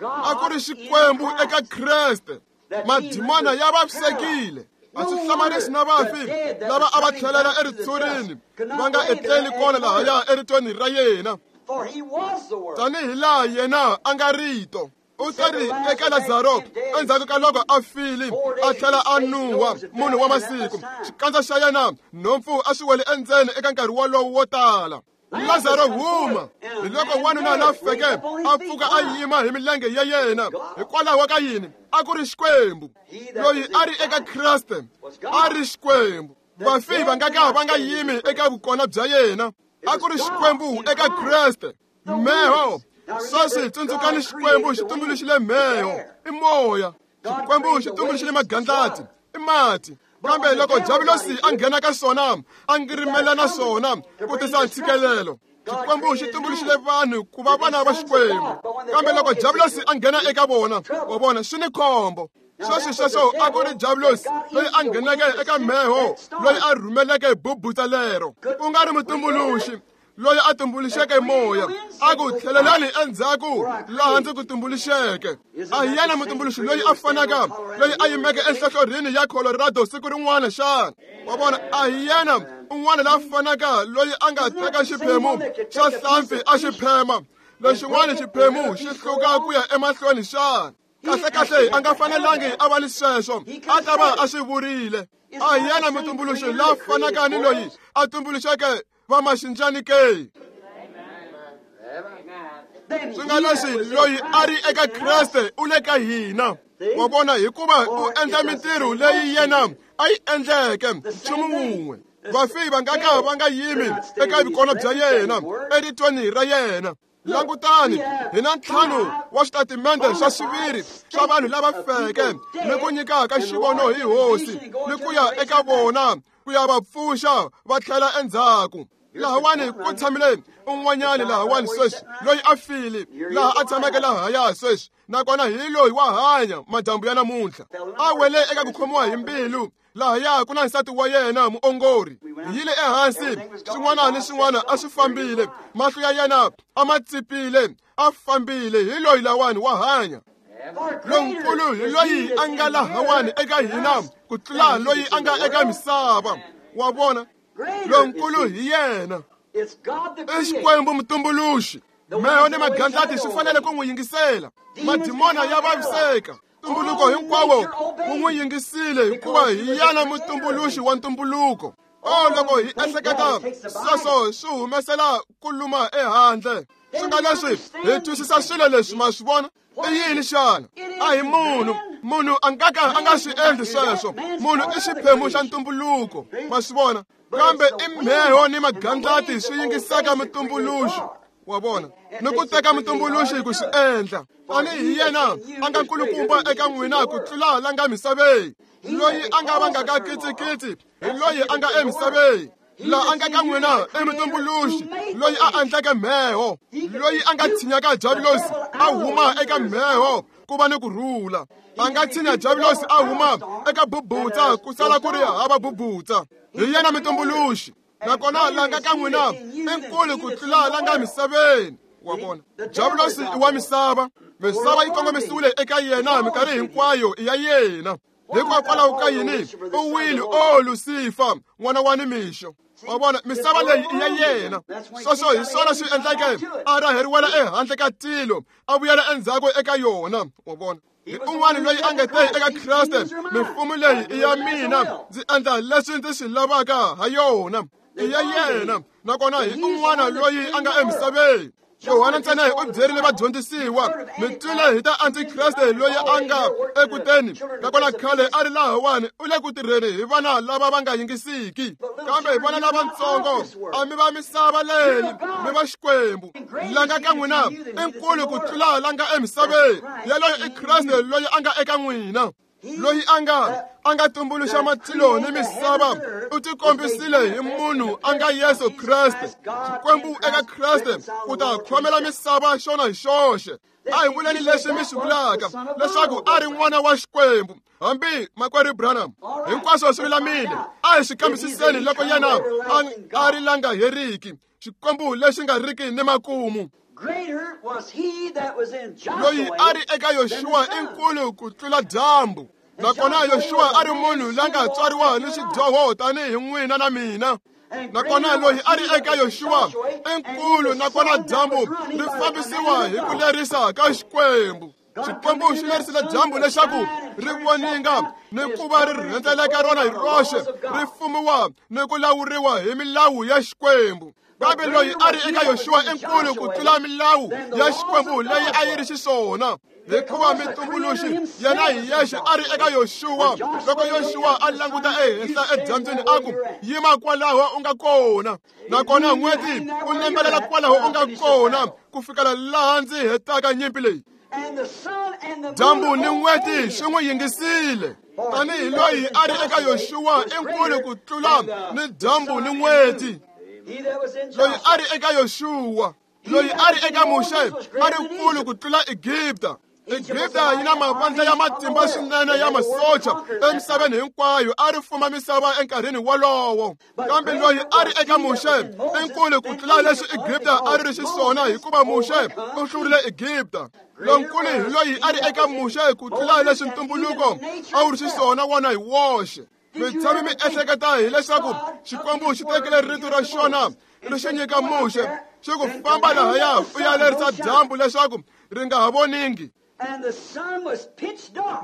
[SPEAKER 1] A ku ri Xikwembu eka Kreste. Madimona ya vavisekile. A swi hlamarisi na vafi lava a va tlhelela eritshurini va nga etleli kona lahaya eritweni ra yena. Tanihi laha yena a nga rito. U teri eka Lazaro endzhaku ka loko a file a tlhela a nuwa munhu wa masiku. Xikandza xa yena nhompfu a swi wele endzeni eka nkarhi wolowo wo tala. Lazaro huma. Hi loko wanuna la feke a pfuka a yima hi milenge ya yena. Hikwalaho ka yini? A ku ri Xikwembu. Loyi a ri eka Kreste a ri Xikwembu. Vafi va nga ka va nga yimi eka vukona bya yena. A ku ri Xikwembu eka Kreste. Mheho. Sweswi tsundzukani Xikwembu xi tumbuluxile mheho. I moya. Xikwembu xi tumbuluxile magandlati. I mati. Kambe loko Diabulosi a nghena ka swona, a ngirimela na swona ku tisa ntshikelelo. Xikwembu xi tumbuluxile vanhu ku va vana va Xikwembu. Kambe loko Diabulosi a nghena eka vona, wa vona swi ni khombo. Sweswi sweswo a ku ri Diabulosi loyi a ngheneke eka mheho, loyi a rhumeleke bubutsa lero. U nga ri mutumbuluxi loyi a tumbuluxeke moya. A ku tlhelelani endzhaku laha ndzi ku tumbuluxeke. A hi yena mutumbuluxi loyi a fanaka loyi a yimeke enhlohlorhini ya Colorado siku rin'wana xana? Wa vona, a hi yena un'wana la fanaka loyi a nga teka xiphemu xa hlampfi a xi phema, lexin'wana xiphemu xi hluka ku ya emahlweni xana? Kahle kahle a nga fanelangi a va ni sweswo, a ta va a swi vurile. A hi yena mutumbuluxi la fanaka ni loyi a tumbuluxeke va maxinjani ke? Swi nga leswi loyi a ri eka Kreste u le ka hina. Wa vona, hikuva u endla mintirho leyi yena a yi endleke nchumu wun'we. Vafi va nga ka va nga yimi eka vukona bya yena eritweni ra yena. Langutani, hi na ntlhanu wa switatimende swa xiviri swa vanhu lava feke ni ku nyikaka xivono hi hosi ni ku ya eka vona ku ya va pfuxa va tlhela endzhaku. Lahawani ku tshamile un'wanyani lahawani sweswi loyi a file laha a tshameke lahaya sweswi, nakona hi loyi wa hanya madyambu ya namuntlha. A wele eka ku khomiwa hi mbilu. Lahaya ku na nsati wa yena muongori. Hi yile ehansi, swin'wana ni swin'wana a swi fambile. Mahlo ya yena a ma tsipile, a fambile. Hi loyi lawani wa hanya. Lonkulu hi loyi a nga lahawani eka hina ku tlula loyi a nga eka misava. Wa vona, lonkulu hi yena. I Xikwembu mutumbuluxi. Mheho ni magandlati swi fanele ku n'wi yingisela. Madimona ya vaviseka. Ntumbuluko hinkwawo wu n'wi yingisile hikuva hi yena mutumbuluxi wa ntumbuluko. O loko hi ehleketa sweswo swi humesela ku luma ehandle. Swi nga leswi hi twisisa swilo leswi, ma swi vona? I yini xana? A hi munhu. Munhu a nga ka a nga swi endli sweswo. Munhu i xiphemu xa ntumbuluko, ma swi vona? Kambe i mheho ni magandlati swi yingisaka mutumbuluxi. Wa vona, ni ku teka mutumbuluxi ku swi endla. Tanihi yena a nga nkulukumba eka n'wina ku tlula la nga misaveni. Loyi a nga vangaka kitsikitsi hi loyi a nga emisaveni. Laha a nga ka n'wina i mutumbuluxi loyi a endleke mheho, loyi a nga tshinyaka Diabulosi a huma eka mheho ku va ni ku rhula. A nga tshinya Diabulosi a huma eka bubutsa ku sala ku ri hava bubutsa. Hi yena mutumbuluxi. Nakona la nga ka n'wina i nkulu ku tlula la nga misaveni. Wa vona, Diabulosi i wa misava. Misava yi kongomisiwile eka yena minkarhi hinkwayo i ya yena. Hikokwalaho ka yini u wile, o Lucifer, n'wana wa nimixo? Wa vona, misava leyi i ya yena. Sweswo hi swona swi endleke a raheriwela ehandle ka tilo, a vuyela endzhaku eka yona. Wa vona, hi un'wana loyi a nga te eka Kreste, mimfumo leyi i ya mina, ndzi endla leswi ndzi swi lavaka ha yona. I ya yena. Nakona hi un'wana loyi a nga emisaveni. Yohana ntsena u byerile vadyondzisiwa, mi twile hi ta antikreste loyi a nga ekuteni, nakona khale a ri lahawani u le ku tirheni hi vana lava va nga yingisiki. Kambe hi vana lavatsongo, a mi va misava leyi, mi va Xikwembu. La nga ka n'wina i nkulu ku tlula la nga emisaveni. Yaloye i Kreste loyi a nga eka n'wina. Loyi a nga a nga tumbuluxa matilo ni misava u tikombisile hi munhu a nga Yesu Kreste. Xikwembu eka Kreste ku ta khomela misava xona hi xoxe. A hi vuleni leswi mi swi vulaka leswaku a ri n'wana wa Xikwembu. Hambi makwerhu Branham, hinkwaswo swi lulamile. A hi swi kambisiseni loko yena a ri la nga heriki, Xikwembu lexi nga riki ni makumu. Loyi a ri eka Yoxuwa i nkulu ku tlula dyambu. Nakona Yoxuwa a ri munhu la nga tswariwa ni xidyoho tanihi n'wina na mina. Nakona loyi a ri eka Yoxuwa i nkulu, nakona dyambu ri fambisiwa hi ku lerisa ka Xikwembu. Xikwembu xi lerisile dyambu leswaku ri voninga ni ku va ri rhendzeleka rona hi roxe, ri fumiwa ni ku lawuriwa hi milawu ya Xikwembu. Kambe loyi a ri eka Yoxuwa i nkulu ku tlula milawu ya Xikwembu leyi a yi ri xiswona, hikuva mitumbuluxi yena hi yexe a ri eka Yoxuwa. Loko Yoxuwa a languta ehenhla edyambyini a ku, yima kwalaho u nga kona, nakona n'weti u nembelela kwalaho u nga kona ku fikela laha ndzi hetaka nyimpi leyi. Dyambu ni n'weti swi n'wi yingisile. Tanihi loyi a ri eka Yoxuwa i nkulu ku tlula ni dyambu ni n'weti. Loyi a ri eka Yoxuwa, loyi a ri eka Muxe a ri nkulu ku tlula Egipta. Egipta yi na mavandla ya matimba swinene ya masocha emisaveni hinkwayo, a ri fuma misava enkarhini wolowo. Kambe loyi a ri eka Muxe i nkulu ku tlula leswi Egipta a ri ri xiswona, hikuva Muxe u hlurile Egipta. Lonkulu hi loyi a ri eka Muxe ku tlula leswi ntumbuluko a wu ri xiswona wona hi woxe. Mi tshami mi ehleketa hileswaku Xikwembu xi tekile rito ra xona ri xi nyika Muxe, xi ku famba lahaya u ya lerisa dyambu leswaku ri nga ha voningi.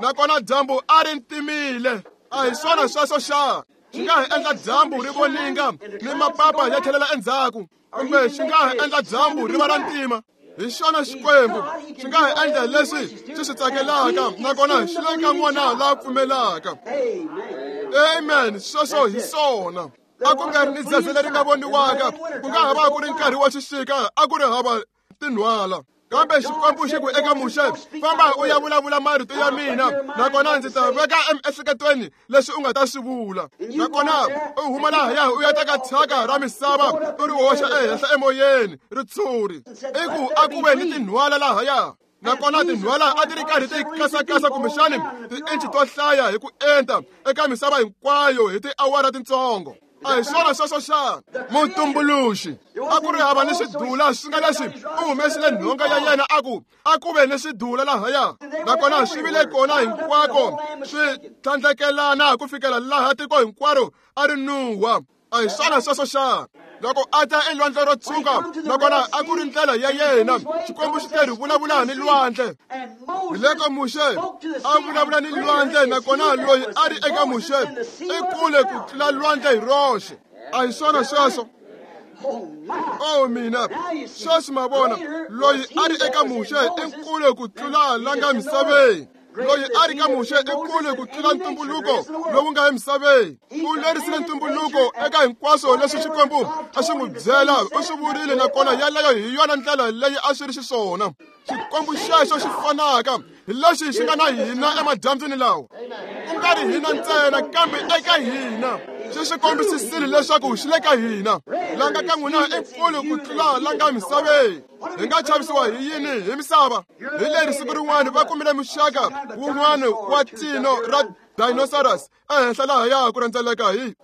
[SPEAKER 1] Nakona dyambu a ri ntimile. A hi swona sweswo xa? Xi nga ha endla dyambu ri voninga ni mapapa ya tlhelela endzhaku, kumbe xi nga ha endla dyambu ri va ra ntima. Hi xona Xikwembu xi nga ha endla leswi xi swi tsakelaka, nakona xi le ka n'wana la pfumelaka. Amen. Sweswo hi swona. A ku nga ri ni dzedze leri nga voniwaka, ku nga ha va ku ri nkarhi wa xixika, a ku ri hava tinhwala. Kambe Xikwembu xi ku eka Muxe, famba u ya vulavula marito ya mina, nakona ndzi ta veka emiehleketweni leswi u nga ta swi vula. Nakona u huma lahaya u ya teka thyaka ra misava u ri hoxa ehenhla emoyeni, ritshuri. I ku a ku ve ni tinhwala lahaya. Nakona tinhwala a ti ri karhi ti kasakasa kumbexani tiinchi to hlaya hi ku enta eka misava hinkwayo hi tiawara tintsongo. A hi swona sweswo xana? Mutumbuluxi a ku ri hava ni swidula swi nga leswi u humesile nhonga ya yena a ku a ku ve ni swidula lahaya, nakona swi vile kona hinkwako swi tlhandlekelana ku fikela laha tiko hinkwaro a ri nuwa. A hi swona sweswo xana? Loko a ta elwandle ro tshuka, nakona a ku ri ndlela ya yena, Xikwembu xi te ri vulavula ni lwandle. Hi loko Muxe a vulavula ni lwandle, nakona loyi a ri eka Muxe i kule ku tlula lwandle hi roxe. A hi swona sweswo? Oh mina, sweswi ma vona, loyi a ri eka Muxe i nkulu ku tlula la nga misaveni. Loyi a ri ka Muxe i kule ku tlula ntumbuluko lowu nga emisaveni. U lerisile ntumbuluko eka hinkwaswo leswi Xikwembu a swi n'wi byela, u swi vurile, nakona yaleyo hi yona ndlela leyi a swi ri xiswona. Xikwembu xexo xi fanaka hi lexi xi nga na hina emadyambyini lawa, ku nga ri hina ntsena kambe eka hina. Xi swi kombisisile leswaku xi le ka hina. La nga ka n'wina i nkulu ku tlula la nga misaveni. Hi nga chavisiwa hi yini hi misava? Hi leri siku rin'wana va kumile muxaka wun'wana wa tino ra dinosaurus ehenhla lahaya ku rhendzeleka hi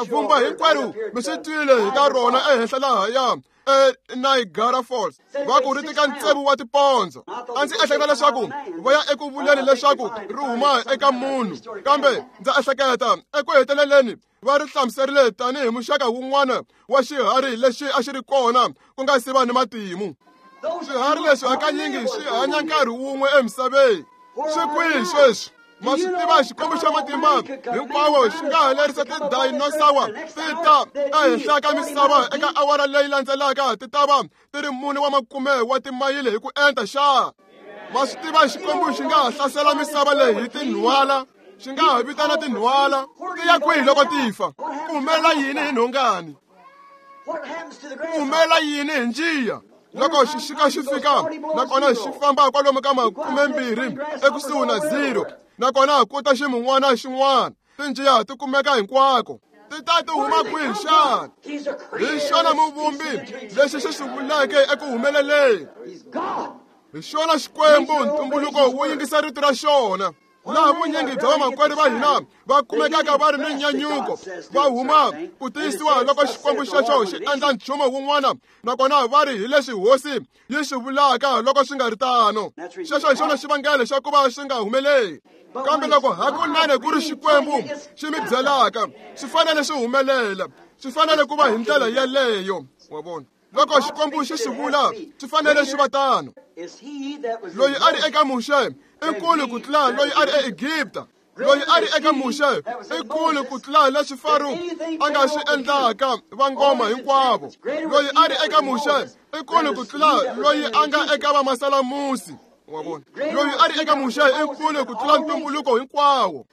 [SPEAKER 1] vumba hinkwerhu mi swi twile hi ta rona ehenhla lahaya eNiagara Falls. Va ku ri tika ntsevu wa tipondzo. A ndzi ehleketa leswaku va ya eku vuleni leswaku ri huma eka munhu, kambe ndza ehleketa eku heteleleni va ri hlamuserile tanihi muxaka wun'wana wa xiharhi lexi a xi ri kona ku nga si va ni matimu. Swiharhi leswi hakanyingi swi hanya nkarhi wun'we emisaveni. Swi kwihi sweswi? Ma swi tiva Xikwembu xa matimba hinkwawo xi nga ha lerisa tidinosawa ti ta ehenhla ka misava eka awara leyi landzelaka ti ta va ti ri mune wa makume wa timayili hi ku enta xa. Ma swi tiva Xikwembu xi nga ha hlasela misava leyi hi tinhwala, xi nga ha vitana tinhwala. Ti ya kwihi loko ti fa? Ku humelela yini hi nhongani? Ku humelela yini hi njiya? Loko xixika xi fika, nakona xi famba kwalomu ka makumembirhi ekusuhi na zero, Nakona ku ta ximun'wana xin'wana. Tinjiya ti kumeka hinkwako. Ti ta ti huma kwihi xana? Hi xona muvumbi lexi xi swi vuleke eku humeleleni. Hi xona Xikwembu ntumbuluko wu yingisa rito ra xona. Laha vunyingi bya vamakwerhu va hina va kumekaka va ri ni nyanyuko, va huma ku tiyisiwa loko Xikwembu xexo xi endla nchumu wun'wana, nakona va ri hi leswi hosi yi swi vulaka loko swi nga ri tano. Xexo hi xona xivangelo xa ku va swi nga humeleli. Kambe loko hakunene ku ri Xikwembu xi mi byelaka, swi fanele swi humelela, swi fanele ku va hi ndlela yeleyo. Wa vona? Loko Xikwembu xi swi vula, swi fanele swi va tano. Loyi a ri eka Muxe i nkulu ku tlula loyi a ri eEgipta. Loyi a ri eka Muxe i nkulu ku tlula leswi Faro a nga swi endlaka vangoma hinkwavo. Loyi a ri eka Muxe i nkulu ku tlula loyi a nga eka vamasalamusi. Wa vona? Loyi a ri eka Muxe i nkulu ku tlula ntumbuluko hinkwawo.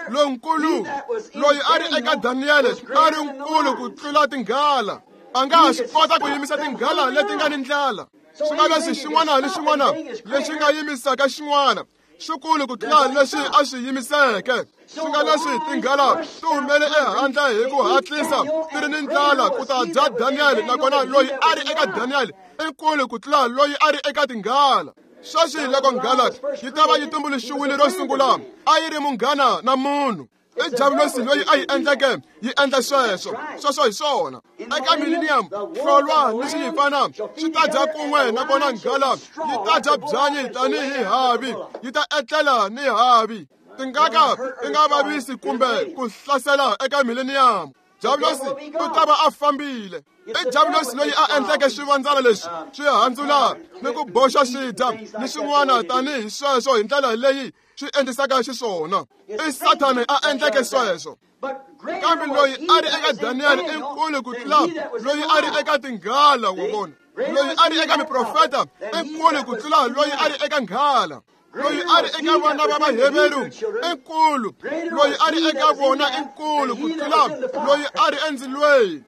[SPEAKER 1] Lonkulu loyi a ri eka Daniele a ri nkulu ku tlula tinghala. A nga ha swi kota ku yimisa tinghala leti nga ni ndlala. Swi nga leswi xin'wana ni xin'wana lexi nga yimisaka xin'wana xikulu ku tlula leswi a swi yimiseke. Swi nga leswi tinghala ti humele ehandle hi ku hatlisa ti ri ni ndlala ku ta dya Daniele, nakona loyi a ri eka Daniele i nkulu ku tlula loyi a ri eka tinghala. Sweswi loko nghala yi ta va yi tumbuluxiwile ro sungula, a yi ri munghana na munhu. I Diabulosi loyi a yi endleke yi endla sweswo. Sweswo hi swona. Eka millennium, hlolwa ni xiyifana swi ta dya kun'we, nakona nghala yi ta dya byanyi tanihi havi, yi ta etlela ni havi. Tingaka ti nga vavisi kumbe ku hlasela eka millennium. Diabulosi u ta va a fambile. I Diabulosi loyi a endleke swivandzana leswi swi handzula ni ku boxa swi dya ni swin'wana tanihi sweswo hi ndlela leyi swi endlisaka xiswona. I Sathane a endleke sweswo. Kambe loyi a ri eka Daniele i nkulu ku tlula loyi a ri eka tinghala. Wa vona? Loyi a ri eka miprofeta i nkulu ku tlula loyi a ri eka nghala. Loyi a ri eka vana va Vaheveru i nkulu, loyi a ri eka vona i nkulu ku tlula loyi a ri endzilweni.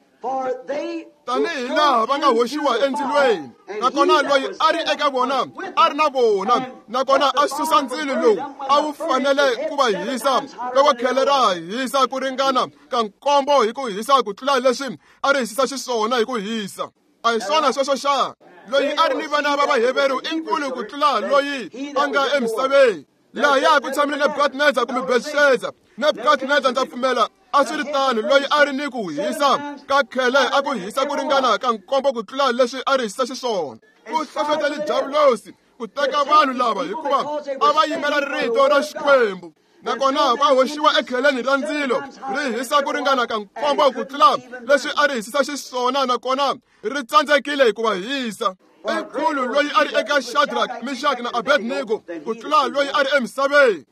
[SPEAKER 1] Tanihi laha va nga hoxiwa endzilweni, nakona loyi a ri eka vona a ri na vona, nakona a susa ndzilo lowu a wu fanele ku va hisa loko khele ra hisa ku ringana ka nkombo hi ku hisa ku tlula leswi a ri hisisa xiswona hi ku hisa. A hi swona sweswo xa? Loyi a ri ni vana va Vaheveru i nkulu ku tlula loyi a nga emisaveni. Lahaya ku tshamile Nebukadnezar kumbe Belshazzar. Nebukadnezar ndza pfumela a swi ri tano, loyi a ri ni ku hisa ka khele a ku hisa ku ringana ka nkombo ku tlula leswi a ri hisisa xiswona. Ku hlohlotele Diabulosi ku teka vanhu lava hikuva a va yimela rito ra Xikwembu. Nakona va hoxiwa ekheleni ra ndzilo ri hisa ku ringana ka nkombo ku tlula leswi a ri hisisa xiswona, nakona ri tsandzekile ku va hisa. I nkulu loyi a ri eka Shadrach, Meshach na Abednego ku tlula loyi a ri emisaveni.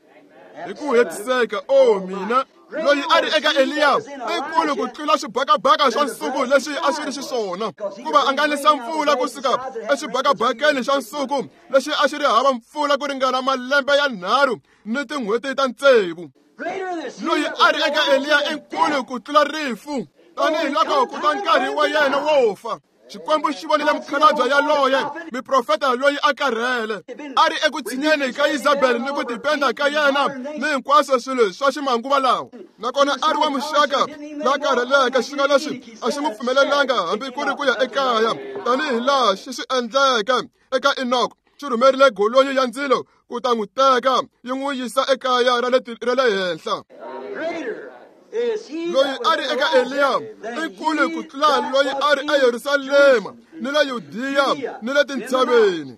[SPEAKER 1] Hi ku hetiseka, o mina, loyi a ri eka Eliya i nkulu ku tlula swibakabaka swa nsuku leswi a swi ri xiswona, kuva a nga nisa mpfula kusuka exibakabakeni xa nsuku lexi a xi ri hava mpfula ku ringana malembe ya nharhu ni tin'hweti ta tsevu. Loyi a ri eka Eliya i nkulu ku tlula rifu, tanihi loko ku ta nkarhi wa yena wo fa. Xikwembu xi vonile mukhalabye yaloye, miprofeta loyi a karhele, a ri eku tshinyeni ka Isabel ni ku tipenda ka yena ni hinkwaswo swilo swa ximanguva lawa. Nakona a ri wa muxaka la karheleke, xi nga leswi a xi n'wi pfumelelanga hambi ku ri ku ya ekaya, tanihi laha xi swi endleke eka Enoch. Xi rhumerile golonyi ya ndzilo ku ta n'wi teka yi n'wi yisa ekaya ra le ra le henhla. Loyi a ri eka Eliya i nkulu ku tlula loyi a ri eYerusalema ni le Yudiya ni le tintshaveni.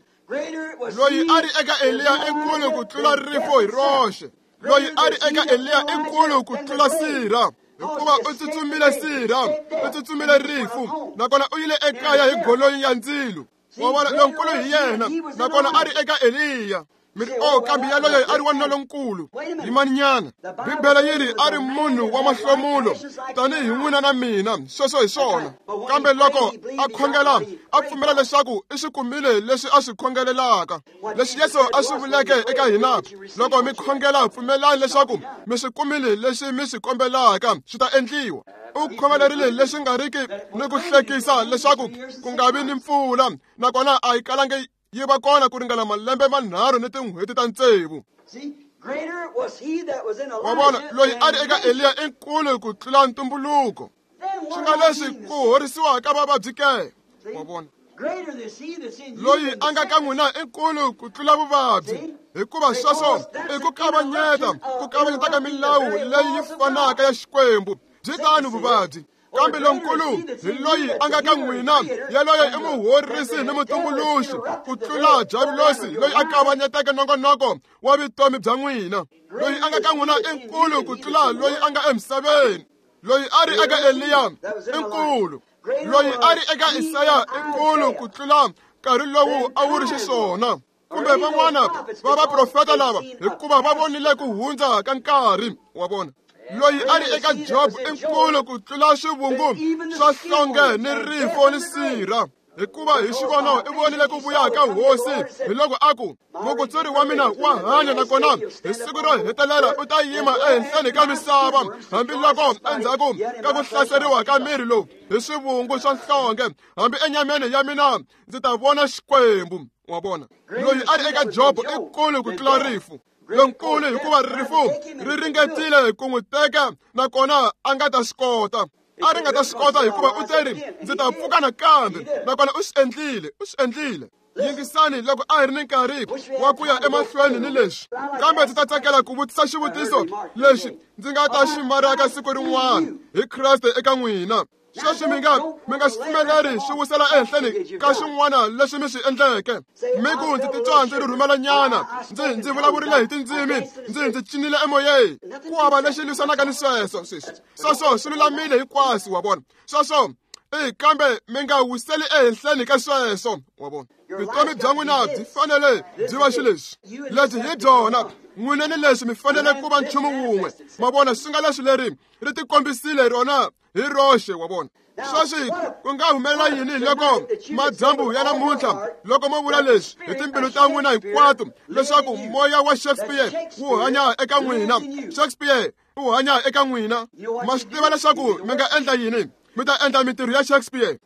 [SPEAKER 1] Loyi a ri eka Eliya i nkulu ku tlula rifo hi roxe. Loyi a ri eka Eliya i nkulu ku tlula sirha, hikuva u tsutsumile sirha, u tsutsumile rifu, nakona u yile ekaya hi golonyi ya ndzilo. Wa vona, lonkulu hi yena, nakona a ri eka Eliya. Mi ri, oh, kambe yaloye a ri wanuna lonkulu. Yimaninyana. Bibele yi ri a ri munhu wa mahlomulo tanihi n'wina na mina. Sweswo hi swona. Kambe loko a khongela, a pfumela leswaku i swi kumile leswi a swi khongelelaka. Leswi Yesu a swi vuleke eka hina, loko mi khongela, pfumelani leswaku mi swi kumile leswi mi swi kombelaka, swi ta endliwa. U khongelerile leswi nga riki ni ku hlekisa leswaku ku nga vi ni mpfula, nakona a yi kalangi yi va kona ku ringana malembe manharhu ni tin'hweti ta tsevu. Wa vona, loyi a ri eka Eliya i nkulu ku tlula ntumbuluko. Swi nga leswi ku horisiwa ka vavabyi ke? Wa vona, loyi a nga ka n'wina i nkulu ku tlula vuvabyi, hikuva sweswo i ku kavanyeta ku kavanyeta ka milawu leyi yi fanaka ya Xikwembu. Byi tano vuvabyi, kambe lonkulu hi loyi a nga ka n'wina, yaloye i muhorisi ni mutumbuluxi ku tlula Diavulosi loyi a kavanyeteke nongonoko wa vutomi bya n'wina. Loyi a nga ka n'wina i nkulu ku tlula loyi a nga emisaveni. Loyi a ri eka Eliya i nkulu. Loyi a ri eka Isaya i nkulu ku tlula nkarhi lowu a wu ri xiswona. Kumbe van'wana va vaprofeta lava, hikuva va vonile ku hundza ka nkarhi wa vona. Loyi a ri eka Job i nkulu ku tlula swivungu swa hlonge ni rifo ni sirha, hikuva hi xivono i vonile ku vuya ka hosi. Hi loko a ku, mukutsuri wa mina wa hanya, nakona hi siku ro hetelela u ta yima ehenhleni ka misava, hambiloko endzhaku ka ku hlaseriwa ka miri lowu hi swivungu swa nhlonge, hambi enyameni ya mina ndzi ta vona Xikwembu. Wa vona, loyi a ri eka Job i nkulu ku tlula rifu lonkulu, hikuva rifu ri ringetile ku n'wi teka, nakona a nga ta swi kota. A ri nga ta swi kota, hikuva u teri, ndzi ta pfuka nakambe, nakona u swi endlile, u swi endlile. Yingisani, loko a hi ri ni nkarhi wa ku ya emahlweni ni leswi, kambe ndzi ta tsakela ku vutisa xivutiso lexi ndzi nga ta xi maraka siku rin'wana hi Kreste eka n'wina. Sweswi mi nga mi nga swi pfumeleri swi wisela ehenhleni ka swin'wana leswi mi swi endleke. Mi ku, ndzi titwa ndzi rhurhumelanyana, ndzi ndzi vulavurile hi tindzimi, ndzi ndzi cinile emoyeni. Ku hava lexi lwisanaka ni sweswo. Sweswi sweswo swi lulamile hinkwaswo, wa vona. Sweswo i, kambe mi nga wiseli ehenhleni ka sweswo, wa vona. Vutomi bya n'wina byi fanele byi va xileswi lebyi hi byona. N'wina ni leswi mi fanele ku va nchumu wun'we, ma vona. Swi nga leswi leri ri tikombisile rona hi roxe, wa vona. Sweswi ku nga humelela yini loko madyambu ya namuntlha, loko mo vula leswi hi timbilu ta n'wina hinkwato, leswaku moya wa Shakespeare wu hanya eka n'wina? Shakespeare wu hanya eka n'wina. Ma swi tiva leswaku mi nga endla yini? Mi ta endla mintirho ya Shakespeare.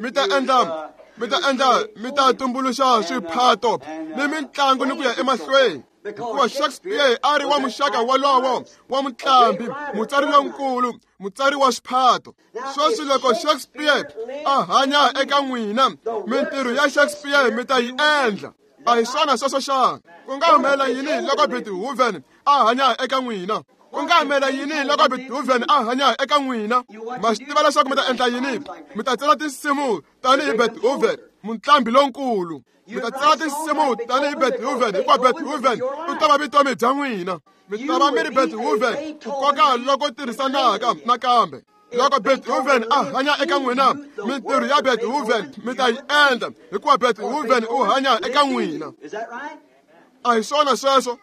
[SPEAKER 1] Mi ta endla mi ta endla mi ta tumbuluxa swiphato ni mitlangu ni ku ya emahlweni, hikuva Shakespeare a ri wa muxaka wolowo wa mutlambi, mutsari lonkulu, mutsari wa swiphato. Sweswi loko Shakespeare a hanya eka n'wina, mintirho ya Shakespeare mi ta yi endla. A hi swona sweswo xana? Ku nga humelela yini loko Beethoven a hanya eka n'wina? Ku nga humelela yini loko Beethoven a hanya eka n'wina? Ma swi tiva leswaku mi ta endla yini? Mi ta tsala tinsimu tanihi Beethoven, mutlambi lonkulu. Mi ta tsala tinsimu tanihi Beethoven, hikuva Beethoven u ta va vutomi bya n'wina. Mi ta va mi ri Beethoven ku koka loko tirhisanaka nakambe. Loko Beethoven a hanya eka n'wina, mintirho ya Beethoven mi ta yi endla, hikuva Beethoven u hanya eka n'wina. A hi swona sweswo?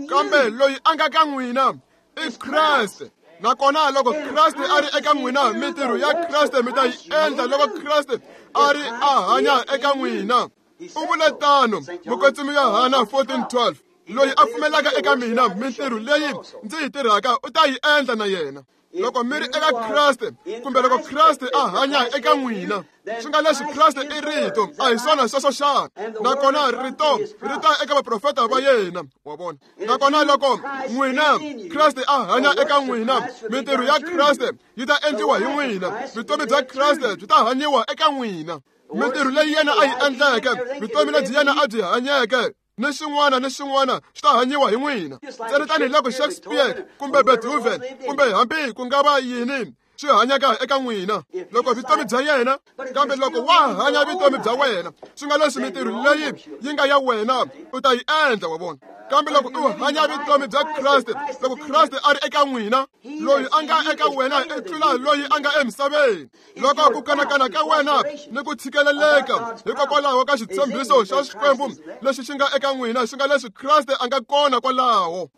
[SPEAKER 1] Kambe loyi a nga ka n'wina i Kreste. Nakona loko Kreste a ri eka n'wina, mintirho ya Kreste mi ta yi endla loko Kreste a ri a hanya eka n'wina. U vule tano Mukwetsimi Yohana fourteen twelve, loyi a pfumelaka eka mina, mintirho leyi ndzi yi tirhaka u ta yi endla na yena. Loko mi ri eka Kreste, kumbe loko Kreste a hanya eka n'wina, swi nga leswi Kreste i rito, a hi swona sweswo xana? Nakona rito ri ta eka vaprofeta va yena, wa vona. Nakona loko n'wina Kreste a hanya eka n'wina, mintirho ya Kreste yi ta endliwa hi n'wina, vutomi bya Kreste byi ta hanyiwa eka n'wina. Mintirho leyi yena a yi endleke, vutomi lebyi yena a byi hanyeke, ni swin'wana ni swin'wana swi ta hanyiwa hi n'wina. Ntsena tanihiloko Shakespeare kumbe Beethoven kumbe hambi ku nga va yini swi hanyaka eka n'wina, loko vutomi bya yena, kambe loko wa hanya vutomi bya wena, swi nga leswi mintirho leyi yi nga ya wena u ta yi endla, wa vona. Kambe loko u hanya vutomi bya Kreste, loko Kreste a ri eka n'wina, loyi a nga eka wena i tlula loyi a nga emisaveni. Loko ku kanakana ka wena ni ku tshikeleleka hikokwalaho ka xitshembiso xa Xikwembu lexi xi nga eka n'wina, xi nga leswi Kreste a nga kona kwalaho,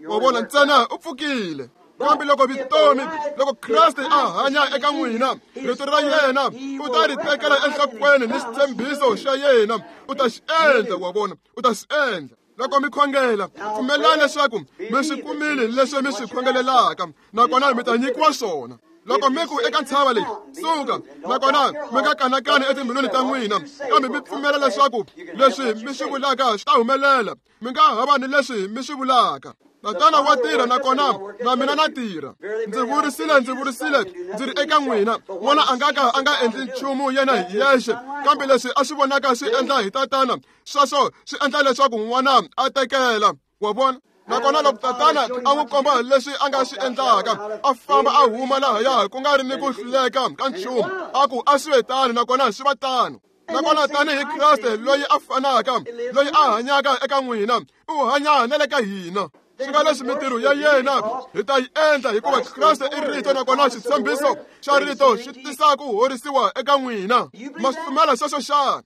[SPEAKER 1] wa vona, ntsena u pfukile. Kambe loko vutomi, loko Kreste a hanya eka n'wina, rito ra yena u ta ri tekela enhlokweni ni xitshembiso xa yena u ta xi endla, wa vona, u ta xi endla. Loko mi khongela, pfumelani leswaku mi swi kumile leswi mi swi khongelelaka, nakona mi ta nyikiwa swona. Loko mi ku eka ntshava leyi, suka, nakona mi nga kanakani etimbilwini ta n'wina, kambe mi pfumela leswaku leswi mi swi vulaka swi ta humelela, mi nga hava ni leswi mi swi vulaka. Tatana wa tirha nakona na mina na tirha. Ndzi vurisile, ndzi vurisile, ndzi ri eka n'wina, n'wana a nga ka a nga endli nchumu yena hi yexe, kambe leswi a swi vonaka swi endla hi tatana, sweswo swi endla leswaku n'wana a tekela. Wa vona? Nakona loko tatana a n'wi komba leswi a nga swi endlaka, a famba a huma lahaya ku nga ri ni ku hluleka ka nchumu, a ku a swi ve tano, nakona swi va tano. Nakona tanihi Kreste loyi a fanaka, loyi a hanyaka eka n'wina, u hanya na le ka hina. Swi nga leswi mintirho ya yena hi ta yi endla, hikuva Kreste i rito, nakona xitshembiso xa rito xi tisa ku horisiwa eka n'wina. Ma swi pfumela sweswo xana?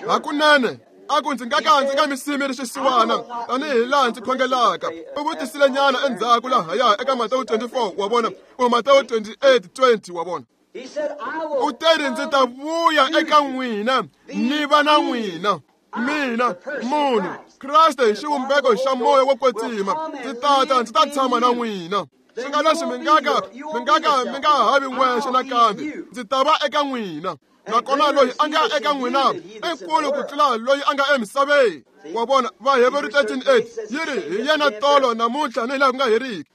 [SPEAKER 1] Hakunene. A ku ndzi nga ka ndzi nga mi simi ri xisiwana tanihi laha ndzi khongelaka. U vutisile nyana endzhaku lahaya eka Matewu twenty-four, wa vona, kumbe Matewu twenty-eight twenty, wa vona. U teri ndzi ta vuya eka n'wina ni va na n'wina. Mina, munhu, Kreste hi xivumbeko xa moya wo kwetsima, ndzi tata ndzi ta tshama na n'wina. Swi nga leswi mi nga ka mi nga ka mi nga havi n'wexe nakambe, ndzi ta va eka n'wina. Nakona loyi a nga eka n'wina i nkulu ku tlula loyi a nga emisaveni. Wa vona, Vaheveru thirteen eight yi ri hi yena tolo namuntlha ni laha ku nga heriki.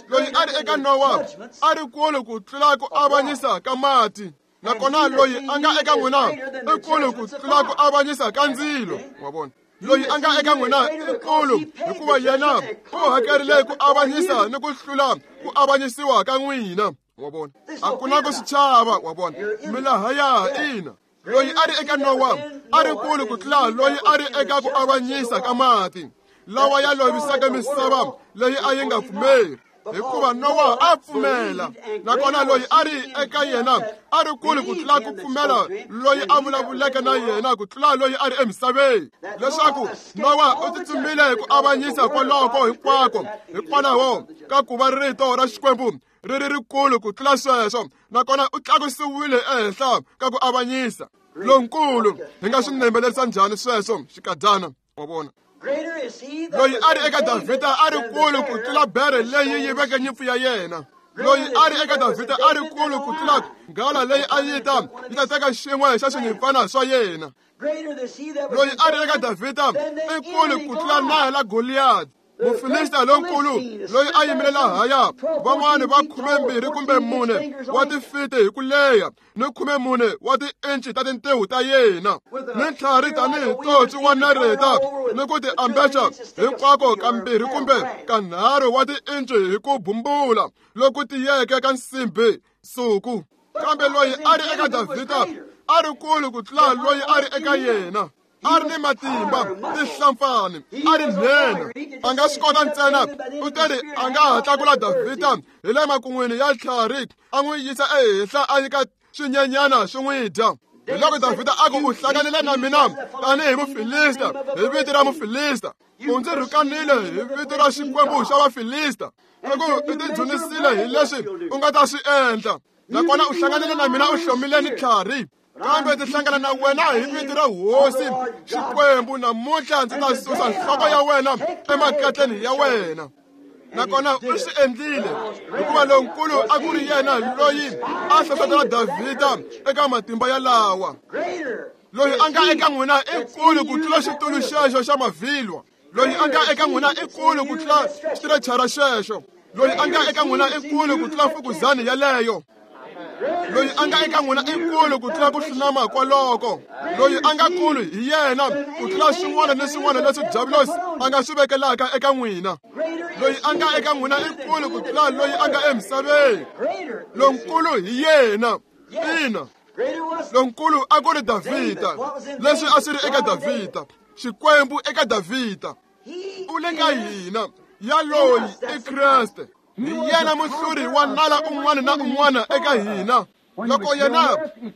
[SPEAKER 1] Loyi a ri eka Nowa a ri kulu ku tlula ku avanyisa ka mati. Nakona loyi a nga eka n'wina i kulu ku tlula ku avanyisa ka ndzilo. Wa vona, loyi a nga eka n'wina i kulu hikuva yena u hakerile ku avanyisa ni ku hlula ku avanyisiwa ka n'wina. Wa vona, a ku na ku swi chava. Wa vona, mi lahaya ina. Loyi a ri eka Nowa a ri kulu ku tlula loyi a ri eka ku avanyisa ka mati lawa ya lovisaka misava leyi a yi nga pfumeri, hikuva Nowa a pfumela. Nakona loyi a ri eka yena a ri kulu ku tlula ku pfumela loyi a vulavuleke na yena ku tlula loyi a ri emisaveni, leswaku Nowa u tsutsumile ku avanyisa kwaloko hinkwako hikwalaho ka ku va rito ra Xikwembu ri ri rikulu ku tlula sweswo, nakona u tlakusiwile ehenhla ka ku avanyisa lonkulu. Hi nga swi nembelerisa njhani sweswo xikadyana? Wa vona, loyi a ri eka Davhida a ri kulu ku tlula bere leyi yiveke nyimpfu ya yena. Loyi a ri eka Davhida a ri kulu ku tlula nghala leyi a yi ta yi ta teka xin'we xa swinyimpfana swa yena. Loyi a ri eka Davhida i kulu ku tlula nala Goliyadi, Mufilista lonkulu loyi a yimile lahaya, van'wani va khumembirhi kumbe mune wa tifiti hi ku leha ni khumemune wa tiinci ta tintiho ta yena, ni ntlhari tanihi totsi wa nareta, ni ku ti ambexa hinkwako kambirhi kumbe kanharhu wa tiinci hi ku bumbula loku tiyeke ka nsimbi nsuku. Kambe loyi a ri eka Davhida a ri kulu ku tlula loyi a ri eka yena. A ri ni matimba, tihlampfani, a ri nhenha. A nga swi kota ntsena, u teri a nga ha tlakula Davhida hi le makun'wini ya tlhari, a n'wi yisa ehenhla a nyika swinyenyana swi n'wi dya. Hi loko Davhida a ku u hlanganile na mina tanihi Mufilista hi vito ra Mufilista, u ndzi rhukanile hi vito ra Xikwembu xa Vafilista, loko u tidzunisile hi leswi u nga ta swi endla, nakona u hlanganile na mina u hlomile ni tlhari. Kambe ndzi hlangana na wena hi vito ra Hosi Xikwembu, namuntlha ndzi ta susa nhloko ya wena emakatleni ya wena. Nakona u swi endlile, hikuva lonkulu a ku ri yena loyi a hlohlotela Davhida eka matimba yalawa. Loyi a nga eka n'wina i nkulu ku tlula xitulu xexo xa mavhilwa. Loyi a nga eka n'wina i nkulu ku tlula xitirecara xexo. Loyi a nga eka n'wina i nkulu ku tlula fukuzani yaleyo. Loyi a nga eka n'wina i nkulu ku tlula ku hlunama kwaloko. Loyi a nga kulu hi yena ku tlula swin'wana ni swin'wana leswi Diabulosi a nga swi vekelaka eka n'wina. Loyi a nga eka n'wina i nkulu ku tlula loyi a nga emisaveni. Lonkulu hi yena. Ina, lonkulu a ku ri Davhida. Leswi a swi ri eka Davhida, Xikwembu eka Davhida, u le ka hina. Yaloyi i Kreste. Hi yena muhluri wa nala un'wana na un'wana eka hina. Loko yena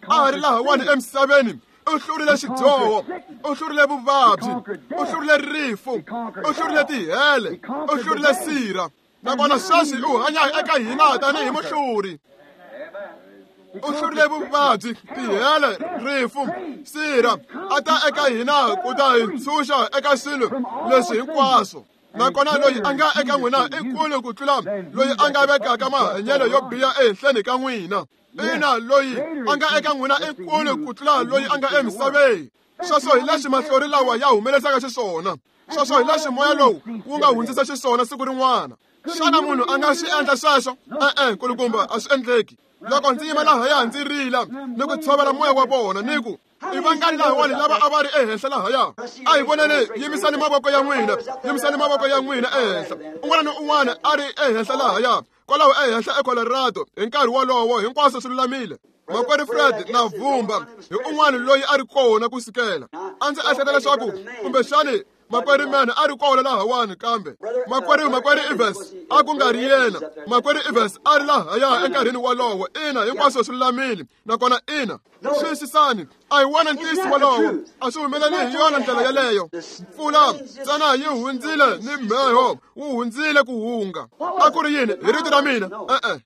[SPEAKER 1] a ha ri lahawani emisaveni, u hlurile xidyoho, u hlurile vuvabyi, u hlurile rifu, u hlurile tihele, u hlurile sirha. Nakona sweswi u hanya eka hina tanihi muhluri. U hlurile vuvabyi, tihele, rifu, sirha, a ta eka hina ku ta hi ntshunxa eka swilo leswi hinkwaswo. Nakona loyi a nga eka n'wina i kulu ku tlula loyi a nga vekaka mahanyelo yo biha ehenhleni ka n'wina. Ina, loyi a nga eka n'wina i kulu ku tlula loyi a nga emisaveni. Sweswo hi leswi mahlori lawa ya humelesaka xiswona. Sweswo hi leswi moya lowu wu nga hundzisa xiswona siku rin'wana. Xana munhu a nga swi endla sweswo? E-e, nkulukumba, a swi endleki. Loko ndzi yima lahaya ndzi rila ni ku tshovela moya wa vona ni ku i vangani lahawani lava a va ri ehenhla lahaya? A hi voneni, yimisani mavoko ya n'wina, yimisani mavoko ya n'wina ehenhla. Un'wana ni un'wana a ri ehenhla lahaya, kwalaho ehenhla eColorado hi nkarhi wolowo, hinkwaswo swi lulamile. Makwerhu Fred na Vumba hi un'wana loyi a ri kona ku sukela. A ndzi ehleketa leswaku kumbexani makwerhu Mann a ri kona lahawani, kambe makwerhu makwerhu Evans a ku nga ri yena. Makwerhu Evans a ri lahaya enkarhini wolowo. Ina, hinkwaswo swi lulamile. Nakona ina, xiyisisani, a hi wona ntiyiso wolowo. A swi humeleli hi yona ndlela yeleyo. Mpfula ntsena yi hundzile ni mheho wu hundzile ku hunga. A ku ri yini? Hi rito ra mina? E-e,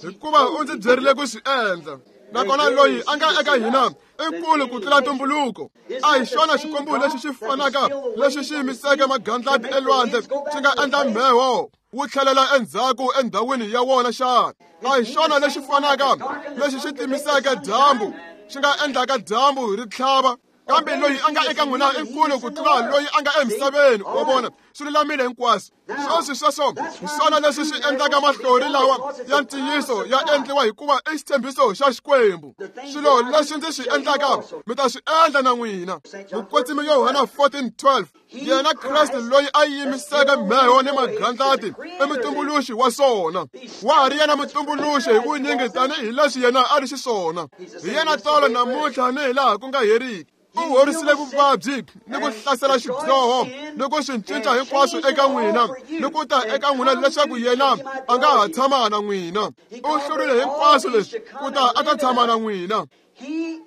[SPEAKER 1] hikuva u ndzi byerile ku swi endla. Nakona loyi a nga eka hina i kulu ku tlula ntumbuluko. A hi xona Xikwembu lexi xi fanaka lexi xi yimiseke magandlati elwandle xi nga endla mheho wu tlhelela endzhaku endhawini ya wona xana? A hi xona lexi fanaka lexi xi timiseke dyambu xi nga endlaka dyambu ri tlhava? Kambe loyi a nga eka n'wina i nkulu ku tlula loyi a nga emisaveni. Wa vona, swi lulamile hinkwaswo. Sweswi sweswo hi swona leswi swi endlaka mahlori lawa ya ntiyiso ya endliwa, hikuva i xitshembiso xa Xikwembu. Swilo leswi ndzi swi endlaka mi ta swi endla na n'wina. Mukwetsimi Yohana fourteen twelve, yena Kreste loyi a yimiseke mheho ni magandlati i mutumbuluxi wa swona. Wa ha ri yena mutumbuluxi hi vunyingi tanihileswi yena a ri xiswona. Hi yena tolo namuntlha ni hilaha ku nga heriki. U horisile vuvabyi ni ku hlasela xidyoho ni ku swi cinca hinkwaswo eka n'wina ni ku ta eka n'wina leswaku yena a nga ha tshama na n'wina. U hlurile hinkwaswo leswi ku ta a ta tshama na n'wina. Hi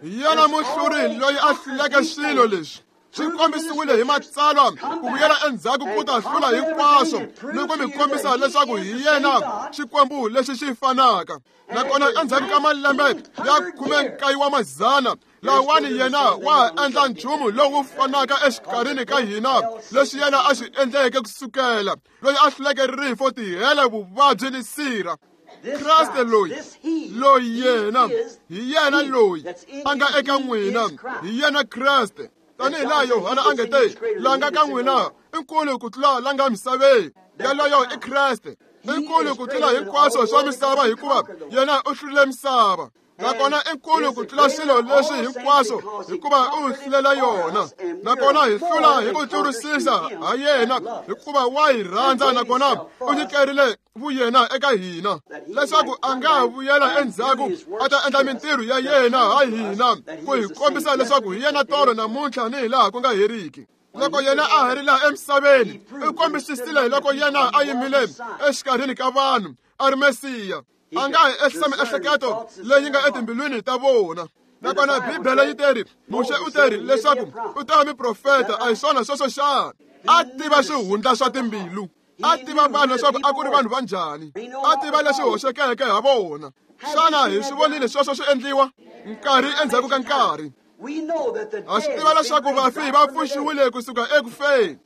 [SPEAKER 1] yena muhluri loyi a hluleke swilo leswi. Swi kombisiwile hi matsalwa ku vuyela endzhaku ku ta hlula hinkwaswo ni ku mi kombisa leswaku hi yena Xikwembu lexi xi fanaka. Nakona endzhaku ka malembe ya khume nkaye wa madzana lawani yena wa endla nchumu lowu fanaka exikarhini ka hina leswi yena a swi endleke kusukela loyi a hluleke rifo, tihele, vuvabyi ni sirha. Kreste loyi, loyi yena, hi yena loyi a nga eka n'wina, hi yena Kreste. Tanihi laha Yohana a nge te, la nga ka n'wina i nkulu ku tlula la nga misaveni. Yaloyo i Kreste. I nkulu ku tlula hinkwaswo swa misava, hikuva yena u hlurile misava. Nakona i nkulu ku tlula swilo leswi hinkwaswo, hikuva u hlulela yona. Nakona hi hlula hi ku tlurisisa ha yena, hikuva wa hi rhandza nakona u nyikerile vuyena eka hina, leswaku a nga vuyela endzhaku a ta endla mintirho ya yena ha hina, ku hi kombisa leswaku hi yena tolo namuntlha ni hilaha ku nga heriki. Loko yena a ha ri laha emisaveni, u kombisisile loko yena a yimile exikarhini ka vanhu a ri Mesiya. A nga hi ehlisa miehleketo leyi nga etimbilwini ta vona. Nakona Bibele yi teri, Muxe u teri leswaku u ta va muprofeta, a hi swona sweswo xana? A tiva swihundla swa timbilu, a tiva vanhu leswaku a ku ri vanhu va njhani, a tiva leswi hoxekeke ha vona. Xana hi swi vonile sweswo swi endliwa nkarhi endzhaku ka nkarhi? Ha swi tiva leswaku vafi va pfuxiwile kusuka eku feni.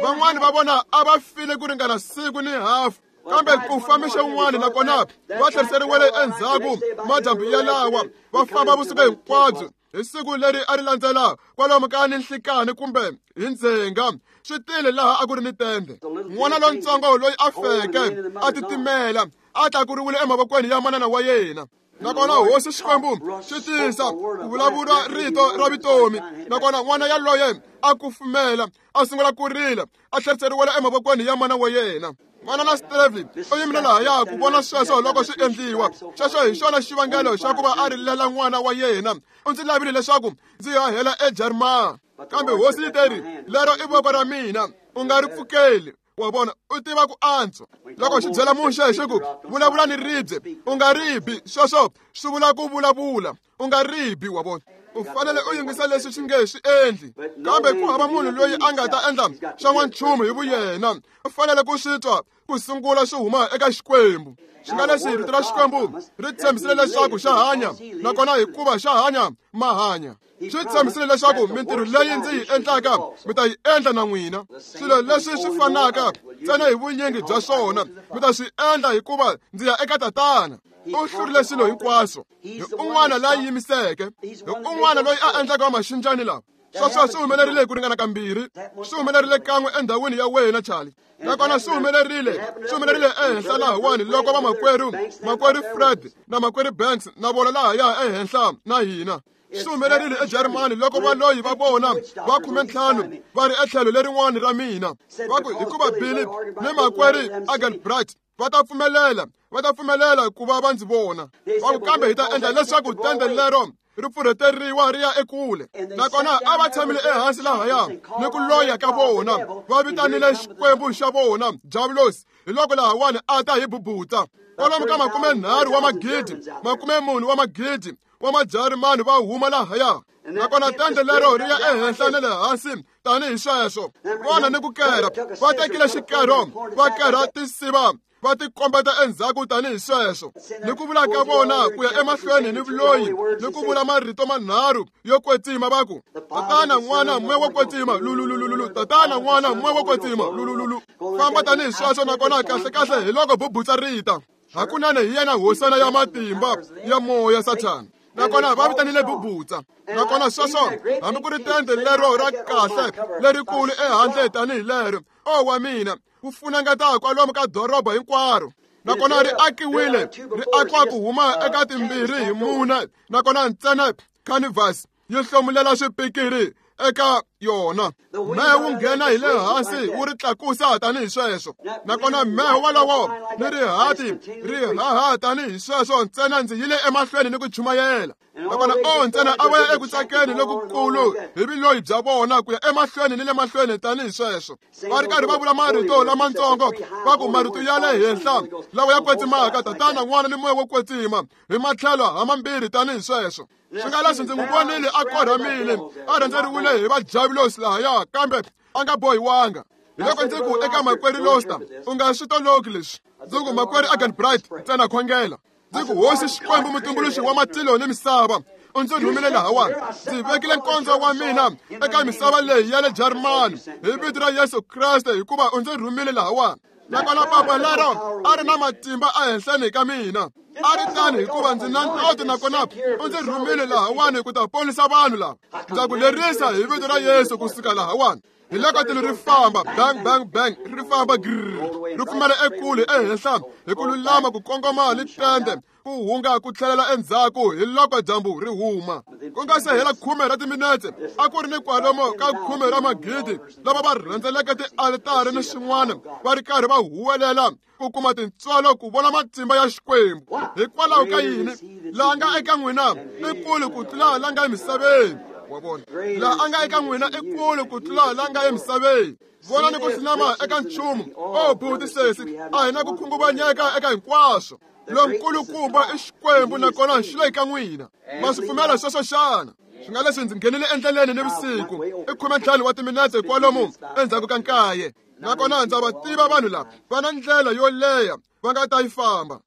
[SPEAKER 1] Van'wani va vona a va file ku ringana siku ni hafu, kambe ku fa mixo wun'wana nakona va tlheriseriwile endzhaku madyambu yalawa, va famba vusiku hinkwabyo. Hi siku leri a ri landzela kwalomu ka ni nhlikani kumbe hi ndzhenga, swi tile laha a ku ri ni tende. N'wana lontsongo loyi a feke a titimela a tlakuriwile emavokweni ya manana wa yena. Nakona hosi Xikwembu xi tisa ku vulavula rito ra vutomi. Nakona n'wana yaloye a kufumela, a sungula ku rila, a tlheriseriwela emavokweni ya mana wa yena. Manana Stevie u yimile lahaya ku vona sweswo loko swi endliwa. Sweswo hi xona xivangelo xa ku va a rilela n'wana wa yena. U ndzi lavile leswaku ndzi hahela eJarimani, kambe hosi yi teri, lero i voko ra mina, u nga ri pfukeli. Wa vona, u tiva ku antswa. Loko xi byela Muxe xi ku, vulavula ni ribye, u nga ribi. Sweswo swi vula ku vulavula, u nga ribi. Wa vona, u fanele u yingisa leswi xi nge swi endli. Kambe ku hava munhu loyi a nga ta endla xa n'wanchumu hi vuyena. U fanele ku swi twa ku sungula swi huma eka Xikwembu. Xi nga leswi rito ra Xikwembu ri tshembisile leswaku xa hanya, nakona hikuva xa hanya, ma hanya. Swi tshembisile leswaku mintirho leyi ndzi yi endlaka mi ta yi endla na n'wina. Swilo leswi swi fanaka ntsena hi vunyingi bya swona mi ta swi endla hikuva ndzi ya eka Tatana. U hlurile swilo hinkwaswo. Hi un'wana la yimiseke, hi un'wana loyi a endlaka maxinjani lawa. Sweswo swi humelerile hi ku ringana kambirhi. Swi humelerile kan'we endhawini ya wena, Charlie. Nakona swi humelerile, swi humelerile ehenhla lahawani loko vamakwerhu, makwerhu Fred na makwerhu Banks na vona lahaya ehenhla na hina. Swi humelerile eJarimani loko valoyi va vona va khumentlhanu va ri etlhelo lerin'wani ra mina. Va ku hikuva Billy ni makwerhu Agelbright va ta pfumelela, va ta pfumelela ku va va ndzi vona. Va ku kambe hi ta endla leswaku tende lero ri pfurheteriwa ri ya ekule. Nakona a va tshamile ehansi lahaya ni ku loya ka vona, va vitanile Xikwembu xa vona Diabulosi. Hi loko lahawani a ta hi bubutsa. Kwalomu ka makumenharhu wa magidi, makumemune wa magidi wa Majarimani va huma lahaya. Nakona tende lero ri ya ehenhla na le hansi tanihi sweswo. Vona ni ku kerha, va tekile xikero, va kerha tinsiva, va tikombeta endzhaku tanihi sweswo. Ni ku vula ka vona ku ya emahlweni ni vuloyi, ni ku vula marito manharhu yo kwetsima va ku Tatana, N'wana, Moya wo Kwetsima, lulululu, Tatana, N'wana, Moya wo Kwetsima, lulululu. Famba tanihi sweswo. Nakona kahle kahle hi loko bubutsa rita. Hakunene hi yena hosana ya matimba ya moya Sathana. Nakona va vitanile bubutsa. Nakona sweswo hambi ku ri tende lero ra kahle lerikulu ehandle tanihi lero, o wa mina, ku funengeta kwalomu ka doroba hinkwaro. Nakona ri akiwile, ri akiwa ku huma eka timbirhi hi mune. Nakona ntsena canvas yi hlomulela swipikiri eka yona. Mehe wu nghena hi le hansi wu ri tlakusa tanihi sweswo. Nakona mehe wolowo ni rihati ri haha tanihi sweswo. Ntsena ndzi yile emahlweni ni ku chumayela. Nakona o ntsena a va ya eku tsakeni lokukulu hi vuloyi bya vona ku ya emahlweni ni le mahlweni tanihi sweswo. Va ri karhi va vula marito lamatsongo, va ku marito ya le henhla lawa ya kwetsimaka, Tatana, N'wana ni Moya wo Kwetsima, hi matlhelo hamambirhi tanihi sweswo. Swi nga leswi ndzi n'wi vonile a korhamile, a rhendzeriwile hi vajavulosi lahaya, kambe a nga bohiwanga. Hi loko ndzi ku eka makwerhu Loster, u nga swi toloki leswi. Ndzi ku makwerhu Agelbright, ntsena khongela. Ndzi ku Hosi Xikwembu mutumbuluxi wa matilo ni misava, u ndzi rhumile lahawani. Ndzi vekile nkondzo wa mina eka misava leyi ya le Jarimani hi vito ra Yesu Kreste, hikuva u ndzi rhumile lahawani. Nakona papa lero a ri na matimba ehenhleni ka mina. A ri tani hikuva ndzi na ntoto, nakona u ndzi rhumile lahawani ku ta ponisa vanhu lava. Ndza ku lerisa hi vito ra Yesu kusuka lahawani. Hi loko tilo ri famba bang bang bang, ri famba grrr, ri pfumela ekule ehenhla hi ku lulama ku kongoma ni tende, ku hunga ku tlhelela endzhaku hi loko dyambu ri huma. Ku nga se hela khume ra timinetse, a ku ri ni kwalomu ka khume ra magidi lava va rhendzeleke tialitari ni swin'wana, va ri karhi va huwelela ku kuma tintswalo ku vona matimba ya Xikwembu. Hikwalaho ka yini? Laha nga eka n'wina i kulu ku tlula la nga emisaveni. Wa vona, laha a nga eka n'wina i kulu ku tlula la nga emisaveni. Vona ni ku hlinama eka nchumu. O buti sesi, a hi na ku khunguvanyeka eka hinkwaswo. Lonkulukumba i Xikwembu, nakona xi le ka n'wina. Ma swi pfumela sweswo xana? Swi nga leswi ndzi nghenile endleleni nivusiku i khumentlhanu wa timinetse kwalomu endzhaku ka nkaye. Nakona ndza va tiva vanhu lava va na ndlela yo leha va nga ta yi famba.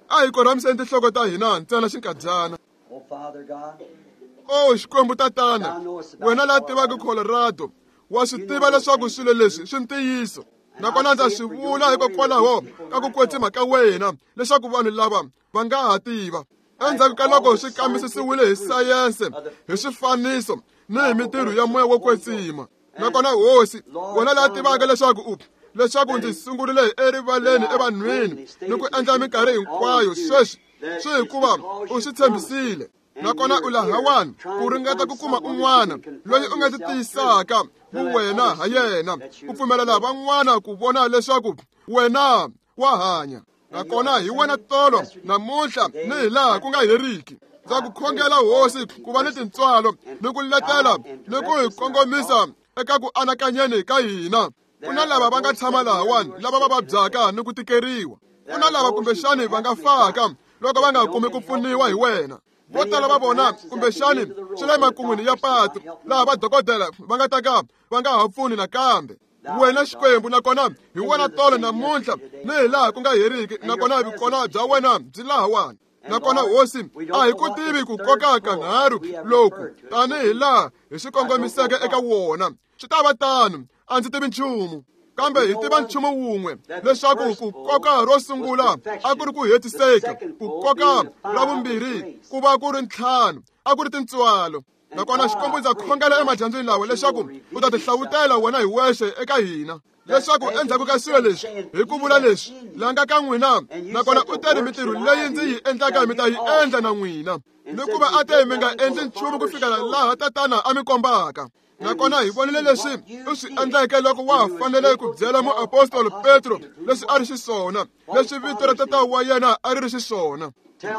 [SPEAKER 1] A hi korhamiseni tinhloko ta hina ntsena xinkadyana. O Xikwembu Tatana, wena la tivaka Colorado, wa swi tiva leswaku swilo leswi swi ntiyiso. Nakona ndza swi vula hikokwalaho ka ku kwetsima ka wena leswaku vanhu lava va nga ha tiva. Endzhaku ka loko swi kambisisiwile hi sayense, hi swifaniso ni hi mintirho ya Moya wo Kwetsima. Nakona Hosi, wena la tivaka leswaku u leswaku ndzi sungurile erivaleni evanhwini ni ku endla minkarhi hinkwayo sweswi, swi hikuva u swi tshembisile. Nakona u lahawani ku ringeta ku kuma un'wana loyi u nga ti tiyisaka vuwena ha yena, ku pfumelela van'wana ku vona leswaku wena wa hanya. Nakona hi wena tolo namuntlha ni hi laha ku nga heriki. Ndza ku khongela Hosi ku va ni tintswalo ni ku letela ni ku hi kongomisa eka ku anakanyeni ka hina. Ku na lava va nga tshama lahawani lava va vabyaka ni ku tikeriwa. Ku na lava kumbexani va nga faka loko va nga kumi ku pfuniwa hi wena. Vo tala va vona kumbexani swi le makun'wini ya patu laha vadokodela va nga ta ka va nga ha pfuni nakambe. Wena Xikwembu, nakona hi wena tolo namuntlha ni hi laha ku nga heriki, nakona vukona bya wena byi lahawani. Nakona hosi a hi ku tivi ku koka kanharhu loku tanihi laha hi swi kongomiseke eka wona. Swi ta va tano, a ndzi tivi nchumu. Kambe hi tiva nchumu wun'we, leswaku ku koka ro sungula a ku ri ku hetiseka, ku koka ra vumbirhi ku va ku ri ntlhanu, a ku ri tintswalo. Nakona Xikwembu ndza khongela emadyambyini lawa leswaku u ta tihlawutela wena hi wexe eka hina, leswaku endzhaku ka swilo leswi hi ku vula leswi la nga ka n'wina, nakona u teri mitirho leyi ndzi yi endlaka mi ta yi endla na n'wina, ni ku va a te mi nga endli nchumu ku fikela laha Tatana a mi kombaka. Nakona hi vonile leswi u swi endleke loko wa ha fanele ku byela muapostolo Petro leswi a ri xiswona, leswi vito ra tata wa yena a ri ri xiswona.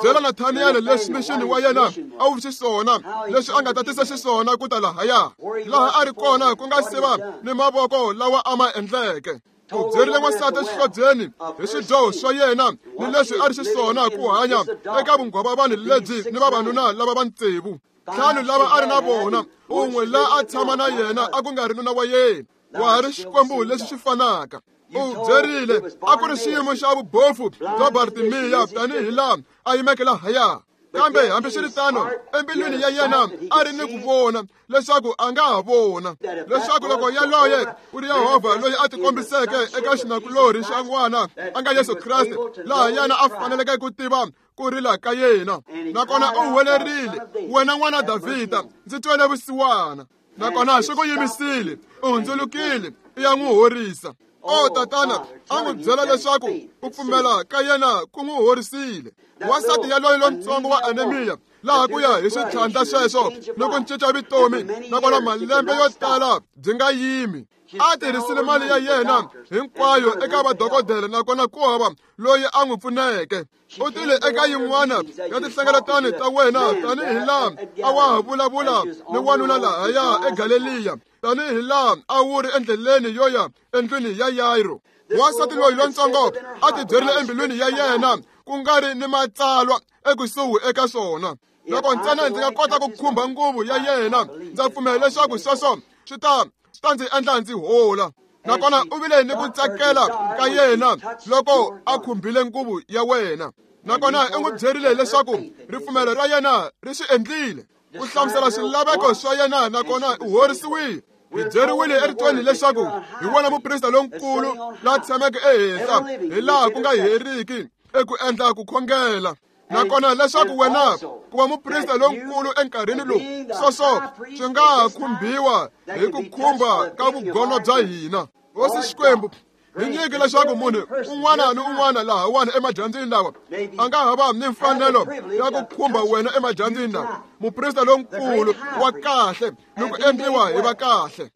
[SPEAKER 1] Byela Nathaniel leswi mixini wa yena a wu xiswona, leswi a nga ta tisa xiswona ku ta lahaya, laha a ri kona ku nga se va ni mavoko lawa a ma endleke. U byerile n'wansati exihlobyeni hi swidyoho swa yena ni leswi a ri xiswona ku hanya eka vunghwavavani lebyi ni vavanuna lava va tsevu. Ntlhanu lava a ri na vona, un'we la a tshama na yena a ku nga ri nuna wa yena. Wa ha ri Xikwembu lexi xi fanaka. U byerile a ku ri xiyimo xa vubofu bya Bartimiya tanihi laha a yimeke lahaya. Kambe hambiswiritano, embilwini ya yena a ri ni ku vona leswaku a nga ha vona, leswaku loko yaloye ku ri Yehovha loyi a tikombiseke eka xinakulorhi xa n'wana a nga Yesu Kreste, laha yena a faneleke ku tiva ku rila ka yena. Nakona u huwelerile, wena n'wana Davhida, ndzi twele vusiwana. Nakona swi ku yimisile, u hundzulukile, i ya n'wi horisa. O Tatana, a n'wi byela leswaku ku pfumela ka yena ku n'wi horisile. Wansati yaloye lontsongo wa anemia, laha ku ya hi switlhandla sweswo ni ku cinca vutomi, nakona malembe yo tala byi nga yimi. A tirhisile mali ya yena hinkwayo eka vadokodela, nakona ku hava loyi a n'wi pfuneke. U tile eka yin'wana ya tinhlengeletano ta wena tanihi laha a wa ha vulavula ni wanuna lahaya eGaleliya, tanihi laha a wu ri endleleni yo ya endlwini ya Yairo. Wansati loyi lontsongo a tibyerile embilwini ya yena ku nga ri ni matsalwa ekusuhi eka swona. Loko ntsena ndzi nga kota ku khumba nguvu ya yena, ndza pfumela leswaku sweswo swi ta swi ta ndzi endla ndzi hola. Nakona u vile ni ku tsakela ka yena loko a khumbile nguvu ya wena. Nakona u n'wi byerile leswaku ripfumelo ra yena ri swi endlile, ku hlamusela swilaveko swa yena, nakona u horisiwile. Hi byeriwile eritweni leswaku hi wona muprista lonkulu la tshameke ehenhla hi laha ku nga heriki eku endla ku khongela. Nakona leswaku wena ku va muprista lonkulu enkarhini lowu, sweswo swi nga ha khumbiwa hi ku khumba ka vugono bya hina. Hosi Xikwembu, hi nyike leswaku munhu un'wana ni un'wana lahawani emadyambyini lawa a nga ha va ni mfanelo ya ku khumba wena emadyambyini lawa, muprista lonkulu wa kahle ni ku endliwa hi va kahle.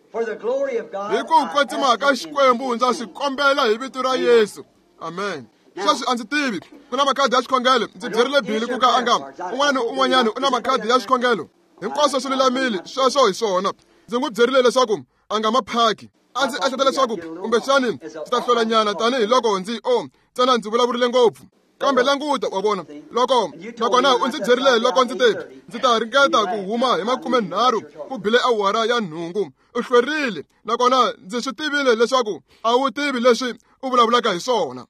[SPEAKER 1] Hi ku kwetsima ka Xikwembu ndza swi kombela hi vito ra Yesu. Amen. Sweswi a ndzi tivi ku na makhadi ya xikhongelo. Ndzi byerile Bili ku ka a nga un'wana ni un'wanyana u na makhadi ya xikhongelo. Hinkwaswo swi lulamile, sweswo hi swona. Ndzi n'wi byerile leswaku a nga ma phaki. A ndzi ehleketa leswaku kumbexani ndzi ta hlwelanyana tanihiloko ndzi o ntsena ndzi vulavurile ngopfu. Kambe languta, wa vona, loko nakona u ndzi byerile loko ndzi te ndzi ta ringeta ku huma hi makume nharhu ku bile awara ya nhungu. U hlwerile, nakona ndzi swi tivile leswaku a wu tivi leswi u vulavulaka hi swona.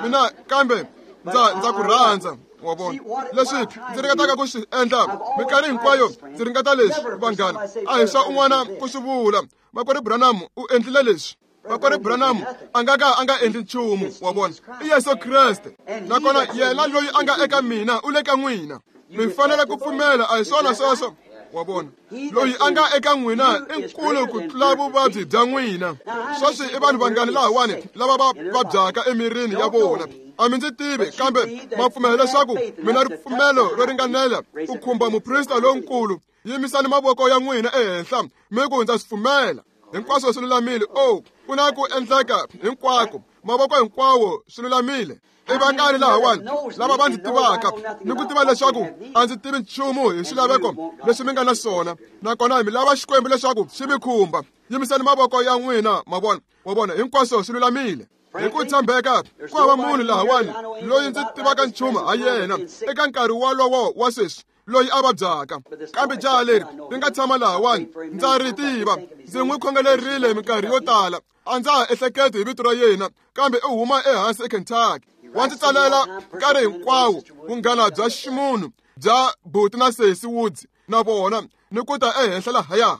[SPEAKER 1] Mina kambe ndza ndza ku rhandza, wa vona. Leswi ndzi ringetaka ku swi endla minkarhi hinkwayo, ndzi ringeta leswi, vanghana, a hi swa un'wana ku swi vula. Makwerhu Branham u endlile leswi. Makwerhu Branham a nga ka a nga endli nchumu, wa vona. I Yesu Kreste. Nakona yena loyi a nga eka mina u le ka n'wina. Mi fanele ku pfumela, a hi swona sweswo, wa vona. Loyi a nga eka n'wina i nkulu ku tlula vuvabyi bya n'wina. Sweswi i vanhu vangani lahawani lava va vabyaka emirini ya vona. A mi ndzi tivi, kambe ma pfumela leswaku mi na ripfumelo ro ringanela ku khumba muprista lonkulu. Yimisani mavoko ya n'wina ehenhla mi ku ndza swi pfumela. Hinkwaswo swi lulamile. O, ku na ku endleka hinkwako, mavoko hinkwawo swi lulamile. I vangani lahawani lava va ndzi tivaka ni ku tiva leswaku a ndzi tivi nchumu hi swilaveko leswi mi nga na swona, nakona mi lava Xikwembu leswaku xi mi khumba. Yimisani mavoko ya n'wina, ma vona, wa vona, hinkwaswo swi lulamile. Hi ku tshembeka ku hava munhu lahawani loyi ndzi tivaka nchumu ha yena eka nkarhi wolowo wa sweswi loyi a vabyaka. Kambe jaha leri ri nga tshama lahawani ndza ri tiva, ndzi n'wi khongelerile minkarhi yo tala. A ndza ha ehleketi hi vito ra yena, kambe u huma ehansi eKentucky. Wa ndzi tsalela nkarhi hinkwawo vunghana bya ximunhu bya Buti na Sesi Woods na vona ni ku ta ehenhla lahaya.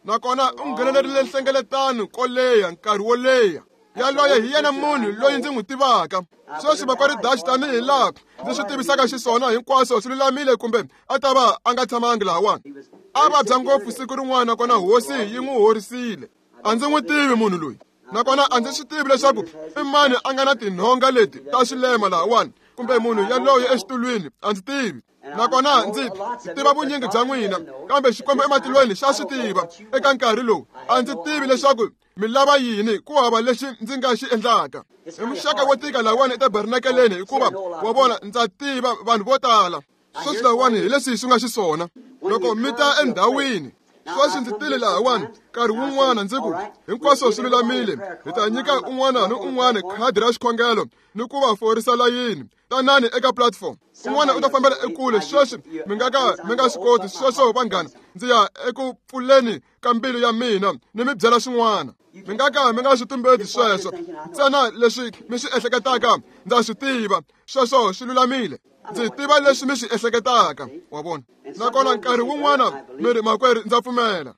[SPEAKER 1] Nakona u nghenelerile nhlengeletano ko leha nkarhi wo leha. Yaloye hi yena munhu loyi ndzi n'wi tivaka. Sweswi makwerhu Dauch tanihi laha ndzi swi tivisaka xiswona hinkwaswo swi lulamile kumbe a ta va a nga tshamangi lahawani. A vabya ngopfu siku rin'wana nakona hosi yi n'wi horisile. A ndzi n'wi tivi munhu loyi. Nakona a ndzi swi tivi leswaku i mani a nga na tinhonga leti ta swilema lahawani kumbe munhu yaloye exitulwini, a ndzi tivi. Nakona ndzi tiva vunyingi bya n'wina, kambe Xikwembu ematilweni xa swi tiva eka nkarhi lowu. A ndzi tivi leswaku mi lava yini, ku hava lexi ndzi nga xi endlaka. I muxaka wo tika lahawani etabernakeleni hikuva wa vona ndza tiva vanhu vo tala. Sweswi lahawani hi leswi swi nga xiswona. Loko mi ta endhawini, sweswi ndzi tile lahawani nkarhi wun'wana ndzi ku hinkwaswo swi lulamile, hi ta nyika un'wana ni un'wana khadi ra xikhongelo ni ku va forisa layini. Tanani eka platform. Un'wana u ta fambela ekule. Sweswi mi nga ka mi nga swi koti sweswo vanghana, ndzi ya eku pfuleni ka mbilu ya mina ni mi byela swin'wana. Mi nga ka mi nga swi tumbeti sweswo. Ntsena leswi mi swi ehleketaka ndza swi tiva. Sweswo swi lulamile. Ndzi tiva leswi mi swi ehleketaka, wa vona. Nakona nkarhi wun'wana mi ri makwerhu ndza pfumela.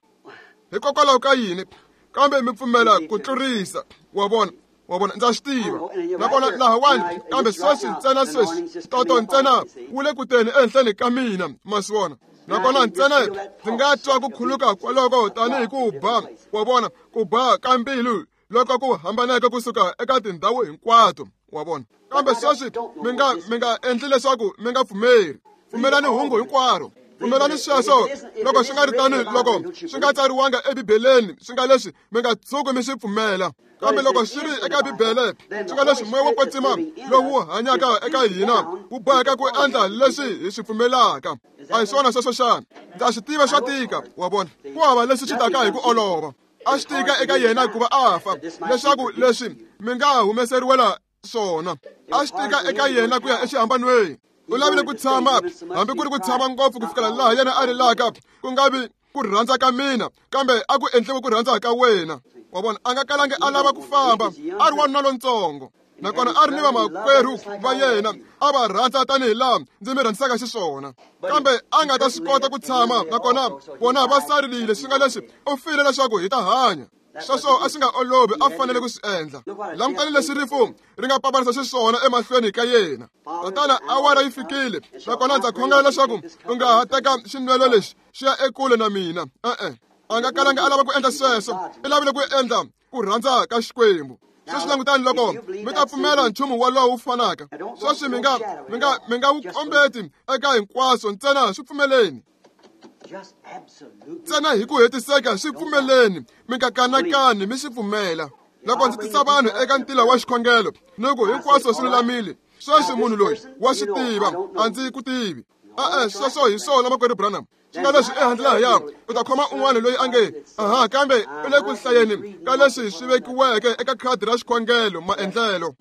[SPEAKER 1] Hikokwalaho ka yini? Kambe mi pfumela ku tlurisa, wa vona. Wa vona, ndza swi tiva. Nakona lahawani, kambe sweswi ntsena sweswi toto ntsena wu le ku teni ehenhleni ka mina, ma swi vona. Nakona ntsena ndzi nga twa ku khuluka kwaloko tanihi ku ba, wa vona, ku ba ka mbilu loko ku hambaneke kusuka eka tindhawu hinkwato, wa vona. Kambe sweswi mi nga mi nga endli leswaku mi nga pfumeri. Pfumelani hungu hinkwaro. Pfumelani sweswo. Loko swi nga ri tano, loko swi nga tsariwanga eBibeleni, swi nga leswi mi nga tshuki mi swi pfumela. Kambe loko swi ri eka Bibele, swi nga leswi moya wo kwetsima lowu hanyaka eka hina wu boheka ku endla leswi hi swi pfumelaka. A hi swona sweswo xana? Ndza swi tiva swa tika, wa vona. Ku hava leswi swi taka hi ku olova. A swi tika eka yena ku va a fa, leswaku leswi mi nga humeseriwela swona. A swi tika eka yena ku ya exihambanweni. U lavile ku tshama, hambi ku ri ku tshama ngopfu ku fikela laha yena a rilaka, ku nga vi ku rhandza ka mina, kambe a ku endliwe ku rhandza ka wena. Wa vona, a nga kalangi a lava ku famba, a ri wanuna lontsongo. Nakona a ri ni vamakwerhu va yena, a va rhandza tanihi laha ndzi mi rhandzisaka xiswona. Kambe a nga ta swi kota ku tshama, nakona vona va sarile, swi nga leswi u file leswaku hi ta hanya. Sweswo a swi nga olovi, a fanele ku swi endla. Langutani leswi rifu ri nga paparisa xiswona emahlweni ka yena. Tatana, awara yi fikile, nakona ndza khongela leswaku u nga ha teka xinwelo lexi xi ya ekule na mina. E-e, a nga kalanga a lava ku endla sweswo, i lavile ku endla ku rhandza ka Xikwembu. Sweswi langutani loko mi ta pfumela nchumu wolowo wu fanaka. Sweswi mi nga mi nga mi nga wu kombeti eka hinkwaswo, ntsena swi pfumeleni. Ntsena hi ku hetiseka swi pfumeleni, mi nga kanakani, mi swi pfumela. Loko ndzi tisa vanhu eka ntila wa xikhongelo ni ku hinkwaswo swi lulamile, sweswi munhu loyi wa swi tiva, a ndzi ku tivi. E-e, sweswo hi swona makwerhu Branham. Swi nga leswi ehandle lahaya u ta khoma un'wana loyi a nge aha, kambe u le ku hlayeni ka leswi swi vekiweke eka khadi ra xikhongelo maendlelo.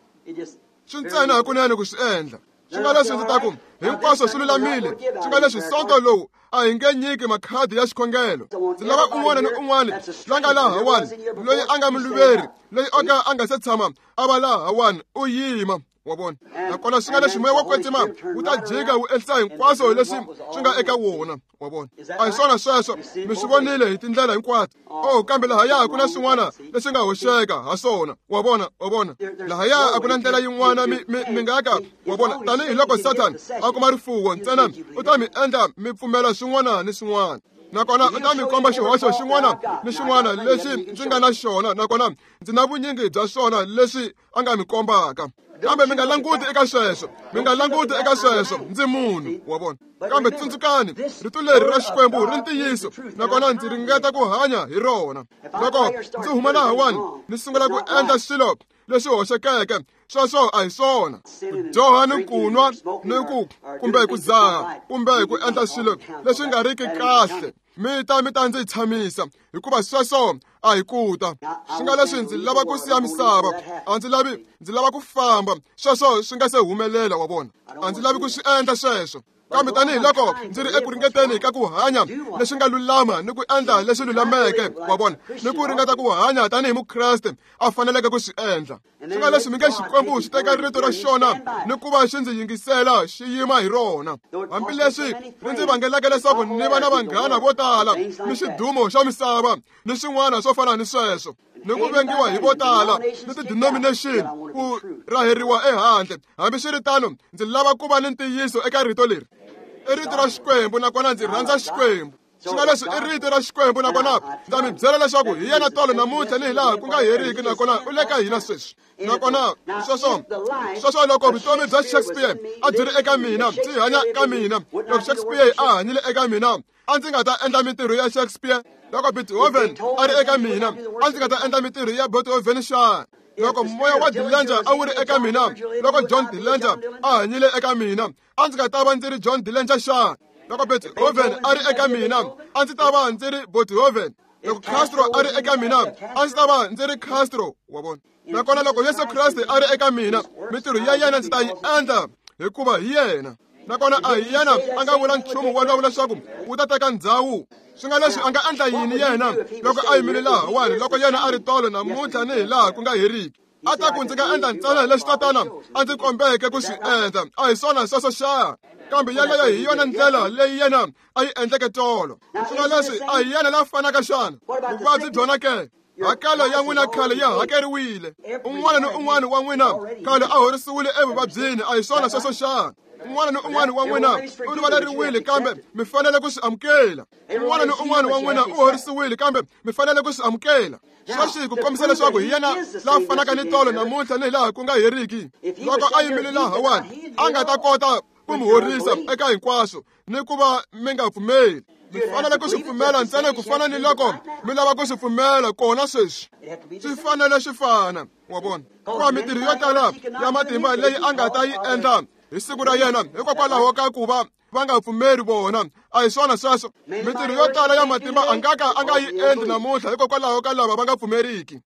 [SPEAKER 1] Swi ntsena hakunene ku swi endla. Swi nga leswi ndzi ta ku hinkwaswo swi lulamile. Swi nga leswi sonto lowu a hi nge nyiki makhadi ya xikhongelo. Ndzi lava un'wana ni un'wana la nga lahawani loyi a nga muluveri, loyi o ka a nga se tshama a va lahawani, u yima, wa vona. Nakona swi nga leswi moya wo kwetsima wu ta jika wu endlisa hinkwaswo leswi swi nga eka wona, wa vona. A hi swona sweswo, mi swi vonile hi tindlela hinkwato. Oh, kambe lahaya ku na swin'wana leswi nga hoxeka ha swona, wa vona, wa vona. Lahaya a ku na ndlela yin'wana mi mi mi nga ka, wa vona. Tanihiloko Satan a kuma rifuwo ntsena u ta mi endla mi pfumela swin'wana ni swin'wana. Nakona u ta mi komba xihoxo xin'wana ni xin'wana lexi ndzi nga na xona, nakona ndzi na vunyingi bya swona leswi a nga mi kombaka. Kambe mi nga languti eka sweswo, mi nga languti eka sweswo, ndzi munhu, wa vona. Kambe tsundzukani, rito leri ra Xikwembu ri ntiyiso, nakona ndzi ringeta ku hanya hi rona. Loko ndzi huma lahawani ni sungula ku endla swilo leswi hoxekeke, sweswo a hi swona. Ku dyoha ni ku nwa ni ku kumbe ku dzaha kumbe ku endla swilo leswi nga riki kahle, mi ta mi ta ndzi tshamisa, hikuva sweswo a hi ku ta. Swi nga leswi ndzi lava ku siya misava, a ndzi lavi, ndzi lava ku famba. Sweswo swi nga se humelela, wa vona. A ndzi lavi ku swi endla sweswo. Kambe tanihiloko ndzi ri eku ringeteni ka ku hanya leswi nga lulama ni ku endla leswi lulameke, wa vona, ni ku ringeta ku hanya tanihi Mukreste a faneleke ku swi endla. Swi nga leswi mi nge Xikwembu xi teka rito ra xona ni ku va xi ndzi yingisela xi yima hi rona. Hambileswi ri ndzi vangeleke leswaku ni va na vanghana vo tala ni xidumo xa misava ni swin'wana swo fana ni sweswo, ni ku vengiwa hi vo tala ni ti-denomination ku raheriwa ehandle. Hambiswiritano, ndzi lava ku va ni ntiyiso eka rito leri. I rito ra Xikwembu nakona ndzi rhandza Xikwembu. Swi nga leswi i rito ra Xikwembu nakona ndza mi byela leswaku hi yena tolo namuntlha ni hilaha ku nga heriki, nakona u le ka hina sweswi. Nakona sweswo sweswo loko vutomi bya Shakespeare a byi ri eka mina, byi hanya ka mina, loko Shakespeare a hanyile eka mina, a ndzi nga ta endla mintirho ya Shakespeare. Loko Beethoven a ri eka mina, a ndzi nga ta endla mintirho ya Beethoven xana? Loko moya wa Dillinger a wu ri eka mina, loko John Dillinger a hanyile eka mina, a ndzi nga ta va ndzi ri John Dillinger xana? Loko Beethoven a ri eka mina, a ndzi ta va ndzi ri Beethoven. Loko Castro a ri eka mina, a ndzi ta va ndzi ri Castro, wa vona. Nakona loko Yesu Kreste a ri eka mina, mintirho ya yena ndzi ta yi endla hikuva hi yena. Nakona a hi yena a nga vula nchumu wolowo leswaku wu ta teka ndhawu. Swi nga leswi a nga endla yini yena loko a yimile lahawani, loko yena a ri tolo namuntlha ni hilaha ku nga heriki? A ta ku ndzi nga endla ntsena leswi tatana a ndzi kombeke ku swi endla. A hi swona sweswo xa? Kambe yeleyo hi yona ndlela leyi yena a yi endleke tolo. Swi nga leswi a hi yena la fanaka xana? Vuvabyi byona ke? Hakelo ya n'wina khale ya hakeriwile. Un'wana ni un'wana wa n'wina khale a horisiwile evuvabyini. A hi swona sweswo xana? Un'wana ni un'wana wa n'wina u rivaleriwile, kambe mi fanele ku swi amukela. Un'wana ni un'wana wa n'wina u horisiwile, kambe mi fanele ku swi amukela. Sweswi ku kombisa leswaku hi yena la fanaka ni tolo namuntlha ni hilaha ku nga heriki. Loko a yimile lahawani, a nga ta kota ku mi horisa eka hinkwaswo ni ku va mi nga pfumeli. Mi fanele ku swi pfumela ntsena ku fana ni loko mi lava ku swi pfumela kona sweswi. Swi fanele swi fana, wa vona. Hikuva mintirho yo tala ya matimba leyi a nga ta yi endla hi siku ra yena hikokwalaho ka ku va va nga pfumeri vona. A hi swona sweswo? Mintirho yo tala ya matimba a nga ka a nga yi endli namuntlha hikokwalaho ka lava va nga pfumeriki.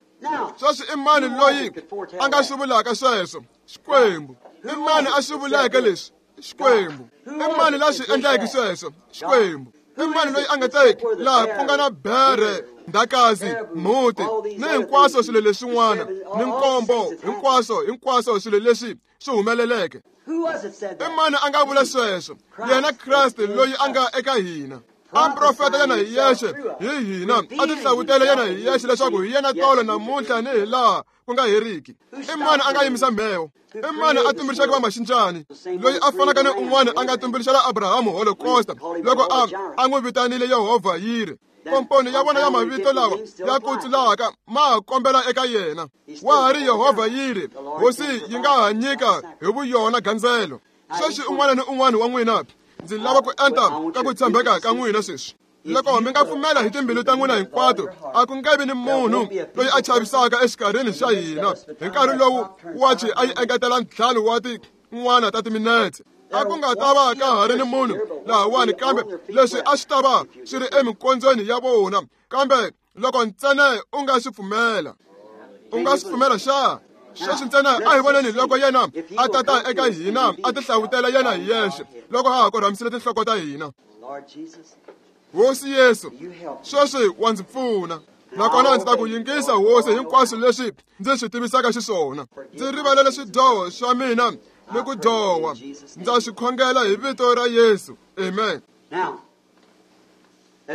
[SPEAKER 1] Sweswi i mani loyi a nga swi vulaka sweswo? Xikwembu. I mani a swi vuleke leswi? Xikwembu. I mani la swi endleke sweswo? Xikwembu. I mani loyi a nga teki laha ku nga na bere, ndhakazi, mhuti ni hinkwaswo swilo leswin'wana ni nkombo, hinkwaswo hinkwaswo swilo leswi swi humeleleke? I mani a nga vula sweswo? Yena Kreste loyi a nga eka hina. A profeta yena hi yexe hi hina, a tihlavutela yena hi yexe leswaku hi yena tolo namuntlha ni hilaha ku nga heriki. I mani a nga yimisa mheho? I mani a tumbuluxeke vamaxincani? Loyi a fanaka ni un'wana a nga tumbuluxela Abrahamu Holocaust loko a a n'wi vitanile Yehovha Yire. Komponi ya vona ya mavito lawa ya kutsulaka ma kombela eka yena. Wa ha ri Yehovha Yire, hosi yi nga ha nyika hi vuyona gandzelo. Sweswi un'wana ni un'wana wa n'wina, ndzi lava ku enta ka ku tshembeka ka n'wina sweswi. Loko mi nga pfumela hi timbilu ta n'wina hinkwato, a ku nge vi ni munhu loyi a chavisaka exikarhini xa hina. Hi nkarhi lowu wachi a yi engetela ntlhanu wa tin'wana ta timinetse, a ku nga ta va ka ha ri ni munhu lahawani, kambe leswi a swi ta va swi ri eminkondzweni ya vona. Kambe loko ntsena u nga swi pfumela, u nga swi pfumela xa? Sweswi ntsena a hi voneni loko yena a tata eka hina, a tihlavutela yena hi yexe loko ha ha korhamisile tinhloko ta hina. Hosi Yesu, sweswi wa ndzi pfuna. Nakona ndzi ta ku yingisa Hosi hinkwaswo leswi ndzi swi tivisaka xiswona. Ndzi rivalele swidyoho swa mina ni ku dyoha. Ndza swi khongela hi vito ra Yesu. Amen.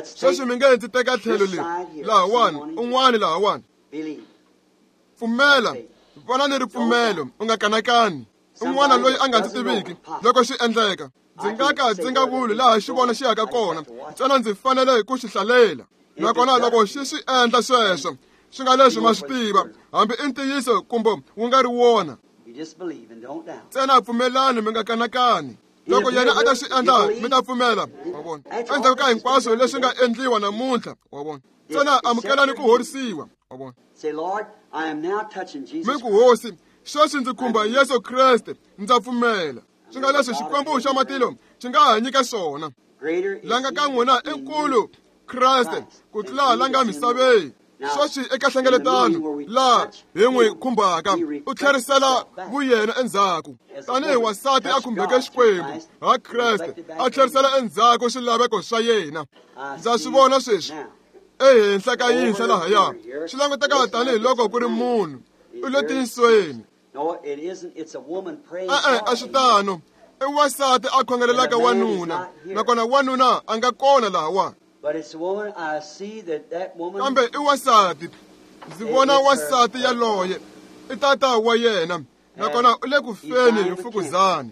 [SPEAKER 1] Sweswi mi nge ndzi teka tlhelo leri lahawani, un'wana lahawani. Pfumela, vona ni ripfumelo, u nga kanakani. Un'wana loyi a nga ndzi tiviki loko swi endleka, ndzi nga ka ndzi nga vuli laha xi vona xi yaka kona, ntsena ndzi fanele ku xi hlalela. Nakona loko xi swi endla sweswo, swi nga leswi ma swi tiva, hambi i ntiyiso kumbe wu nga ri wona. Ntsena pfumelani, mi nga kanakani. Loko yena a ta swi endla, mi ta pfumela, wa vona. Endzhaku ka hinkwaswo leswi nga endliwa namuntlha, wa vona. Ntsena amukelani ku horisiwa, wa vona. Mi ku Hosi, sweswi ndzi khumba Yesu Kreste, ndza pfumela. Swi nga leswi Xikwembu xa matilo xi nga ha nyika swona. La nga ka n'wina i nkulu Kreste ku tlula la nga misaveni. Sweswi eka hlengeletano laha hi n'wi khumbaka u tlherisela vuyena endzhaku tanihi wansati a khumbeke Xikwembu ha Kreste a tlherisela endzhaku swilaveko swa yena. Ndza swi vona sweswi ehenhla ka yinhla lahaya swi languteka tanihiloko ku ri munhu u le tiyisweni. E-e a swi tano, i wansati a khongelelaka wanuna nakona wanuna a nga kona lahawa. Kambe i wansati, ndzi vona wansati yaloye i tata wa yena nakona u le ku feni hi mfukuzani.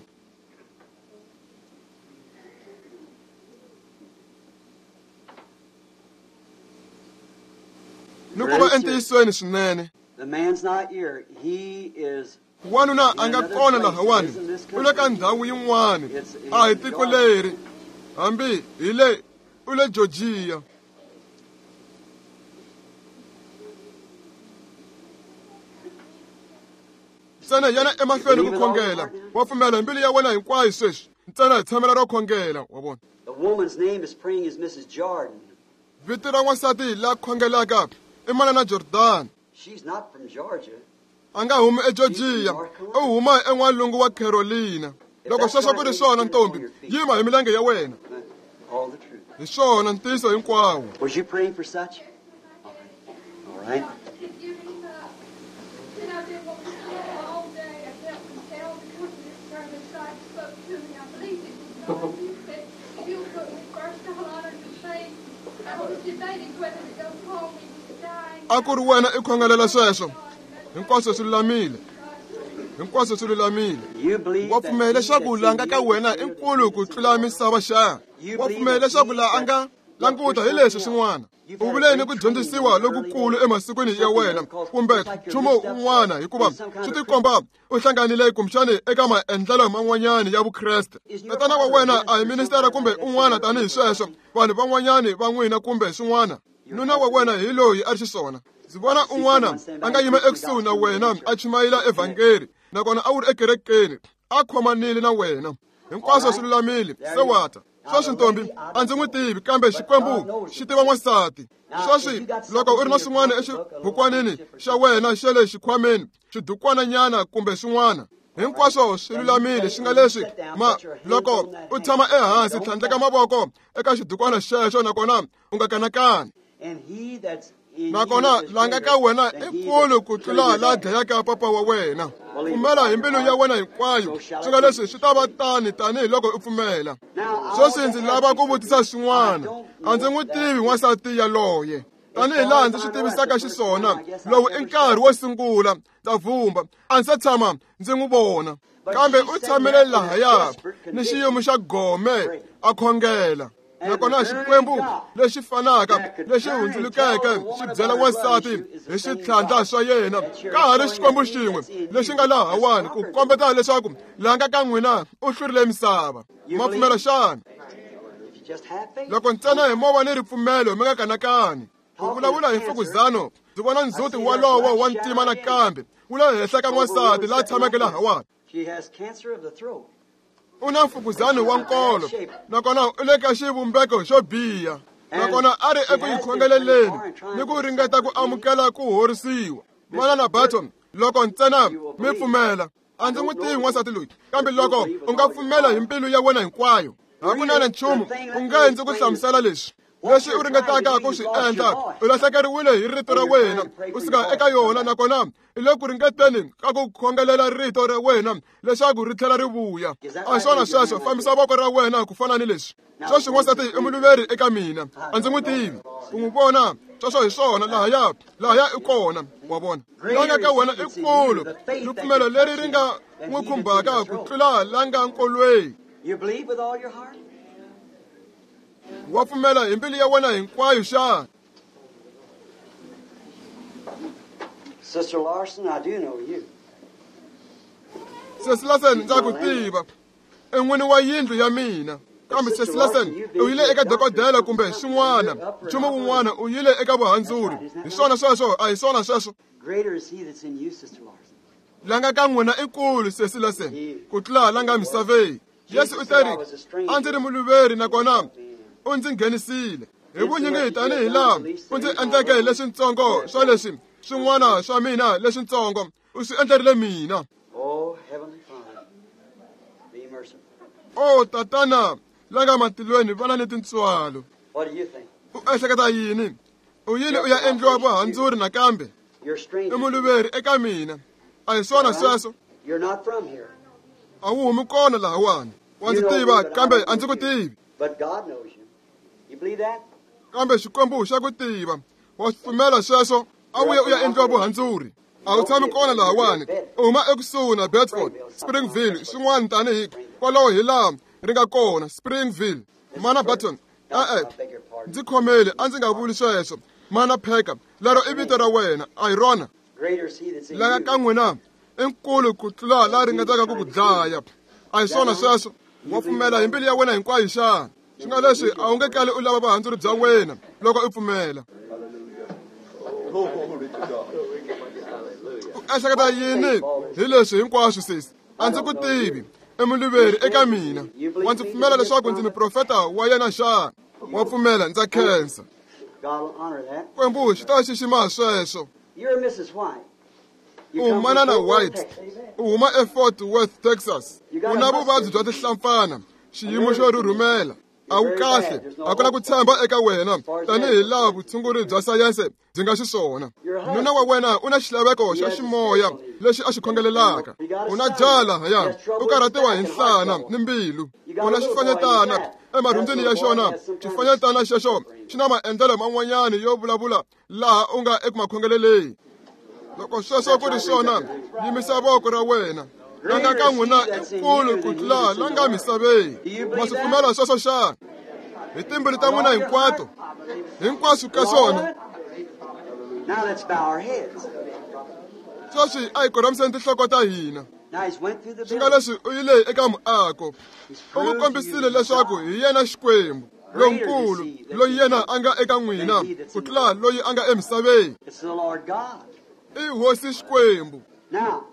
[SPEAKER 1] Ni ku va entiyisweni swinene. Wanuna a nga kona lahawani, u le ka ndhawu yin'wana, a hi tiko leri, hambi hi le u le Georgia. Ntsena yana emahlweni ku khongela, wa pfumela hi mbilu ya wena hinkwayo sweswi. Ntsena hi tshamela ro khongela, wa vona. Vito ra wansati la khongelaka i Manana Jordan. A nga humi eGeorgia, u huma en'walungu wa Carolina. Loko sweswo ku ri swona ntombi, yima hi milenge ya wena. Hi swona ntiyiso hinkwawo.
[SPEAKER 2] Was you praying for such? All right.
[SPEAKER 1] A ku ri wena i khongelela sweswo. Hinkwaswo swi lulamile. Hinkwaswo swi lulamile. Wa pfumela leswaku la nga ka wena i nkulu ku tlula misava xa? Wa pfumela leswaku la a nga languta hi leswi swin'wana? U vule ni ku dyondzisiwa lokukulu emasikwini ya wena kumbe nchumu un'wana, hikuva swi tikomba u hlanganile kumbexani eka maendlelo man'wanyani ya Vukreste. Tatana wa wena a hi ministera kumbe un'wana tanihi sweswo, vanhu van'wanyani va n'wina kumbe swin'wana. Nuna wa wena hi loyi a ri xiswona. Ndzi vona un'wana a nga yima ekusuhi na wena a chumayela evhangeli nakona a wu ri ekerekeni a khomanile na wena. Hinkwaswo swi lulamile, se wata. Sweswi ntombi a ndzi n'wi tivi, kambe Xikwembu xi tiva n'wansati. Sweswi loko u ri na swin'wana exibukwanini xa wena xa le xikhwameni, xidukwananyana kumbe swin'wana, hinkwaswo swi lulamile. Swi nga leswi ma loko u tshama ehansi tlhandleka mavoko eka xidukwana xexo nakona u nga kanakani. Nakona la nga ka wena i nkulu ku tlula la dlayaka papa wa wena. Pfumela hi mbilu ya wena hinkwayo, swi nga leswi swi ta va tani tanihiloko u pfumela. Sweswi ndzi lava ku vutisa swin'wana. A ndzi n'wi tivi n'wansati yaloye tanihi laha ndzi swi tivisaka xiswona. Lowu i nkarhi wo sungula ndza vumba, a ndzi se tshama ndzi n'wi vona, kambe u tshamile lahaya ni xiyimo xa gome a khongela. Nakona Xikwembu lexi fanaka lexi hundzulukeke xi byela wansati hi switlhandla swa yena, ka ha ri Xikwembu xin'we lexi nga lahawani ku kombeta leswaku la nga ka n'wina u hlurile misava. Ma pfumela xana? Loko ntsena hi mova ni ripfumelo mi nga kanakani. Ku vulavula hi mfukuzano, ndzi vona ndzhuti walowo wa ntima nakambe wu le henhla ka n'wansati la tshameke lahawani. U na mfukuzano wa nkolo nakona u le ka xivumbeko xo biha, nakona a ri eku yi khongeleleni ni ku ringeta ku amukela ku horisiwa. Manana Barton, loko ntsena mi pfumela, a ndzi n'wi tivi n'wansati loyi, kambe loko u nga pfumela hi mbilu ya wena hinkwayo, hakunene nchumu u nge ndzi ku hlamusela leswi. Leswi u ringetaka ku swi endla, u lahlekeriwile hi rito ra wena, u suka eka yona nakona i le ku ringeteni ka ku khongelela rito ra wena leswaku ri tlhela ri vuya. A swona sweswo, fambisa voko ra wena ku fana ni leswi. Sweswi n'wansati i muluveri eka mina, a ndzi n'wi tivi. U n'wi vona, sweswo hi swona, lahaya lahaya i kona, wa vona. La nga ka wena i kulu, ripfumelo leri ri nga n'wi khumbaka ku tlula la nga nkolweni. Wa pfumela hi mbilu ya wena hinkwayo xana?
[SPEAKER 2] Sister Larson, I do know you.
[SPEAKER 1] Sesi Larson, ndza ku tiva. I n'wini wa yindlu ya mina. Kambe Sesi Larson, u yile eka dokodela kumbe swin'wana, nchumu wun'wana, u yile eka vuhandzuri. Hi swona sweswo, a hi swona sweswo.
[SPEAKER 2] Greater is he that's in you, Sister Larson.
[SPEAKER 1] La nga ka n'wina i kulu, Sesi Larson, ku tlula la nga misaveni. Yesu u teri, a ndzi ri muluveri nakona u ndzi nghenisile. Hi vunyingi tanihi laha u ndzi endleke leswintsongo swa leswi swin'wana swa mina leswintsongo u swi endlerile mina. O tatana la nga matilweni vana ni tintswalo. U ehleketa yini? U yini u ya endliwa vuhandzuri nakambe? I muluveri eka mina. A hi swona sweswo? A wu humi kona lahawani. Wa ndzi tiva kambe a ndzi ku tivi. Kambe Xikwembu xa ku tiva. Wa swi pfumela sweswo? A wu ye u ya endliwa vuhandzuri. A wu tshami kona lahawani. U huma ekusuhi na Bedford, Springville, swin'wana tanihi kwalaho hi laha ri nga kona, Springville. Mana Barton, e-e, ndzi khomele a ndzi nga vuli sweswo. Mana Pheka, lero i vito ra wena, a hi rona? La nga ka n'wina i nkulu ku tlula la ringetaka ku ku dlaya. A hi swona sweswo? Wa pfumela hi mbilu ya wena hinkwayo xana? Swi nga leswi a wu nge kali u lava vuhandzuri bya wena loko u pfumela. U ehleketa yini hi leswi hinkwaswo sesi? A ndzi ku tivi. I muluveri eka mina. Wa ndzi pfumela leswaku ndzi muprofeta wa yena xana? Wa pfumela, ndza khensa. Xikwembu xi ta xixima sweswo. U manana White, u huma eFort Worth, Texas. U na vuvabyi bya tinhlampfana, xiyimo xo rhurhumela. A wu kahle, a ku na ku tshemba eka wena tanihi laha vutshunguri bya sayense byi nga xiswona. Nuna wa wena u na xilaveko xa ximoya lexi a xi khongelelaka. U na jaha lahaya, u karhatiwa hi nhlana ni mbilu. U na xifanyetana emarhundzwini ya xona. Xifanyetana xexo xi na maendlelo man'wanyana yo vulavula laha u nga eku makhongeleleni. Loko sweswo ku ri swona, yimisa voko ra wena. La nga ka n'wina i nkulu ku tlula la nga misaveni. Ma swi pfumela sweswo xana? Hi timbilu ta n'wina hinkwato, hinkwaswo ka swona. Sweswi a hi korhamiseni tinhloko ta hina. Swi nga leswi u yile eka muako, u n'wi kombisile leswaku hi yena Xikwembu lonkulu loyi yena a nga eka n'wina ku tlula loyi a nga emisaveni. I Hosi Xikwembu.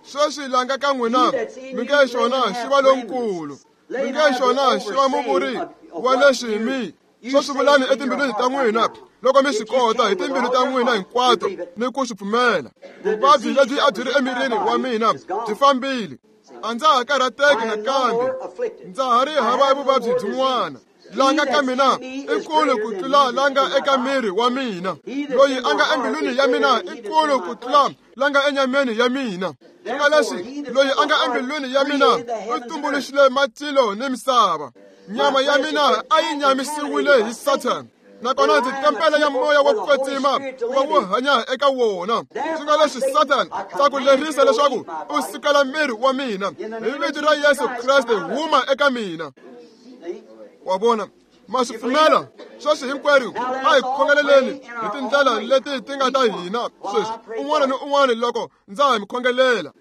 [SPEAKER 1] Sweswi la nga ka n'wina mi nge xona xi va lonkulu, mi nge xona xi va muvuri wa leswi mi swo swi vulani etimbilwini ta n'wina loko mi swi kota hi timbilu ta n'wina hinkwato ni ku swi pfumela. Vuvabyi lebyi a byi ri emirini wa mina byi fambile. A ndza ha karhateki nakambe, ndza ha ri hava vuvabyi byin'wana. La nga ka mina i nkulu ku tlula la nga eka miri wa mina. Loyi a nga embilwini ya mina i nkulu ku tlula la nga enyameni ya mina. Swi nga leswi loyi a nga embilwini ya mina u tumbuluxile matilo ni misava. Nyama ya mina a yi nyamisiwile hi Satan, nakona ndzi tempele ya moya wa ku kwetsima wa wu hanya eka wona. Swi nga leswi Satan ta ku lerisa leswaku u sukela miri wa mina. Hi vito ra Yesu Kreste huma eka mina. Wa vona, ma swi pfumela? Sweswi hinkwerhu a hi khongeleleni hi tindlela leti ti nga ta hina sweswi, un'wana ni un'wana loko ndza ha mi khongelela.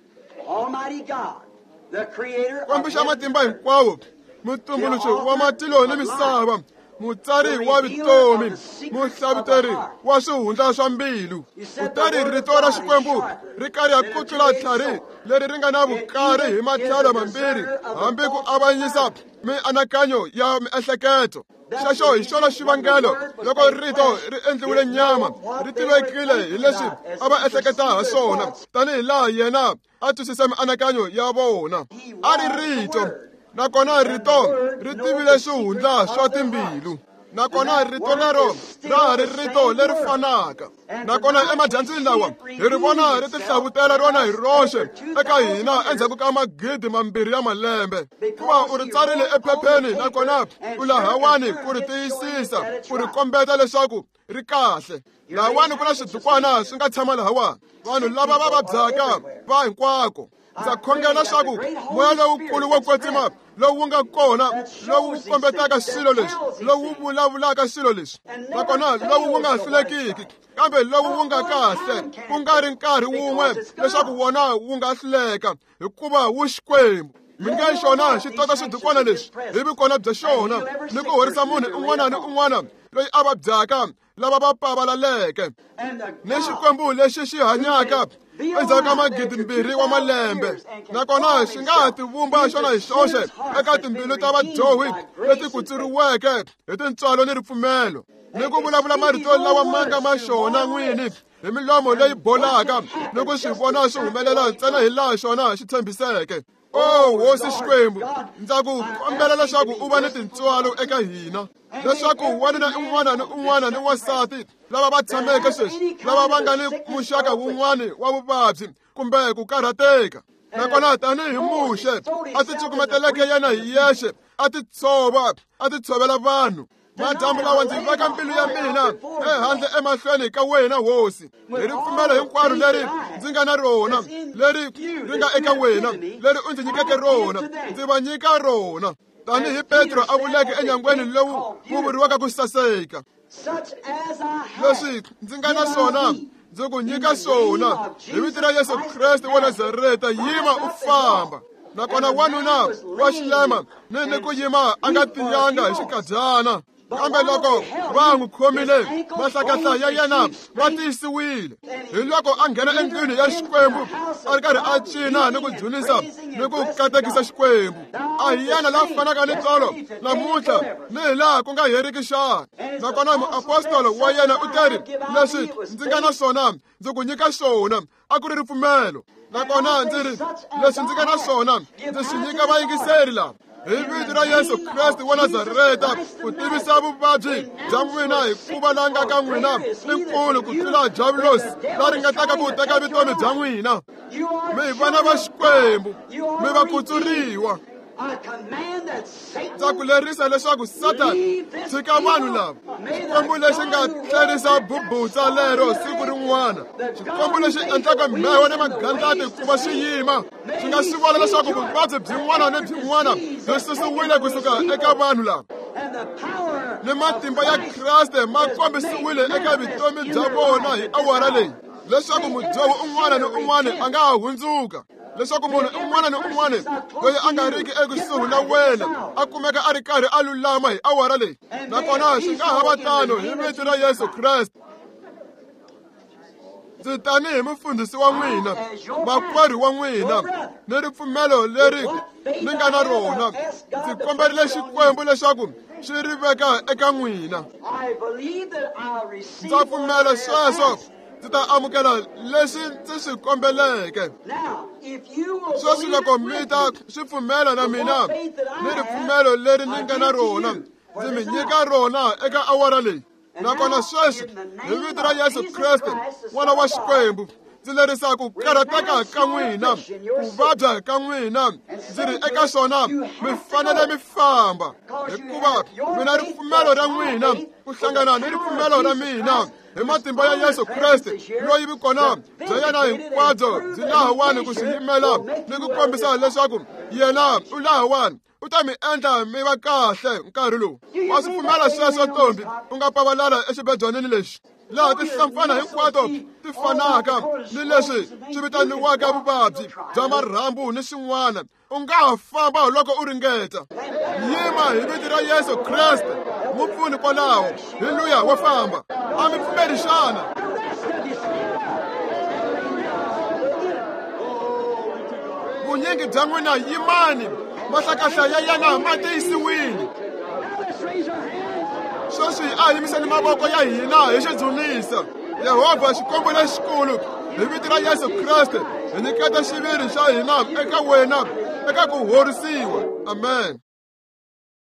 [SPEAKER 1] Xikwembu xa matimba hinkwawo, mutumbuluxi wa matilo ni misava, mutsari wa vutomi, muhlavuteri wa swihundla swa mbilu. Kutani rito ra Xikwembu ri karhi ku tlula tlhari leri ri nga na vukari hi matlhelo mambirhi, hambi ku avanyisa mianakanyo ya miehleketo. Xexo hi xona xivangelo loko rito ri endliwile nyama, ri tivekile hi leswi a va ehleketa ha swona, tanihi laha yena a twisisa mianakanyo ya vona. A ri rito, nakona rito ri tivile swihundla swa timbilu. Nakona rito lero ra ha ri rito leri fanaka. Nakona emadyambyini lawa hi ri vona ri tihlavutela rona hi roxe eka hina endzhaku ka magidi mambirhi ya malembe. Hikuva u ri tsarile ephepheni, nakona u lahawani ku ri tiyisisa, ku ri kombeta leswaku ri kahle. Lahawani ku na swidukwana swi nga tshama lahawani, vanhu lava va vabyaka va hinkwako. Ndza khongela leswaku moya lowukulu wo kwetsima lowu wu nga kona, lowu kombetaka swilo leswi, lowu vulavulaka swilo leswi, nakona lowu wu nga hlulekiki, kambe lowu wu nga kahle, ku nga ri nkarhi wun'we leswaku wona wu nga hluleka, hikuva wu Xikwembu. Mi nge xona xi tota swidukwana leswi hi vukona bya xona ni ku horisa munhu un'wana ni un'wana loyi a vabyaka lava va pavalaleke. Ni Xikwembu lexi xi hanyaka endzhaku ka magidimbirhi wa malembe, nakona xi nga ha tivumba xona hi xoxe eka timbilu ta vadyohi leti kutsuriweke hi tintswalo ni ripfumelo, ni ku vulavula marito lawa ma nga ma xona n'wini hi milomo leyi bolaka ni ku swi vona swi humelela ntsena hi laha xona xi tshembiseke. O Hosi Xikwembu, ndza ku kombela leswaku u va ni tintswalo eka hina, leswaku wanuna un'wana ni un'wana ni wansati lava va tshameke sweswi, lava va nga ni muxaka wun'wana wa vuvabyi kumbe ku karhateka, nakona tanihi Muxe a ti cukumeteleke yena hi yexe, a ti tshova, a ti tshovela vanhu. Madyambu lawa ndzi veka mbilu ya mina ehandle emahlweni ka wena Hosi, hi ripfumelo hinkwaro leri ndzi nga na rona, leri ri nga eka wena, leri u ndzi nyikeke rona, ndzi va nyika rona, tanihi Petro a vuleke enyangweni lowu wu vuriwaka ku saseka. Leswi ndzi nga na swona ndzi ku nyika swona hi vito ra Yesu Kreste wa Nazareta, yima u famba. Nakona wanuna wa xilema ni ni ku yima a nga tiyanga hi xikadyana, kambe loko va n'wi khomile mahlakahla ya yena ma tiyisiwile. Hi loko a nghena endlwini ya Xikwembu a ri karhi a cina ni ku dzunisa ni ku katekisa Xikwembu. A hi yena la fanaka ni tolo namuntlha ni hi laha ku nga heriki xana. Nakona muapostolo wa yena u teri, leswi ndzi nga na swona ndzi ku nyika swona, a ku ri ripfumelo. Nakona ndzi ri, leswi ndzi nga na swona ndzi swi nyika vayingiseri lava hi vito ra Yesu Kreste wa Nazareta, ku tivisa vuvabyi bya n'wina, hikuva la nga ka n'wina i nkulu ku tlula diabulosi la ringetaka ku teka vutomi bya n'wina. Mi vana va Xikwembu, mi va kutsuriwa. Ndza ku lerisa leswaku Satani tshika vanhu lava. Xikwembu lexi nga tlerisa bubutsa lero siku rin'wana, Xikwembu lexi endlaka mheho ni magandlati ku va xi yima, xi nga swi vona leswaku vuvabyi byin'wana ni byin'wana byi susiwile kusuka eka vanhu lava, ni matimba ya Kreste ma kombisiwile eka vutomi bya vona hi awara leyi, leswaku mudyohi un'wana ni un'wana a nga ha hundzuka, leswaku munhu un'wana ni un'wana loyi a nga riki ekusuhi na wena a kumeka a ri karhi a lulama hi awara leyi. Nakona swi nga ha va tano hi vito ra Yesu Kreste. Ndzi tanihi mufundhisi wa n'wina, makwerhu wa n'wina, ni ripfumelo leri ni nga na rona, ndzi komberile Xikwembu leswaku xi ri veka eka n'wina. Ndza pfumela sweswo, ndzi ta amukela leswi ndzi swi kombeleke. Sweswi loko mi ta swi pfumela na mina ni ripfumelo leri ni nga na rona, ndzi mi nyika rona eka awara leyi. Nakona sweswi hi vito ra Yesu Kreste N'wana wa Xikwembu, ndzi lerisa ku karhateka ka n'wina, ku vabya ka n'wina, ndzi ri eka swona mi fanele mi famba, hikuva mina ripfumelo ra n'wina ku hlangana ni ripfumelo ra mina hi matimba ya Yesu Kreste loyi vukona bya yena hinkwabyo byi lahawani ku swi yimela ni ku kombisa leswaku yena u lahawani, u ta mi endla mi va kahle nkarhi lowu. Wa swi pfumela sweswo ntombi, u nga pavalala exibedwanini lexi laha tinhlampfana hinkwato ti fanaka ni leswi swi vitaniwaka vuvabyi bya marhambu ni swin'wana, u nga ha famba loko u ringeta. Yima hi vito ra Yesu Kreste, mupfuni kwalaho, hi luya wa famba. A mi pfumeli xana? Vunyingi bya n'wina yimani, mahlakahla ya yena ma tiyisiwile. Sweswi a yimiseni mavoko ya hina hi xidzunisa Yehovha Xikwembu lexikulu, hi vito ra Yesu Kreste hi nyiketa xiviri xa hina eka wena eka ku horisiwa. Amen.